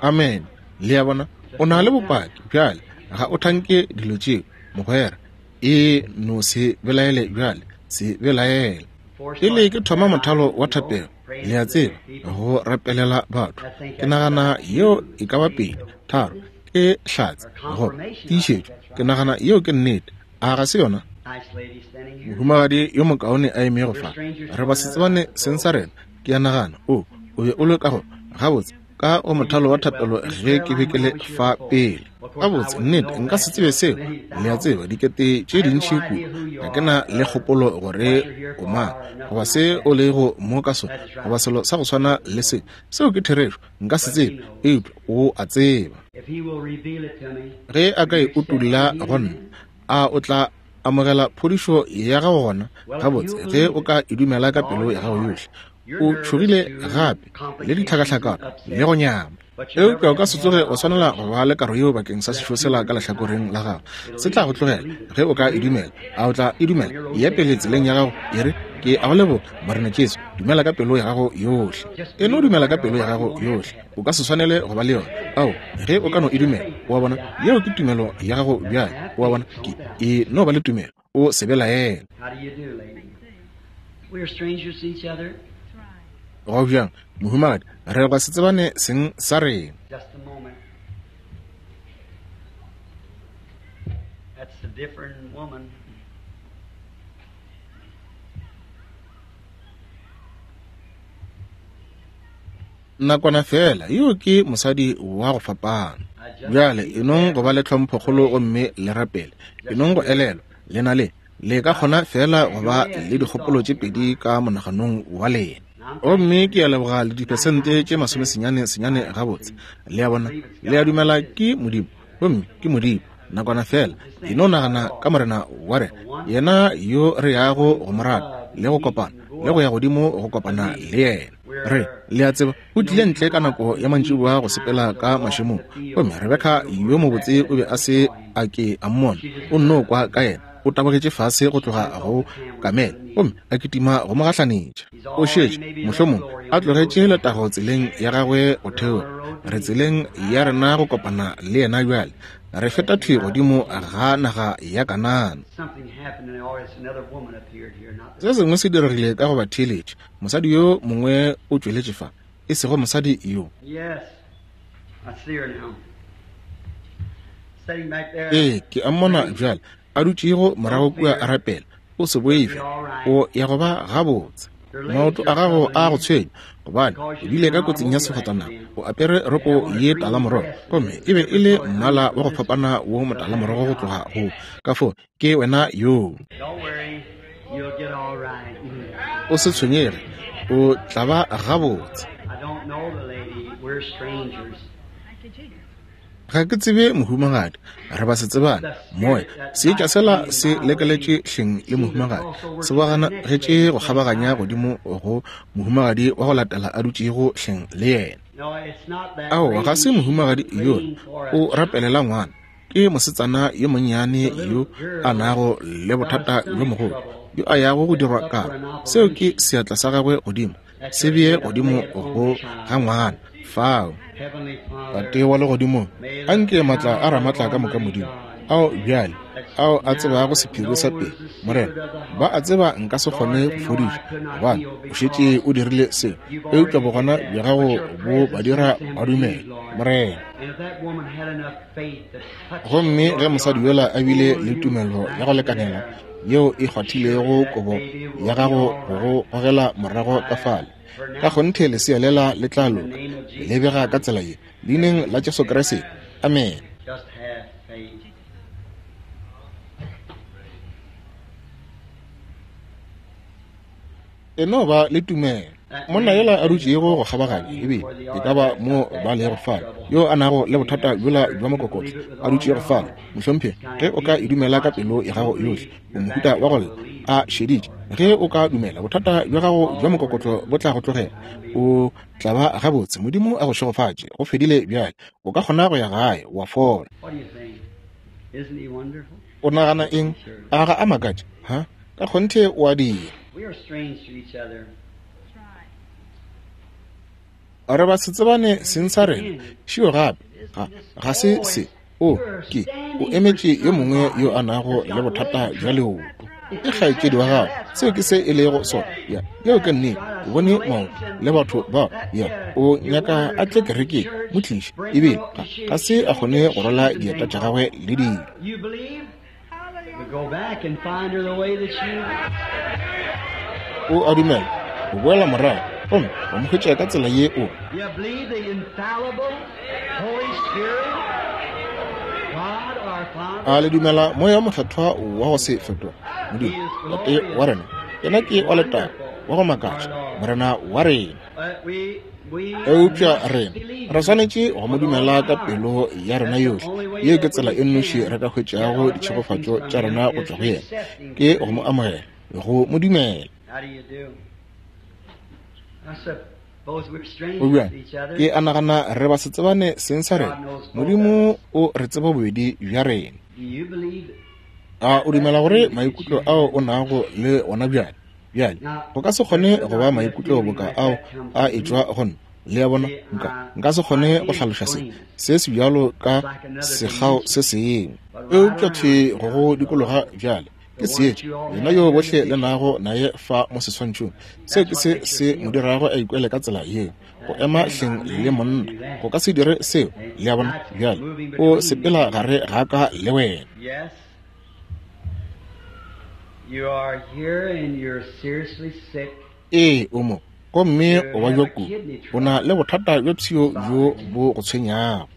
Amen. Le a bona? O na le bopaki bjale. Ga o thanke dilo tšeo, mogwera. E no se belaele bjale. Se belaele. Pele ke thoma mothalo wa thapelo, le a tseba, go rapelela batho, ke nagana yeo e ka ba pedi, tharo, ke hlatse, goba tiišetšo. Ke nagana yeo ke nnete. A ga se yona? Mohumagadi yo mokaone a emego fa, re ba se tsebane seng sa rena, ke a nagana. O, o be o le ka go, gabotse, ka go mothalo wa thapelo ge ke be ke le fa pele. Gabotse, nnete, nka se tsebe seo. Le a tseba, dikete tše dintši kudu. Ga ke na le kgopolo gore o mang, goba se o lego mo ka sona, goba selo sa go swana le se. Seo ke therešo. Nka se tsebe, eupša O a tseba. Ge A ka e utolla go nna, a o tla amogela phodišo ya gago gona? Gabotse, ge o ka e dumela ka pelo ya gago yohle. O tšhogile gape le ditlhakahlakano le go nyama. Eupša o ka se tsoge o swanela go ba le karo yeo bakeng sa sešo sela ka lehlakoreng la gago. Se tla go tlogela ge o ka e dumela. A o tla e dumela? Eya pele tseleng ya gago, e re, Ke a go leboga, Morena Jesu. Dumela ka pelo ya gago yohle. E no dumela ka pelo ya gago yohle. O ka se swanele go ba le yona. Ao, ge o ka no e dumela. O a bona? Yeo ke tumelo ya gago bjale. O a bona? Ke, e no ba le tumelo. O se belaele. Go bjang, mohumagadi? Re gwa se tsebane seng sa rena. Nakwana feela, yo ke mosadi wa go fapana. Bjale, enong go ba le tlhomphokgolo gomme le rapele. Enong go elelwa, le na le, le ka kgona feela go ba le dikgopolo tše pedi ka monaganong wa lena. Gomme ke a leboga le diphesente tše masomesenyane senyane gabotse. Le a bona, le a dumela ke Modimo, gomme ke Modimo. Nakwana feela, e no nagana ka Morena wa rena, yena yo re yago go mo rata le go kopana le go ya godimo go kopana le yena. Re, le a tseba, o tlile ntle ka nako ya mantšiboa go sepela ka mašemong, gomme Rebeka yo mobotse o be a se a ke a mmona, o nno kwa ka yena. O tabogetše fase go tloga go kamele gomme a kitima go mo gahlanetša. O šetše, mohlomong, a tlogetše letago tseleng ya gagwe go theoga. Re tseleng ya rena go kopana le yena bjale. Re feta thwi godimo ga naga ya Kanana. Se sengwe se diregile ka go ba theeletše. Mosadi yo mongwe o tšweletše fa, e sego mosadi yo. Ee, ke a mmona bjale, a dutšego morago kua a rapela. O se boife, o ya go ba gabotse. Maoto a gago a go tshwenya, gobane o bile ka kotsing ya sefatanaga. O apere roko ye talamorogo, gomme e be e le mmala wa go fapana wo motalamorogo go tloga go ka fo ke wena yoo. O se tshwenyege, o tla ba gabotse. Ga ke tsebe mohumagadi, re ba se tsebane. Moya, seetša sela se lekeletše hleng le mohumagadi, se boganagetše go kgabaganya godimo go mohumagadi wa go latela a dutšego hleng le yena. Aowa, ga se mohumagadi yola, o rapelela ngwana. Ke mosetsana yo monnyane yo a nago le bothata bjo mogolo, yo a yago go dirwa karo. Seo ke seatla sa gagwe godimo, se bee godimo go ga ngwana fao. Tate wa Legodimong, anke maatla a Ramatla ka moka Modimo, ao bjale, ao a tsebago sephiri sa pele, Morena, ba a tseba nka se kgone go fodiša, gobane o šetše o dirile seo, eupša bogona bja gago bo ba dira ba dumele, Morena. Gomme ge mosadi yola a bile le tumelo ya go lekanela yeo e kgwathilego kobo ya gago go go gogela morago ka fale, ka kgonthe lesea lela le tla loka, le bega ka tsela ye, Leineng la Jesu Kriste. Amene. E no ba le tumelo. Monna yola a dutšego go kgabaganya, ebile e ka ba mo ba lego fale, yo a nago le bothata bjola bja mokokotlo, a dutšego fale, mohlomphegi, ge o ka e dumela ka pelo ya gago yohle, o mohuta wa go lla, a šeditše. Ge o ka dumela, bothata bja gago bja mokokotlo bo tla go tlogela. O tla ba gabotse. Modimo a go šegofatše. Go fedile bjale. O ka kgona go ya gae, wa fola. O nagana eng? A ga a makatše? Ha? Ka kgonthe o a dira. Re ba se tsebane seng sa rena. Šio gape, ga, ga se se. O, ke, o emetše yo mongwe yo a nago le bothata bja leoto. Ke kgaetšedi wa gago. Seo ke se e lego sona. Ya, yeo ke nnete. O bone maoto le batho bao. Ya, o nyaka a tle kerekeng. Mo tliše. Ebile ga, ga se a kgone go rwala dieta tša gagwe le dilo. O a dumela, o boela morago gomme wa mo hwetša ka tsela ye o. A le dumela Moya wo Mokgethwa wa go se fetoge? Modimo, Tate wa rena, Yena ke wa letago, wa go makatša, Morena wa rena. Eupša rena re swanetše go mo dumela ka pelo ya rena yohle. Yeo ke tsela e nnoši re ka hwetšago ditšhegofatšo tša rena go tšwa go yena, ke go mo amogela, go mo dumela. O bjang? Ke a nagana re ba se tsebane seng sa rena. Modimo o re tseba bobedi bja rena. A o dumela gore maikutlo ao o nago le ona bjale, bjale, go ka se kgone go ba maikutlo boka ao a etšwa go nna? Le a bona? Nka, nka se kgone go hlaloša se, se se bjalo ka sekgao se sengwe. Eupša thwi go go dikologa bjale, ke seetša, yena yo bohle le nago naye fa mo seswantšhong. Seo ke se se mo dirago a ikwele ka tsela yeo, go ema hleng le monna. Go ka se dire seo, le a bona. Bjale, o sepela gare ga ka le wena. Ee, o mo, gomme o babja kudu. O na le bothata bja pshio bjo bo go tshwenyago.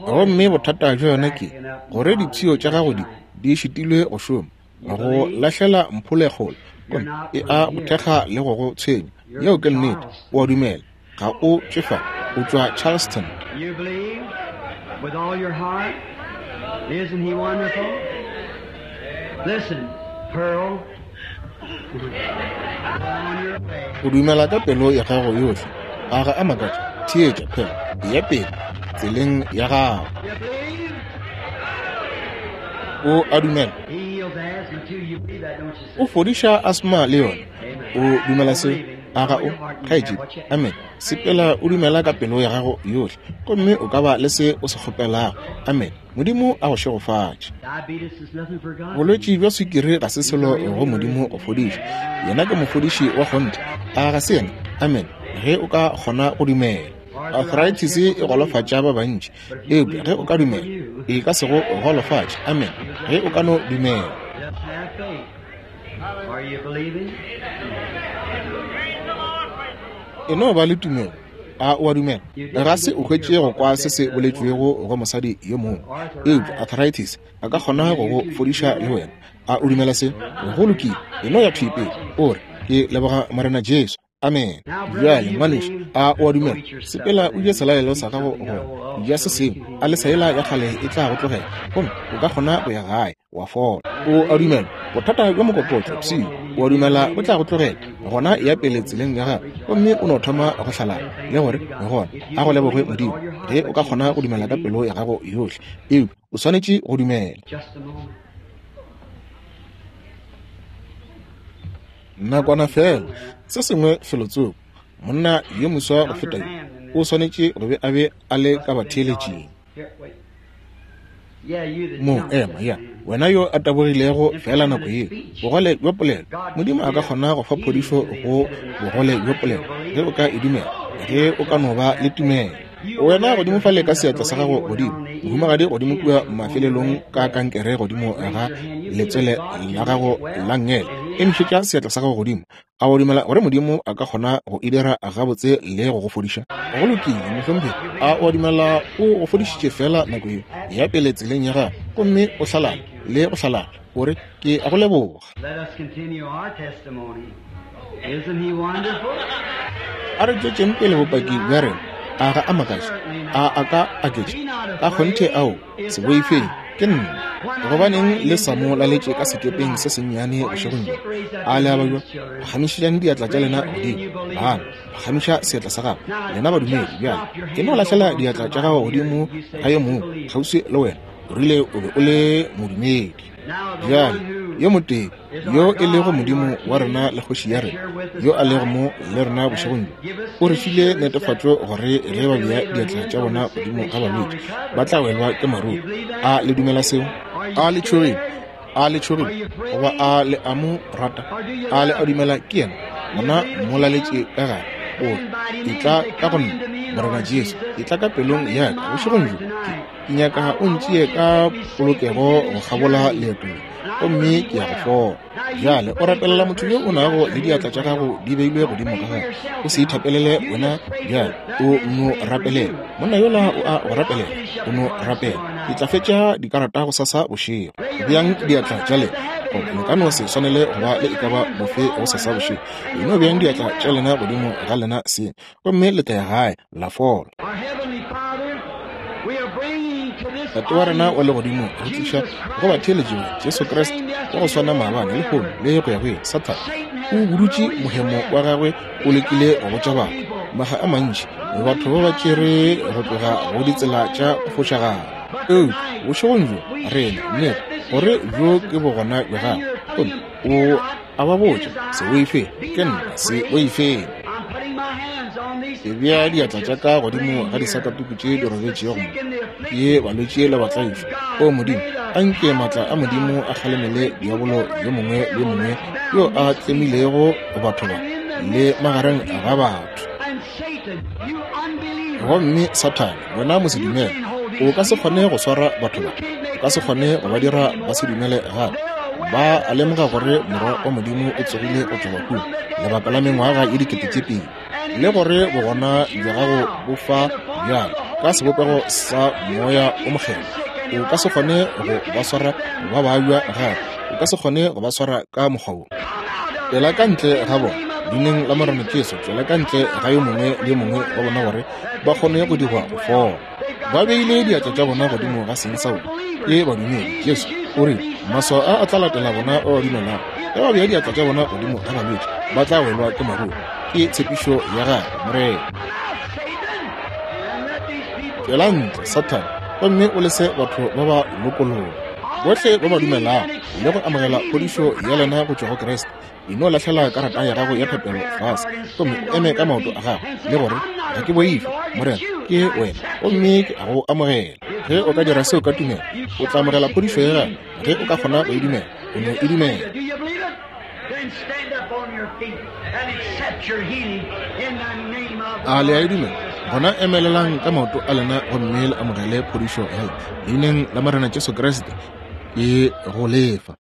Gomme bothata bja yona ke gore dipshio tša gago di, di šitilwe go šoma, go lahlela mphole kgole, gomme e a go thekga le go go tshwenya. Yeo ke nnete. O a dumela. Ga o tšwe fa, o tšwa Charleston. You believe with all your heart? Isn't he wonderful? Listen, Pearl. Go on your way. O dumela ka pelo ya gago yohle. A ga a makatše? Theetša, Pearl, eya pele tseleng ya gago. You believe? O a dumela. He heals asthma too. You believe that, don't you, O sister? fodiša asma le yona. O dumela seo? A ga o, kgaetšedi? Amen. Sepela o dumela ka pelo ya gago yohle, gomme o ka ba le se o se kgopelago. Amen. Modimo a go šegofatše. Diabetes is nothing for God. Bolwetši bja swikiri ga se selo go Modimo go fodiša. Yena ke mofodiši wa kgonthe. A ga se yena? Amen. Ge o ka kgona go dumela. Arthritis e golofatša ba bantši, eupša ge o ka dumela, e ka se go golofatše. Amen. Ge o ka no dumela. Just have faith. Are you believing? E no ba le tumelo. A o a dumela? Ga se o hwetše go kwa se se boletšwego go mosadi yo mongwe, eupša arthritis a ka kgona go go fodiša le wena. A o dumela se? Go lokile. E no ya thwi pele, o re, Ke leboga Morena Jesu. Amen. Bjale, ngwanešu, a o a dumela? Sepela o je selalelo sa gago gona. Ja se sengwe, a lesa yela ya kgale e tla go tlogela, gomme o ka kgona go ya gae, wa fola. O a dumela? Bothata bja mokokotlo, pshio, o a dumela bo tla go tlogela? Gona ya pele tseleng ya gago, gomme o no thoma go hlalala, le gore, Gona, a go lebogwe Modimo, ge o ka kgona go dumela ka pelo ya gago yohle. Eupša o swanetše go dumela. Just a moment. Nakwana feela, se sengwe felotsoko, monna yo moswa go feta yo o swanetše go be a be a le ka batheeletšing. Here, wait. Yeah, you that Mo jumped ema, just ya, now. wena yo a tabogilego feela nako yeo, bogole bja polelo. Modimo a ka kgona go fa phodišo go bogole bja polelo, ge o ka e dumela, ge o ka no ba le tumelo. Wena godimo fale ka seatla sa gago godimo, mohumagadi godimo kua mafelelong ka kankere godimo ga letswele la gago la nngele, emišetša seatla sa gago godimo. A o dumela gore Modimo a ka kgona go e dira gabotse le go go fodiša? Go lokile, mohlomphegi. A o a dumela o go fodišitše feela nako yeo? Ya pele tseleng ya gago, gomme o hlalala le go hlalala, o re, Ke a go leboga. Let us continue our testimony. Isn't he wonderful? A re tšwetšeng pele bopaki bja rena. A ga a makatše? A a ka aketša? Ka kgonthe ao, se boifeng, ke nna. Gobaneng le sa mo laletše ka sekepeng se sennyane bošegong bjo? A le a babja? Phagamišetšang diatla tša lena godimo. Bana, phagamiša seatla sa gago. Lena badumedi, bjale, e no lahlela diatla tša gago godimo ga yo mongwe kgauswi le wena. O rile o be o le modumedi. Bjale, yo motee yo e lego Modimo wa rena le Kgoši ya rena, yo a lego mo le rena bošegong bjo, o re file netefatšo gore ge ba bea diatla tša bona godimo ga balwetši, ba tla welwa ke maruru. A le dumela seo? A le tšhogile? A le tšhogile? Goba a le a mo rata? A le a dumela ke yena? Gona mo laletše ka gare, o re, Etla ka go nna. Morena Jesu, etla ka pelong ya ka bošegong bjo. Ke nyaka o ntšee ka polokego go kgabola leeto le, gomme ke ya go fola. Bjale o rapelela motho yo o nago le diatla tša gago di beilwe godimo ga gagwe. O se ithapelele wena bjale, o no rapelela. Monna yola o a go rapelela, o no rapela. Ke tla fetša dikarata gosasa bošego. Beang diatla tša lena, goba le ka no se swanele go ba le e ka ba bofe gosasa bošego. E no beang diatla tša lena godimo ga lena seng, gomme le tla ya gae la fola. Tate wa rena wa legodimo, re tliša go batheeletši ba Jesu Kriste wa go swana maabane, lehono le go ya go ile. Sathane o budutše mohemo wa gagwe, o lekile go botša batho maga a mantši, batho ba ba tšere go tloga go ditsela tša go fošagala. Eupša bošegong bjo rena nnete gore bjo ke bogona bja gagwe, gomme o a ba botša, Se boifeng, ke nna, se boifeng. Ke bea diatla tša ka godimo ga disakatuku tše di robetšego mo, ke balwetši le batlaišwa. O Modimo, a nke maatla a Modimo a kgalemele diabolo yo mongwe le yo mongwe yo a tlemilego batho ba le magareng ga batho. Gomme Sathane, wena mosedumele, o ka se kgone go swara batho ba, o ka se kgone go ba dira ba se dumele gape. Ba a lemoga gore Morwa wa Modimo o tsogile go tšwa bahung lebaka la mengwaga ye 2000, le gore bogona bja gago bo fa bjale ka sebopego sa Moya o Mokgethwa. O ka se kgone go ba swara ba babja gape, o ka se kgone go ba swara ka mokgwa wo. Tšwela ka ntle ga bona, Leineng la Morena Jesu, tšwela ka ntle ga yo mongwe le yo mongwe wa bona gore ba kgone go dirwa go fola. Ba beile diatla tša bona godimo ga seng sa bona, ke badumedi. Jesu o rile, Maswao a a tla latela bona ba ba dumelago. Ge ba bea diatla tša bona godimo ga balwetši, ba tla welwa ke maruru. Ke tshepišo ya Gagwe, Morena. Tšwela ntle, Sathane, gomme o lese batho ba ba lokologa. Bohle ba ba dumelago le go amogela phodišo ya lena go tšwa go Kriste, e no lahlela karata ya gago ya thapelo fase gomme o eme ka maoto a gago le gore, Ga ke boife, Morena, ke wena, gomme ke a go amogela. Ge o ka dira seo ka tumelo, o tla amogela phodišo ya gago. Ge o ka kgona go e dumela, o no e dumela. A le a e dumela? Gona emelelang ka maoto a lena gomme le amogele phodišo ya lena. Leineng la Morena Jesu Kriste, ke go lefa.